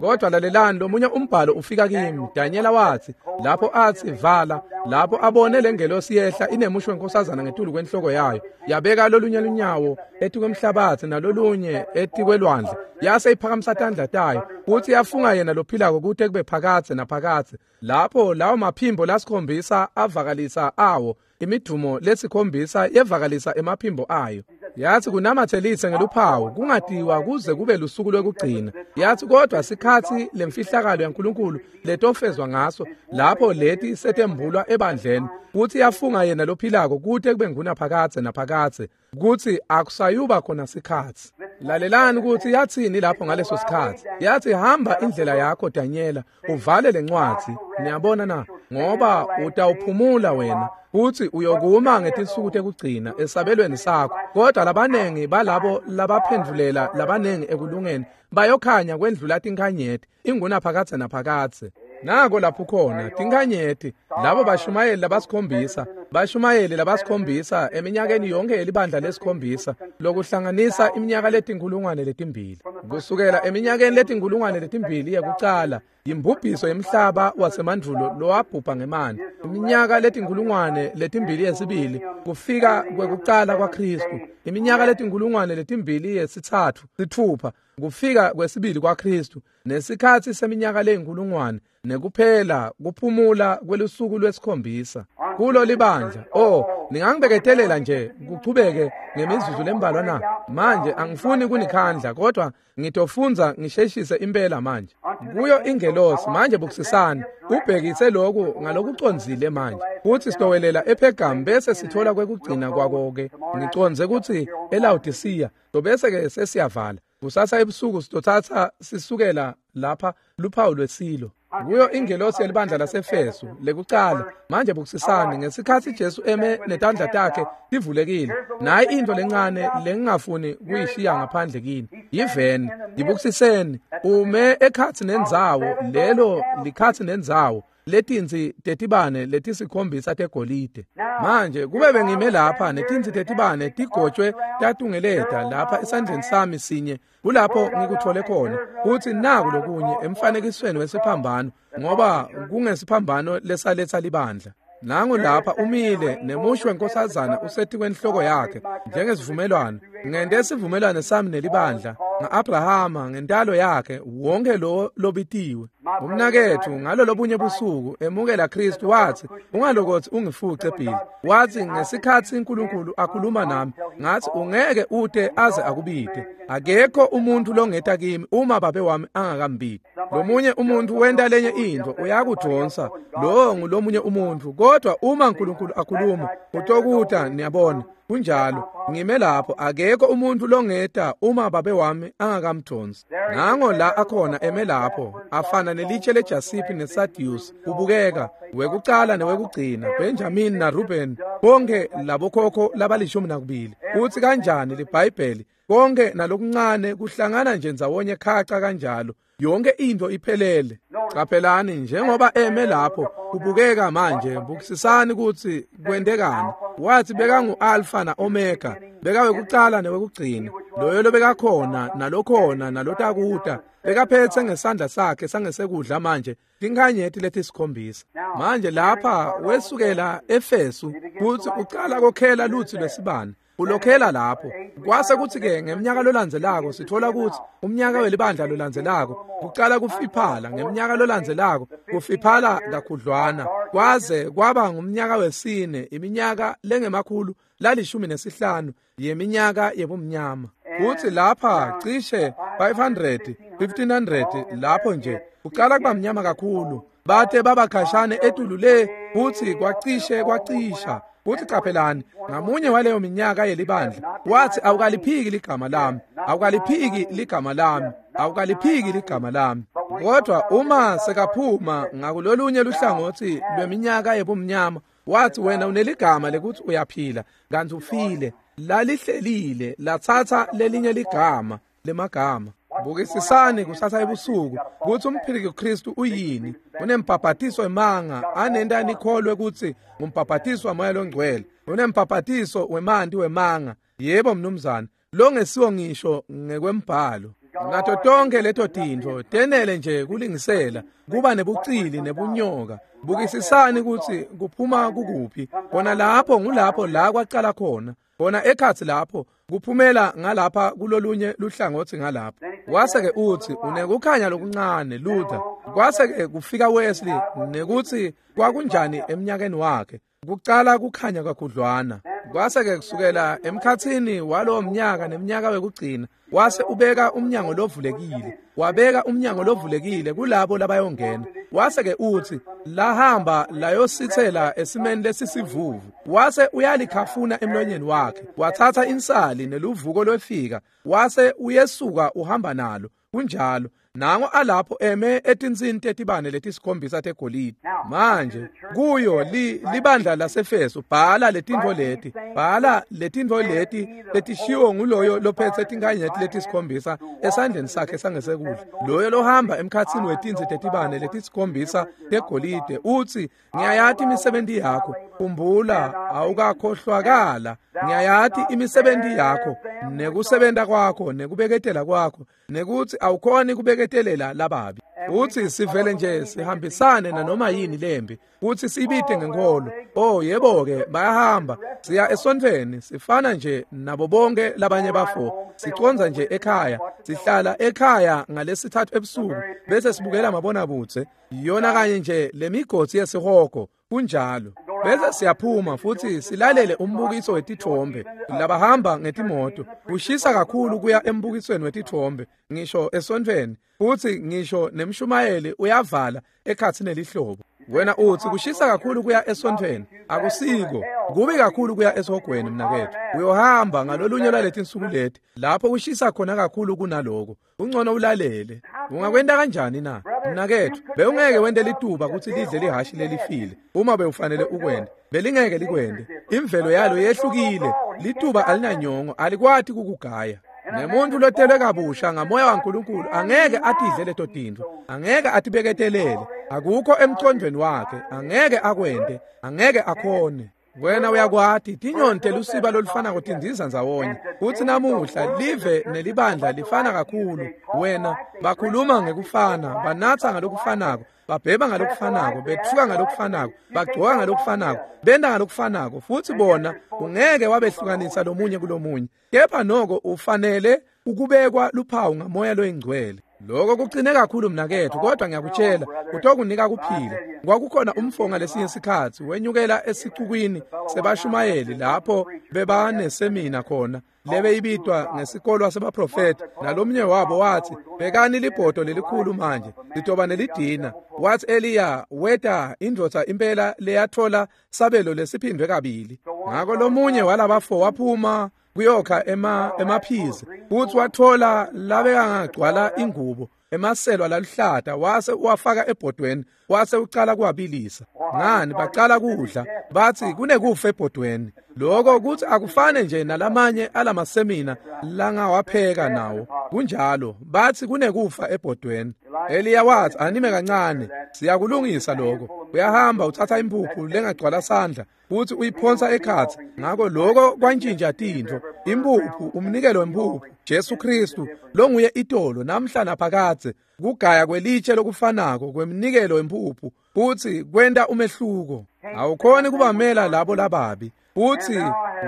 Kodwa lalelani, lomunye umbhalo ufika kimi. Danyela watsi, lapho atsi vala, lapho abone lengelosi yehla inemusho wenkosazana ngetulu kwenhloko yayo, yabeka lolunye lunyawo etikwemhlabatsi nalolunye etikwelwandle, yase iphakamisa tandla tayo, kutsi yafunga yena lophilako kute kube phakadze naphakadze. Lapho lawo maphimbo lasikhombisa avakalisa awo, imidumo lesikhombisa yevakalisa emaphimbo ayo. Yathi kunamathelise ngeluphawu kungatiwa kuze kube lusuku lwekugcina. Yathi kodwa sikhatsi lemfihlakalo yaNkulunkulu letofezwa ngaso, lapho leti setembulwa ebandleni, kutsi yafunga yena lophilako kute kube ngunaphakadze naphakadze, kutsi akusayuba khona sikhatsi. Lalelani kutsi yatsini lapho ngaleso sikhatsi. Yathi hamba indlela yakho Danyela, uvale lencwadzi. Niyabona na? Ngoba utawuphumula wena, kutsi uyokuma ngetinsuku tekugcina esabelweni sakho. Kodwa labanengi balabo labaphendvulela labanengi ekulungeni bayokhanya kwendlula tinkhanyeti ingunaphakadze naphakadze. Nako lapho khona tinkhanyeti, labo bashumayeli labasikhombisa, bashumayeli labasikhombisa eminyakeni yonke yelibandla lesikhombisa, lokuhlanganisa iminyaka letinkhulungwane letimbili. Kusukela eminyakeni letinkhulungwane letimbili yekucala, yimbubhiso yemhlaba wasemandvulo lowabhubha ngemanti. Iminyaka letinkhulungwane letimbili yesibili, kufika kwekucala kwaKhristu. Iminyaka letinkhulungwane letimbili yesitsatfu, sitfupha, kufika kwesibili kwaKhristu, nesikhatsi seminyaka leyinkhulungwane, nekuphela kuphumula kwelusuku lwesikhombisa kulo libandla. Oh, ningangibeketelela nje kuchubeke ngemizuzu lembalwa na? Manje angifuni kunikhandla, kodwa ngitofundza ngisheshise impela manje. Kuyo ingelosi manje, bukisisani, ubhekise lokhu ngalokucondzile manje. Kutsi sitowelela ePhergamu bese sithola kwekugcina kwako-ke. Ngicondze kutsi eLawodisiya, tobese-ke sesiyavala. Kusasa ebusuku sitothatha sisukela lapha luphawu lwesilo. Kuyo ingelosi yelibandla laseFesu lekucala. Manje bukisisani, ngesikhatsi Jesu eme netandla takhe tivulekile, nayi into lencane lengingafuni kuyishiya ngaphandle kini. Yiveni, yibukisiseni, ume ekhatsi nendzawo, lelo likhatsi nendzawo letinsi tetibane letisikhombisa tegolide. Manje kube bengime lapha netinsi tetibane tigotshwe tatungeleta lapha esandleni sami sinye, kulapho ngikuthole khona kutsi naku lokunye emfanekisweni wesiphambano, ngoba kungesiphambano lesaletsa libandla. Nangu lapha umile nemusho wenkosazana usetikwenhloko yakhe njengesivumelwano. Ngente isivumelwano sami nelibandla nga-Abrahama ngentalo yakhe wonke lo lobitiwe. Umnaketfu ngalo lobunye busuku emukela Kristu wathi, ungalokothi ungifuce Billy. Wathi ngesikhatsi uNkulunkulu akhuluma nami, ngathi ungeke ute aze akubite. Akekho umuntu longeta kimi uma babe wami angakambiti. Lomunye umuntu wenta lenye intfo uyakudvonsa, lowo ngulomunye umuntu. Kodwa uma uNkulunkulu akhuluma utokuta. Niyabona, kunjalo. Ngime lapho, akekho umuntu longeta uma babe wami angakamdonsi. Nango la akhona eme lapho, afana nelitshe leJasipi neSadius, ubukeka wekucala newekugcina, Benjamin na Ruben, bonke labokhokho labalishumi nakubili. Uthi kanjani liBhayibheli, konke nalokuncane kuhlangana nje ndzawonye khaca kanjalo, yonke into iphelele. Caphelani njengoba eme lapho kubukeka manje, bukisisani kutsi kwentekani. Wathi bekangu-Alpha na-Omega, bekawekucala newekugcina, loyo lobekakhona nalokhona nalotakuta, bekaphethe ngesandla sakhe sangesekudla manje tinkhanyeti letisikhombisa. Manje lapha wesukela Efesu kutsi ucala kokhela lutsi lwesibane, ulokhela lapho. Kwase kuthi-ke ngeminyaka lolandzelako sithola kutsi umnyaka welibandla lolandzelako kucala kufiphala, ngeminyaka lolandzelako kufiphala kakhudlwana, kwaze kwaba ngumnyaka wesine, iminyaka lengemakhulu lalishumi nesihlanu yeminyaka yebumnyama. Kuthi lapha cishe five hundred, fifteen hundred lapho nje kucala kuba mnyama kakhulu, bate babakhashane etulu le, kuthi kwacishe kwacisha Futsi caphelani, ngamunye waleyo minyaka yelibandla wathi awukaliphiki ligama lami, awukaliphiki ligama lami, awukaliphiki ligama lami. Kodwa uma sekaphuma ngakulolunye luhlangotsi lweminyaka yebumnyama, wathi wena uneligama lekuthi uyaphila kantsi ufile. Lalihlelile latsatsa lelinye ligama lemagama. Bukisisani kusasa ebusuku kutsi umphiliki Kristu uyini. Unembhabhatiso wemanga anenta nikholwe kutsi ngumbhabhatiso waMoya loNgcwele. Unembhabhatiso wemanti wemanga. Yebo mnumzane, longesiwo ngisho ngekwembhalo. Nato tonke leto tintfo tenele nje kulingisela kuba nebucili nebunyoka. Bukisisani kutsi kuphuma kukuphi. Kona lapho ngulapho la kwacala khona. Kona ekhatsi lapho kuphumela ngalapha kulolunye luhlangotsi ngalapho. Kwase-ke utsi unekukhanya lokuncane Luther. Kwase-ke kufika Wesley nekutsi kwakunjani eminyakeni wakhe. Kucala kukhanya kakhudlwana. Kwase-ke kusukela emkhatsini walowo mnyaka nemnyaka wekugcina wase ubeka umnyango lovulekile. Wabeka umnyango lovulekile kulabo labayongena. Wase-ke utsi lahamba layositsela esimeni lesisivuvu. Wase uyalikhafuna emlonyeni wakhe. Wathatha insali neluvuko lwefika. Wase uyesuka uhamba nalo. Kunjalo. Nango alapho eme etinsini tetibane letisikhombisa tegolide. Manje kuyo li, libandla laseFeso bhala letintfo leti, bhala letintfo leti letishiwo nguloyo lophetse tinkanyeti letisikhombisa esandleni sakhe sangesekudla, loyo lohamba emkhatsini wetinsi tetibane letisikhombisa tegolide, utsi ngiyayati imisebenti yakho, khumbula awukakhohlwakala, ngiyayati imisebenti yakho nekusebenta kwakho nekubeketela kwakho nekutsi awukhoni kubeketelela lababi. Utsi sivele nje sihambisane nanoma yini lembi kutsi sibite ngenkolo. Oh yebo-ke, bayahamba siya esontfweni, sifana nje nabo bonke labanye bafo, siconza nje ekhaya, sihlala ekhaya ngalesithathu ebusuku bese sibukela mabonakudze, yona kanye nje lemigodzi yesihogo. Kunjalo. Bese siyaphuma futhi silalele umbukiso wetithombe labahamba ngetimoto. Kushisa kakhulu kuya embukisweni wetithombe ngisho esontfweni, futhi ngisho nemshumayeli uyavala ekhatsi nelihlobo. Wena utsi kushisa kakhulu kuya esontfweni. Akusiko. Kubi kakhulu kuya esihogweni mnaketfu. Uyohamba ngalolunye lwaletinsuku leti lapho kushisa khona kakhulu kunaloko. Ungcono ulalele. Ungakwenta kanjani na? Mnaketfu, bewungeke wente lituba kutsi lidle lihashi lelifile uma bewufanele ukwente. Belingeke likwente. Imvelo yalo yehlukile. Lituba alinanyongo, alikwati kukugaya. Nemuntu lotelwe kabusha ngamoya waNkulunkulu angeke atidle leto tintfo, angeke atibeketelele, akukho emcondvweni wakhe, angeke akwente, angeke akhone. Wena uyakwati tinyoni telusiba lolufanako tindiza ndzawonye. Kutsi namuhla live nelibandla lifana kakhulu. Wena bakhuluma ngekufana, banatsa ngalokufanako, babhema ngalokufanako, betfuka ngalokufanako, bagcoka ngalokufanako, benta ngalokufanako, futsi bona ungeke wabehlukanisa lomunye kulomunye. Kepha noko ufanele ukubekwa luphawu ngamoya loyingcwele. Lokho kucine kakhulu mnaketfu, kodwa ngiyakutshela kutokunika kuphila. Kwakukhona umfo ngalesinye sikhatsi wenyukela esicukwini sebashumayeli lapho bebanesemina khona lebeyibitwa ngesikolwa sebaprofeti, nalomnye wabo wathi bekani libhodo lelikhulu manje litoba nelidina. Wathi Eliya weta indvodza impela leyathola sabelo lesiphindwe kabili. Ngako lomunye walabafo waphuma kuyokha ema emaphizi futhi wathola labekangagcwala ingubo emaselwa laluhlata, wase uwafaka ebhodweni wase ucala kuwabilisa. Ngani bacala kudla, bathi kunekufa ebhodweni. Lokho kuthi akufane nje nalamanye alamasemina langawapheka nawo. Kunjalo, bathi kunekufa ebhodweni. Eliya wathi anime kancane, siyakulungisa lokho. Uyahamba uthatha impuphu lengagcwala sandla futhi uyiphonsa ekhatsi. Ngako lokho kwantshintsha tintfo. Impuphu, umnikelo wempuphu, Jesu Kristu longuye itolo namhla naphakadze, kugaya kwelitshe lokufanako kwemnikelo wempuphu futhi kwenta umehluko. Awukhoni kubamela labo lababi. Futhi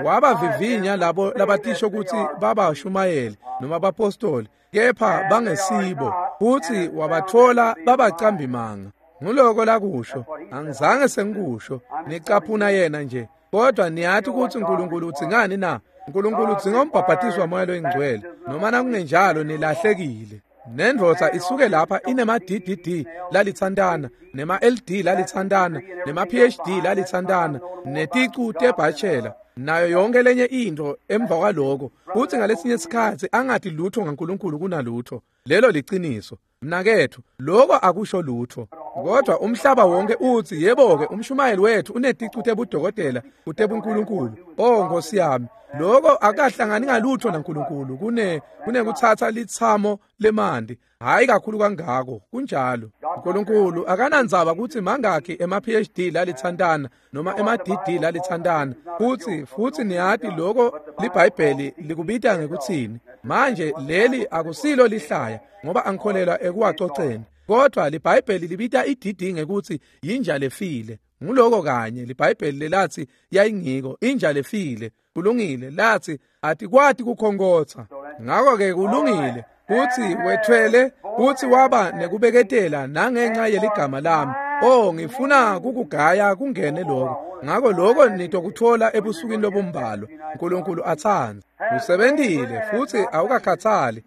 wabavivinya labo labatisho kutsi babashumayeli noma bapostoli, kepha bangesibo, futhi wabathola babacambimanga. Nguloko lakusho, angizange sengikusho, nicaphuna yena nje. Kodwa niyathi ukuthi uNkulunkulu udzingani na? uNkulunkulu udzinga umbhabhatiso waMoya loyiNgcwele, noma nakungenjalo nilahlekile. Nendvodza isuke lapha inema-D D D lalitsantana, nema-L D lalitsantana, nema-P H D lalitsantana, neticu tebhachela, nayo yonke lenye into emva kwaloko, futsi ngalesinye sikhatsi angati lutho ngaNkulunkulu kunalutho. Lelo liciniso. Mnaketfu, loko akusho lutho. Kodwa umhlaba wonke utsi, yebo-ke, umshumayeli wethu uneticu tebudokotela kutebunkulunkulu. Oh Nkosi yami, loko akahlangani ngalutho naNkulunkulu kune kunekutsatsa litsamo lemanti. Hayi kakhulu kangako, kunjalo. uNkulunkulu akanandzaba kutsi mangakhi ema-P H D lalitsantana noma ema-D D lalitsantana. Futsi futsi niyati loko liBhayibheli likubita ngekutsini. Manje leli akusilo lihlaya ngoba angikholelwa ekuwacoceni. Kodwa liBhayibheli libita i-D D ngekutsi yinja lefile. Nguloko kanye liBhayibheli lelatsi yayingiko, inja lefile. Kulungile, latsi atikwati kukhonkhotsa. Ngako-ke kulungile kutsi wethwele kutsi waba nekubeketela nangenxa yeligama lami. Oh, ngifuna kukugaya kungene lokho. Ngako lokho nitokuthola ebusukwini lobumbalwa. uNkulunkulu atsandza. Usebentile futsi awukakhatsali.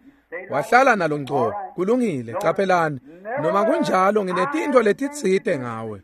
Wahlala nalo ngco. Kulungile, caphelani. Noma kunjalo nginetintfo letitsite ngawe.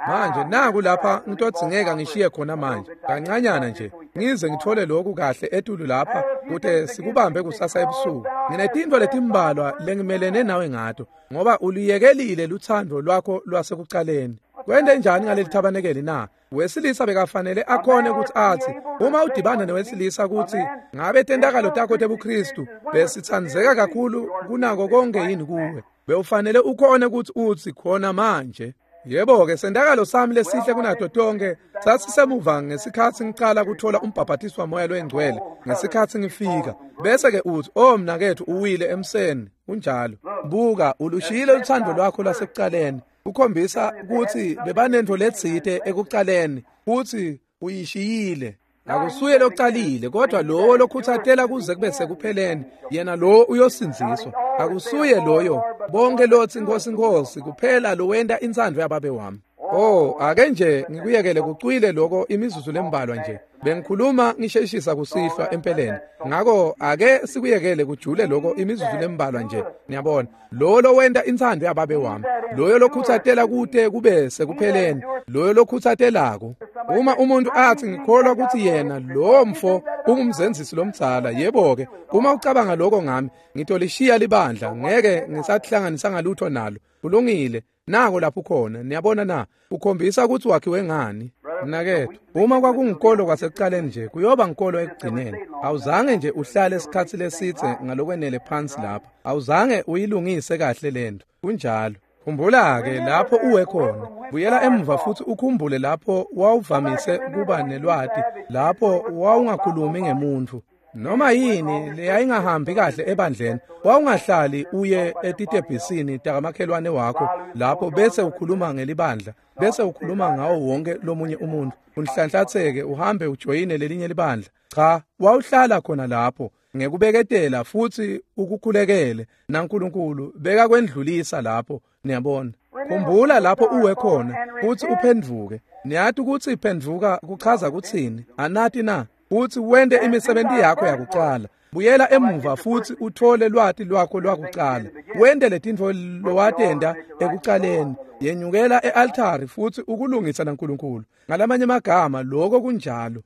Manje naku lapha ngitodzingeka ngishiye khona manje kancanyana nje ngize ngithole lokhu kahle etulu lapha kute sikubambe kusasa ebusuku. Nginetintfo letimbalwa lengimelene nawe ngato ngoba uluyekelile lutsandvo lwakho lwasekucaleni. Kwente njani ngaleli thabanekeli na? Wesilisa bekafanele akhone ukuthi athi uma udibana newesilisa kutsi ngabe tentakalo takho tebuKristu besitsandzeka kakhulu kunako konke yini kuwe, bewufanele ukhone ukuthi utsi khona manje. Yebo-ke, sentakalo sami lesihle kunato tonke sasisemuva ngesikhatsi ngicala kuthola umbhabhatiso waMoya loNgcwele ngesikhatsi ngifika. Bese-ke utsi, oh mnaketfu, uwile emseni. Kunjalo. Buka, ulushiyile lutsandvo lwakho lwasekucaleni. Ukhombisa kutsi bebanentfo letsite ekucaleni, kutsi uyishiyile. Akusuye lokucalile, kodwa lowo lokhutsatela kuze kube sekupheleni, yena lowo uyosindziswa. Akusuye loyo bonke lotsi Nkosi Nkosi kuphela lowenta intsandvo yababe wami. Oh, ake nje ngikuyekele kucwile lokho imizuzu lembalwa nje. Bengikhuluma ngisheshisa kusihlwa empeleni. Ngako ake sikuyekele kujule lokho imizuzu lembalwa nje. Niyabona, lowo lowenta intsandvo yababe wami, loyo lokhutsatela kute kube sekupheleni, loyo lokhutsatelako. Uma umuntu athi ngikholwa ukuthi yena lo mfo ungumzenzisi lomdzala, yebo-ke, uma ucabanga lokho ngami, ngitolishiya libandla, ngeke ngisathihlanganisa ngalutho nalo. Kulungile, nako lapho khona. Niyabona na? Ukhombisa ukuthi wakhiwe ngani. Mnaketfu, uma kwakungukolo kwasekucaleni nje, kuyoba ngukolo ekugcineni. Awuzange nje uhlale isikhatsi lesitse ngalokwenele phansi lapha. Awuzange uyilungise kahle lento. Kunjalo. Khumbula-ke lapho uwe khona. Buyela emuva futhi ukhumbule lapho wawuvamise kuba nelwati, lapho wawungakhulumi ngemuntfu. Noma yini leyayingahambi kahle ebandleni, wawungahlali uye etitebhisini takamakhelwane wakho lapho bese ukhuluma ngelibandla, bese ukhuluma ngawo wonke lomunye umuntu. Unhlanhlatheke uhambe ujoyine lelinye libandla. Cha, wawuhlala khona lapho ngekubeketela futhi ukukhulekele naNkulunkulu beka kwendlulisa lapho. Niyabona, khumbula lapho uwe khona futhi uphenduke. Niyati ukuthi iphenduka kuchaza kutsini? Anati na? Uthi wente imisebenzi yakho yakucala. Buyela emuva futhi uthole lwati lwakho lwakucala. Wente letintfo lowatenta ekucaleni. Yenyukela e-altari futhi ukulungisa naNkulunkulu. Ngalamanye amagama lokho kunjalo.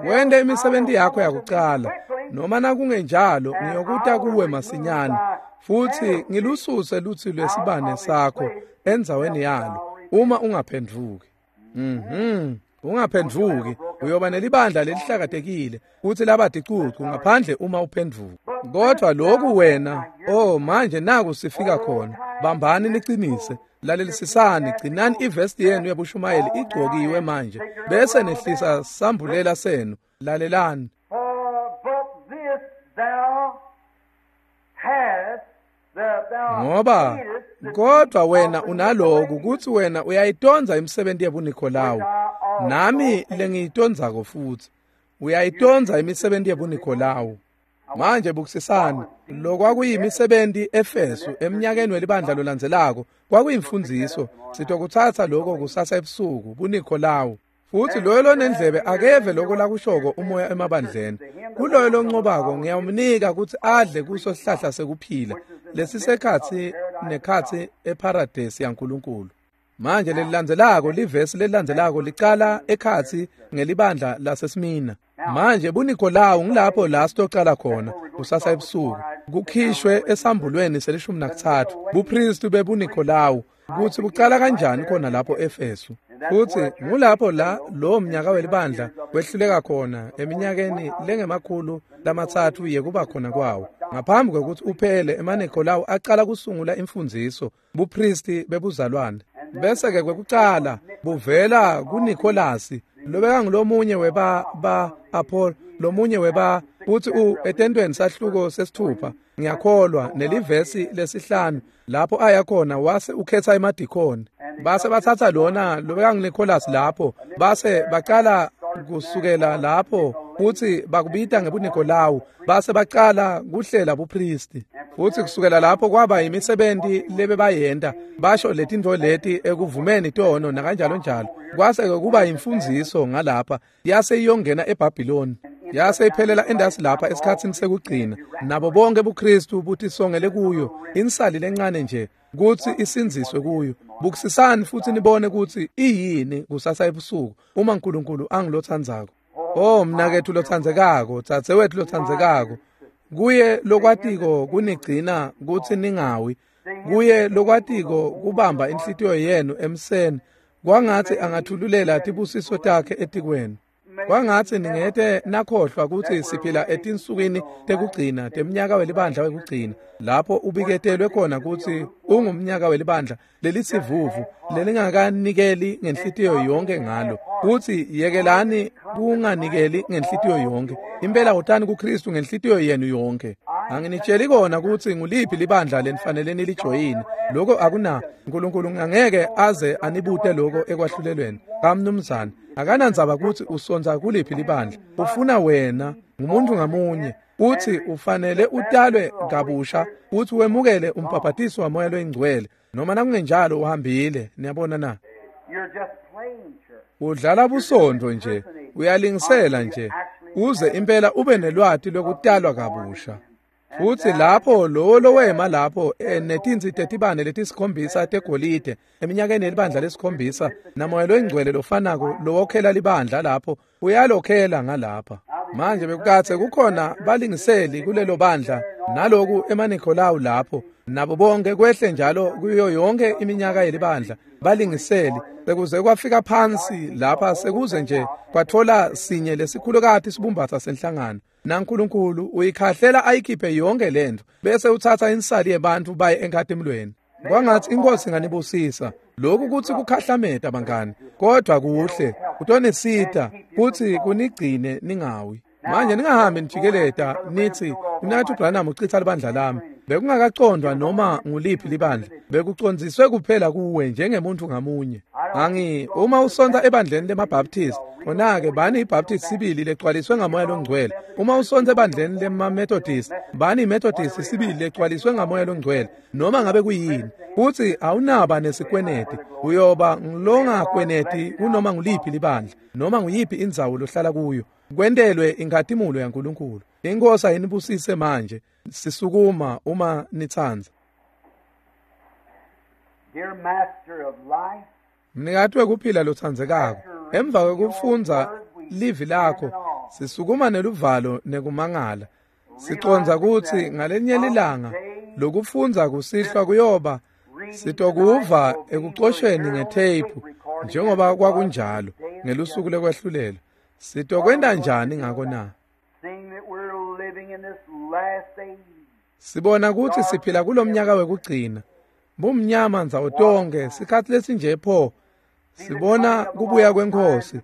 Wente imisebenzi yakho yakucala. Noma nakungenjalo ngiyokuta kuwe masinyane futhi ngilususe lutsi lwesibane sakho endzaweni yalo uma ungaphendvuki. Mhm. Ungaphendvuki, uyoba nelibandla lelihlakatekile kuthi labadicucu ngaphandle uma uphendvuka. Kodwa lokhu wena, oh manje naku sifika khona. Bambani niqinise, lalelisisani, gcinani ivesti yenu yabushumayeli igcokiwe manje bese nehlisa sambulela senu. Lalelani. Ngoba kodwa wena unaloku kuthi wena uyayitonza imisebenzi yebuNikolawu, nami lengiyitonzako futhi. Uyayitonza imisebenzi yebuNikolawu. Manje bukisisani, lokwakuyimisebenzi eFesu eminyakeni welibandla lolandzelako kwakuyimfundiso. Sitokuthatha lokho kusasa ebusuku, buNikolawu. Futhi loyo lonendlebe akeve lokho lakushoko umoya emabandleni. Kuloyo loncobako ngiyawumnika kutsi adle kuso sihlahla sekuphila lesisekhatsi nekhatsi eparadesi yaNkulunkulu. Manje lelilandzelako livesi lelilandzelako licala ekhatsi ngelibandla laseSmina. Manje buNikolawu ngilapho la sitocala khona kusasa ebusuku kukhishwe esambulweni selishumi nakutsatfu bupristi bebuNikolawu kutsi bucala kanjani khona lapho Efesu. Futsi ngulapho la lowo mnyaka welibandla wehluleka khona eminyakeni lengemakhulu lamatsatfu yekuba khona kwawo. Ngaphambi kwekutsi uphele emaNikolawu acala kusungula imfundziso bupristi bebuzalwane. Bese-ke kwekucala buvela kuNikolasi lobekangulomunye weba ba Apollo lomunye weba uthi u etentweni sahluko sesithupha ngiyakholwa nelivesi lesihlanu lapho aya khona wase ukhetha emadikoni. Base bathatha lona lobekanguNicholas lapho base bacala kusukela lapho futhi bakubita ngebuNikolawu base bacala kuhlela bupristi. Futhi kusukela lapho kwaba imisebenzi lebebayenta basho letintfo leti ekuvumeni tono nakanjalo njalo. Kwase kuba imfundziso ngalapha yase iyongena eBhabhiloni yase iphelela endasi lapha esikhatsini sekugcina nabo bonke buKristu butisongele kuyo insali lencane nje kutsi isindziswe kuyo. Bukisisani futhi nibone kutsi iyini kusasa ebusuku uma uNkulunkulu angilotsandzako. Oh mnaketfu lotsandzekako, dzadzewetfu lotsandzekako, kuye lokwatiko kunigcina kutsi ningawi, kuye lokwatiko kubamba inhlitiyo yenu emseni, kwangatsi angathululela tibusiso takhe etikwenu. Kwangatsi ningete nakhohlwa kutsi siphila etinsukwini tekugcina temnyaka welibandla wekugcina lapho ubiketelwe khona kutsi ungumnyaka welibandla lelisivuvu lelingakanikeli ngenhlitiyo yonke ngalo. Kutsi yekelani kunganikeli ngenhlitiyo yonke. Impela wotani kuKristu ngenhlitiyo yenu yonke. Anginitsheli kona kutsi nguliphi libandla lenifanele nilijoyine. Lokho akuna uNkulunkulu angeke aze anibute lokho ekwahlulelweni. Kamnumzane akanandzaba kutsi usonza kuliphi libandla. Ufuna wena ngumuntu ngamunye uthi ufanele utalwe kabusha uthi wemukele umbhabhatiso wamoya loyingcwele noma nakungenjalo uhambile. Niyabona na? Udlala busondo nje, uyalingisela nje uze impela ube nelwati lokutalwa kabusha. Futhi lapho lowo lowema lapho netinsi tetibane letisikhombisa tegolide eminyakeni yelibandla lesikhombisa namoya loyingcwele lofanako lowokhela libandla lapho uyalokhela ngalapha. Manje bekukatse kukhona balingiseli kulelo bandla naloku emaNikolawu lapho nabo bonke kwehle njalo kuyo yonke iminyaka yelibandla balingiseli sekuze kwafika phansi lapha sekuze nje kwathola sinye lesikhulukati sibumbatha senhlangano. NaNkulunkulu uyikhahlela ayikhiphe yonke lento bese uthatha insali yebantu baye enkhatimlweni. Kwangatsi inkosi inganibusisa. Lokhu kutsi kukhahlameta bangani, kodwa kuhle kutonisita kutsi kunigcine ningawi. Manje ningahambi nijikeleta nithi uNathi Branham uchitha libandla lami. Bekungakacondwa noma nguliphi libandla, bekucondziswe kuphela kuwe njengemuntu ngamunye. Angi uma usonta ebandleni lemaBaptist, khona-ke bani iBaptist sibili legcwaliswe ngamoya longcwele. Uma usonta ebandleni lemaMethodist, bani iMethodist sibili legcwaliswe ngamoya longcwele. Noma ngabe kuyini, futhi awunaba nesikweneti, uyoba ngilongakweneti kunoma nguliphi libandla, noma nguyiphi indzawo lohlala kuyo. Kwentelwe inkhatimulo yaNkulunkulu. Inkosi ayinibusise manje. Sisukuma uma nitsandza. Dear Master of life, Mnikati wekuphila lotsandzekako, emva kwekufundza livi lakho sisukuma neluvalo nekumangala. Sicondza kutsi ngalenye lilanga lokufundza kusihlwa kuyoba sitokuva ekucosheni ngetheyiphu njengoba kwakunjalo ngelusuku lekwehlulela. Sitokwenta njani ngako na? seeing that we're living in this last age, Sibona kutsi siphila kulomnyaka wekugcina. Bumnyama ndzawo tonke sikhatsi lesinje pho. Sibona kubuya kwenkosi.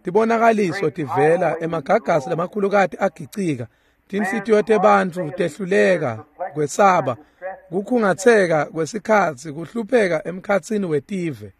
Tibonakaliso tivela emagagasi lamakhulukati agicika. Tinhlitiyo tebantfu tehluleka kwesaba, kukhungatseka kwesikhatsi, kuhlupheka emkhatsini wetive.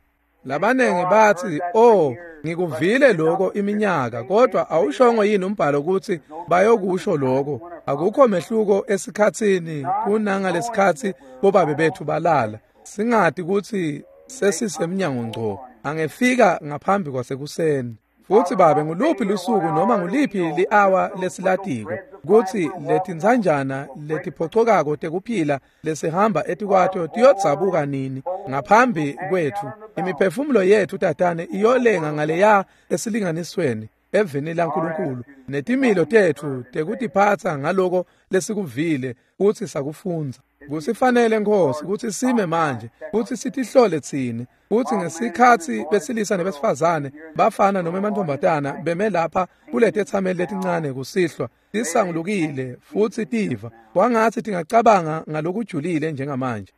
Labanengi batsi, "Oh, ngikuvile lokho iminyaka, kodwa awushongo yini umbhalo kutsi bayokusho lokho? Akukho mehluko esikhatsini kunangalesikhatsi bobabe bethu balala. Singati kutsi sesisemnyango ngco, angefika ngaphambi kwasekuseni." Futsi Babe, nguluphi lusuku noma nguliphi li-awa lesilatiko kutsi letintsanjana letiphocokako tekuphila lesihamba etikwato tiyodzabuka nini ngaphambi kwetfu. Imiphefumulo yetfu tatane iyolenga ngaleya esilinganisweni evini laNkulunkulu netimilo tetfu tekutiphatsa ngaloko lesikuvile kutsi sakufundza. Kusifanele Nkosi kutsi sime manje kutsi sitihlole tsine kutsi ngesikhatsi besilisa nebesifazane bafana noma emantfombatana beme lapha kuletetsameli letincane kusihlwa tisangulukile futsi tiva kwangatsi tingacabanga ngalokujulile njengamanje.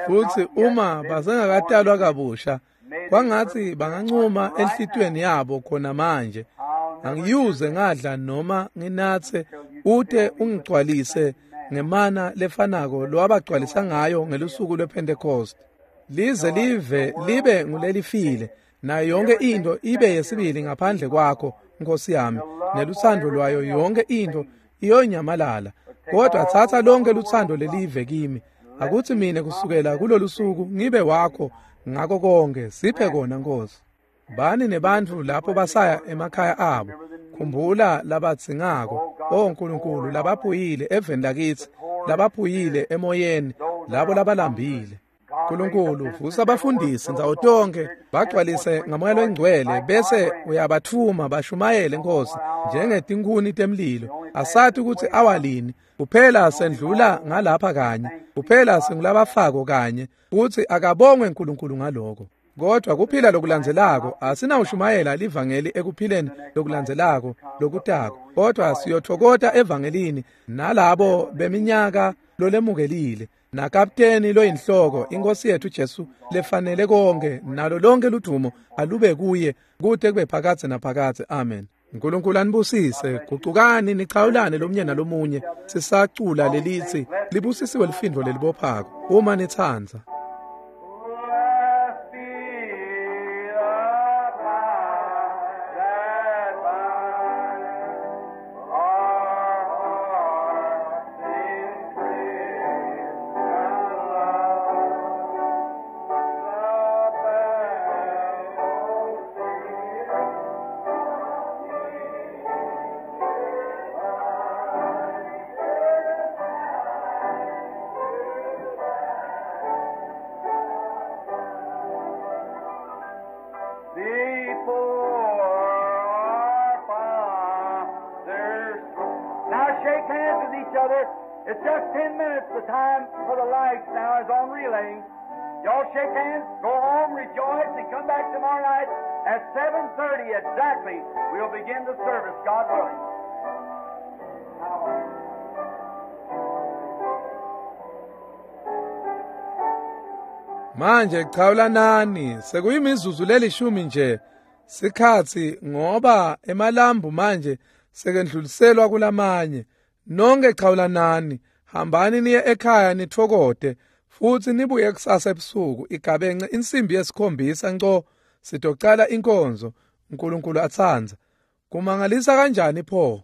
Futsi uma basengakatalwa kabusha kwangatsi bangancuma enhlitiyweni yabo khona manje, angiyuze ngadla noma nginatse ute ungigcwalise ngemana lefanako lowabagcwalisa ngayo ngelusuku lwePentecost. Lize live libe ngulelifile nayo yonke into ibe yesibili ngaphandle kwakho Nkosi yami, nelutsandvo lwayo yonke into iyonyamalala. Kodwa tsatsa lonke lutsandvo lelive kimi, akuthi mina kusukela kulolu suku ngibe wakho ngako konke. Siphe kona Nkosi. Bani nebantfu lapho basaya emakhaya abo, khumbula labadzingako, o Nkulunkulu, labaphuyile eveni lakitsi, labaphuyile emoyeni, labo labalambile. Nkulunkulu, vusa abafundisi ndzawo tonke, bagcwalise ngamoya longcwele bese uyabatfuma bashumayele Nkosi njengetinkhuni temlilo. Asati kutsi awalini, kuphela sendlula ngalapha kanye, kuphela singulabafako kanye, kutsi akabongwe Nkulunkulu ngaloko. Kodwa kuphila lokulandzelako asinawushumayela livangeli ekuphileni lokulandzelako lokutako, kodwa siyothokota evangelini nalabo beminyaka lolemukelile nakapteni loyinhloko inkosi yethu Jesu lefanele konke nalo lonke ludumo alube kuye kute kube phakadze naphakadze. Amen. Nkulunkulu anibusise. Gucukani nichawulane lomunye nalomunye sisacula lelitsi libusisiwe lifindvo lelibophako uma nitsandza. Blessed be the tie that binds our hearts in Christian love. The Before our Father's throne. Now shake hands with each other. It's just ten minutes. The time for the lights now is on relay. Y'all shake hands, go home, rejoice, and come back tomorrow night at seven thirty exactly. We'll begin the service, God willing. Manje chawulanani, sekuyimizuzu lelishumi nje sikhatsi ngoba emalambu manje sekendluliselwa kulamanye. Nonke chawulanani, hambani niye ekhaya nitfokote futsi nibuye kusasa ebusuku igabence insimbi yesikhombisa nco sitocala inkonzo. Nkulunkulu atsandza. Kumangalisa kanjani pho?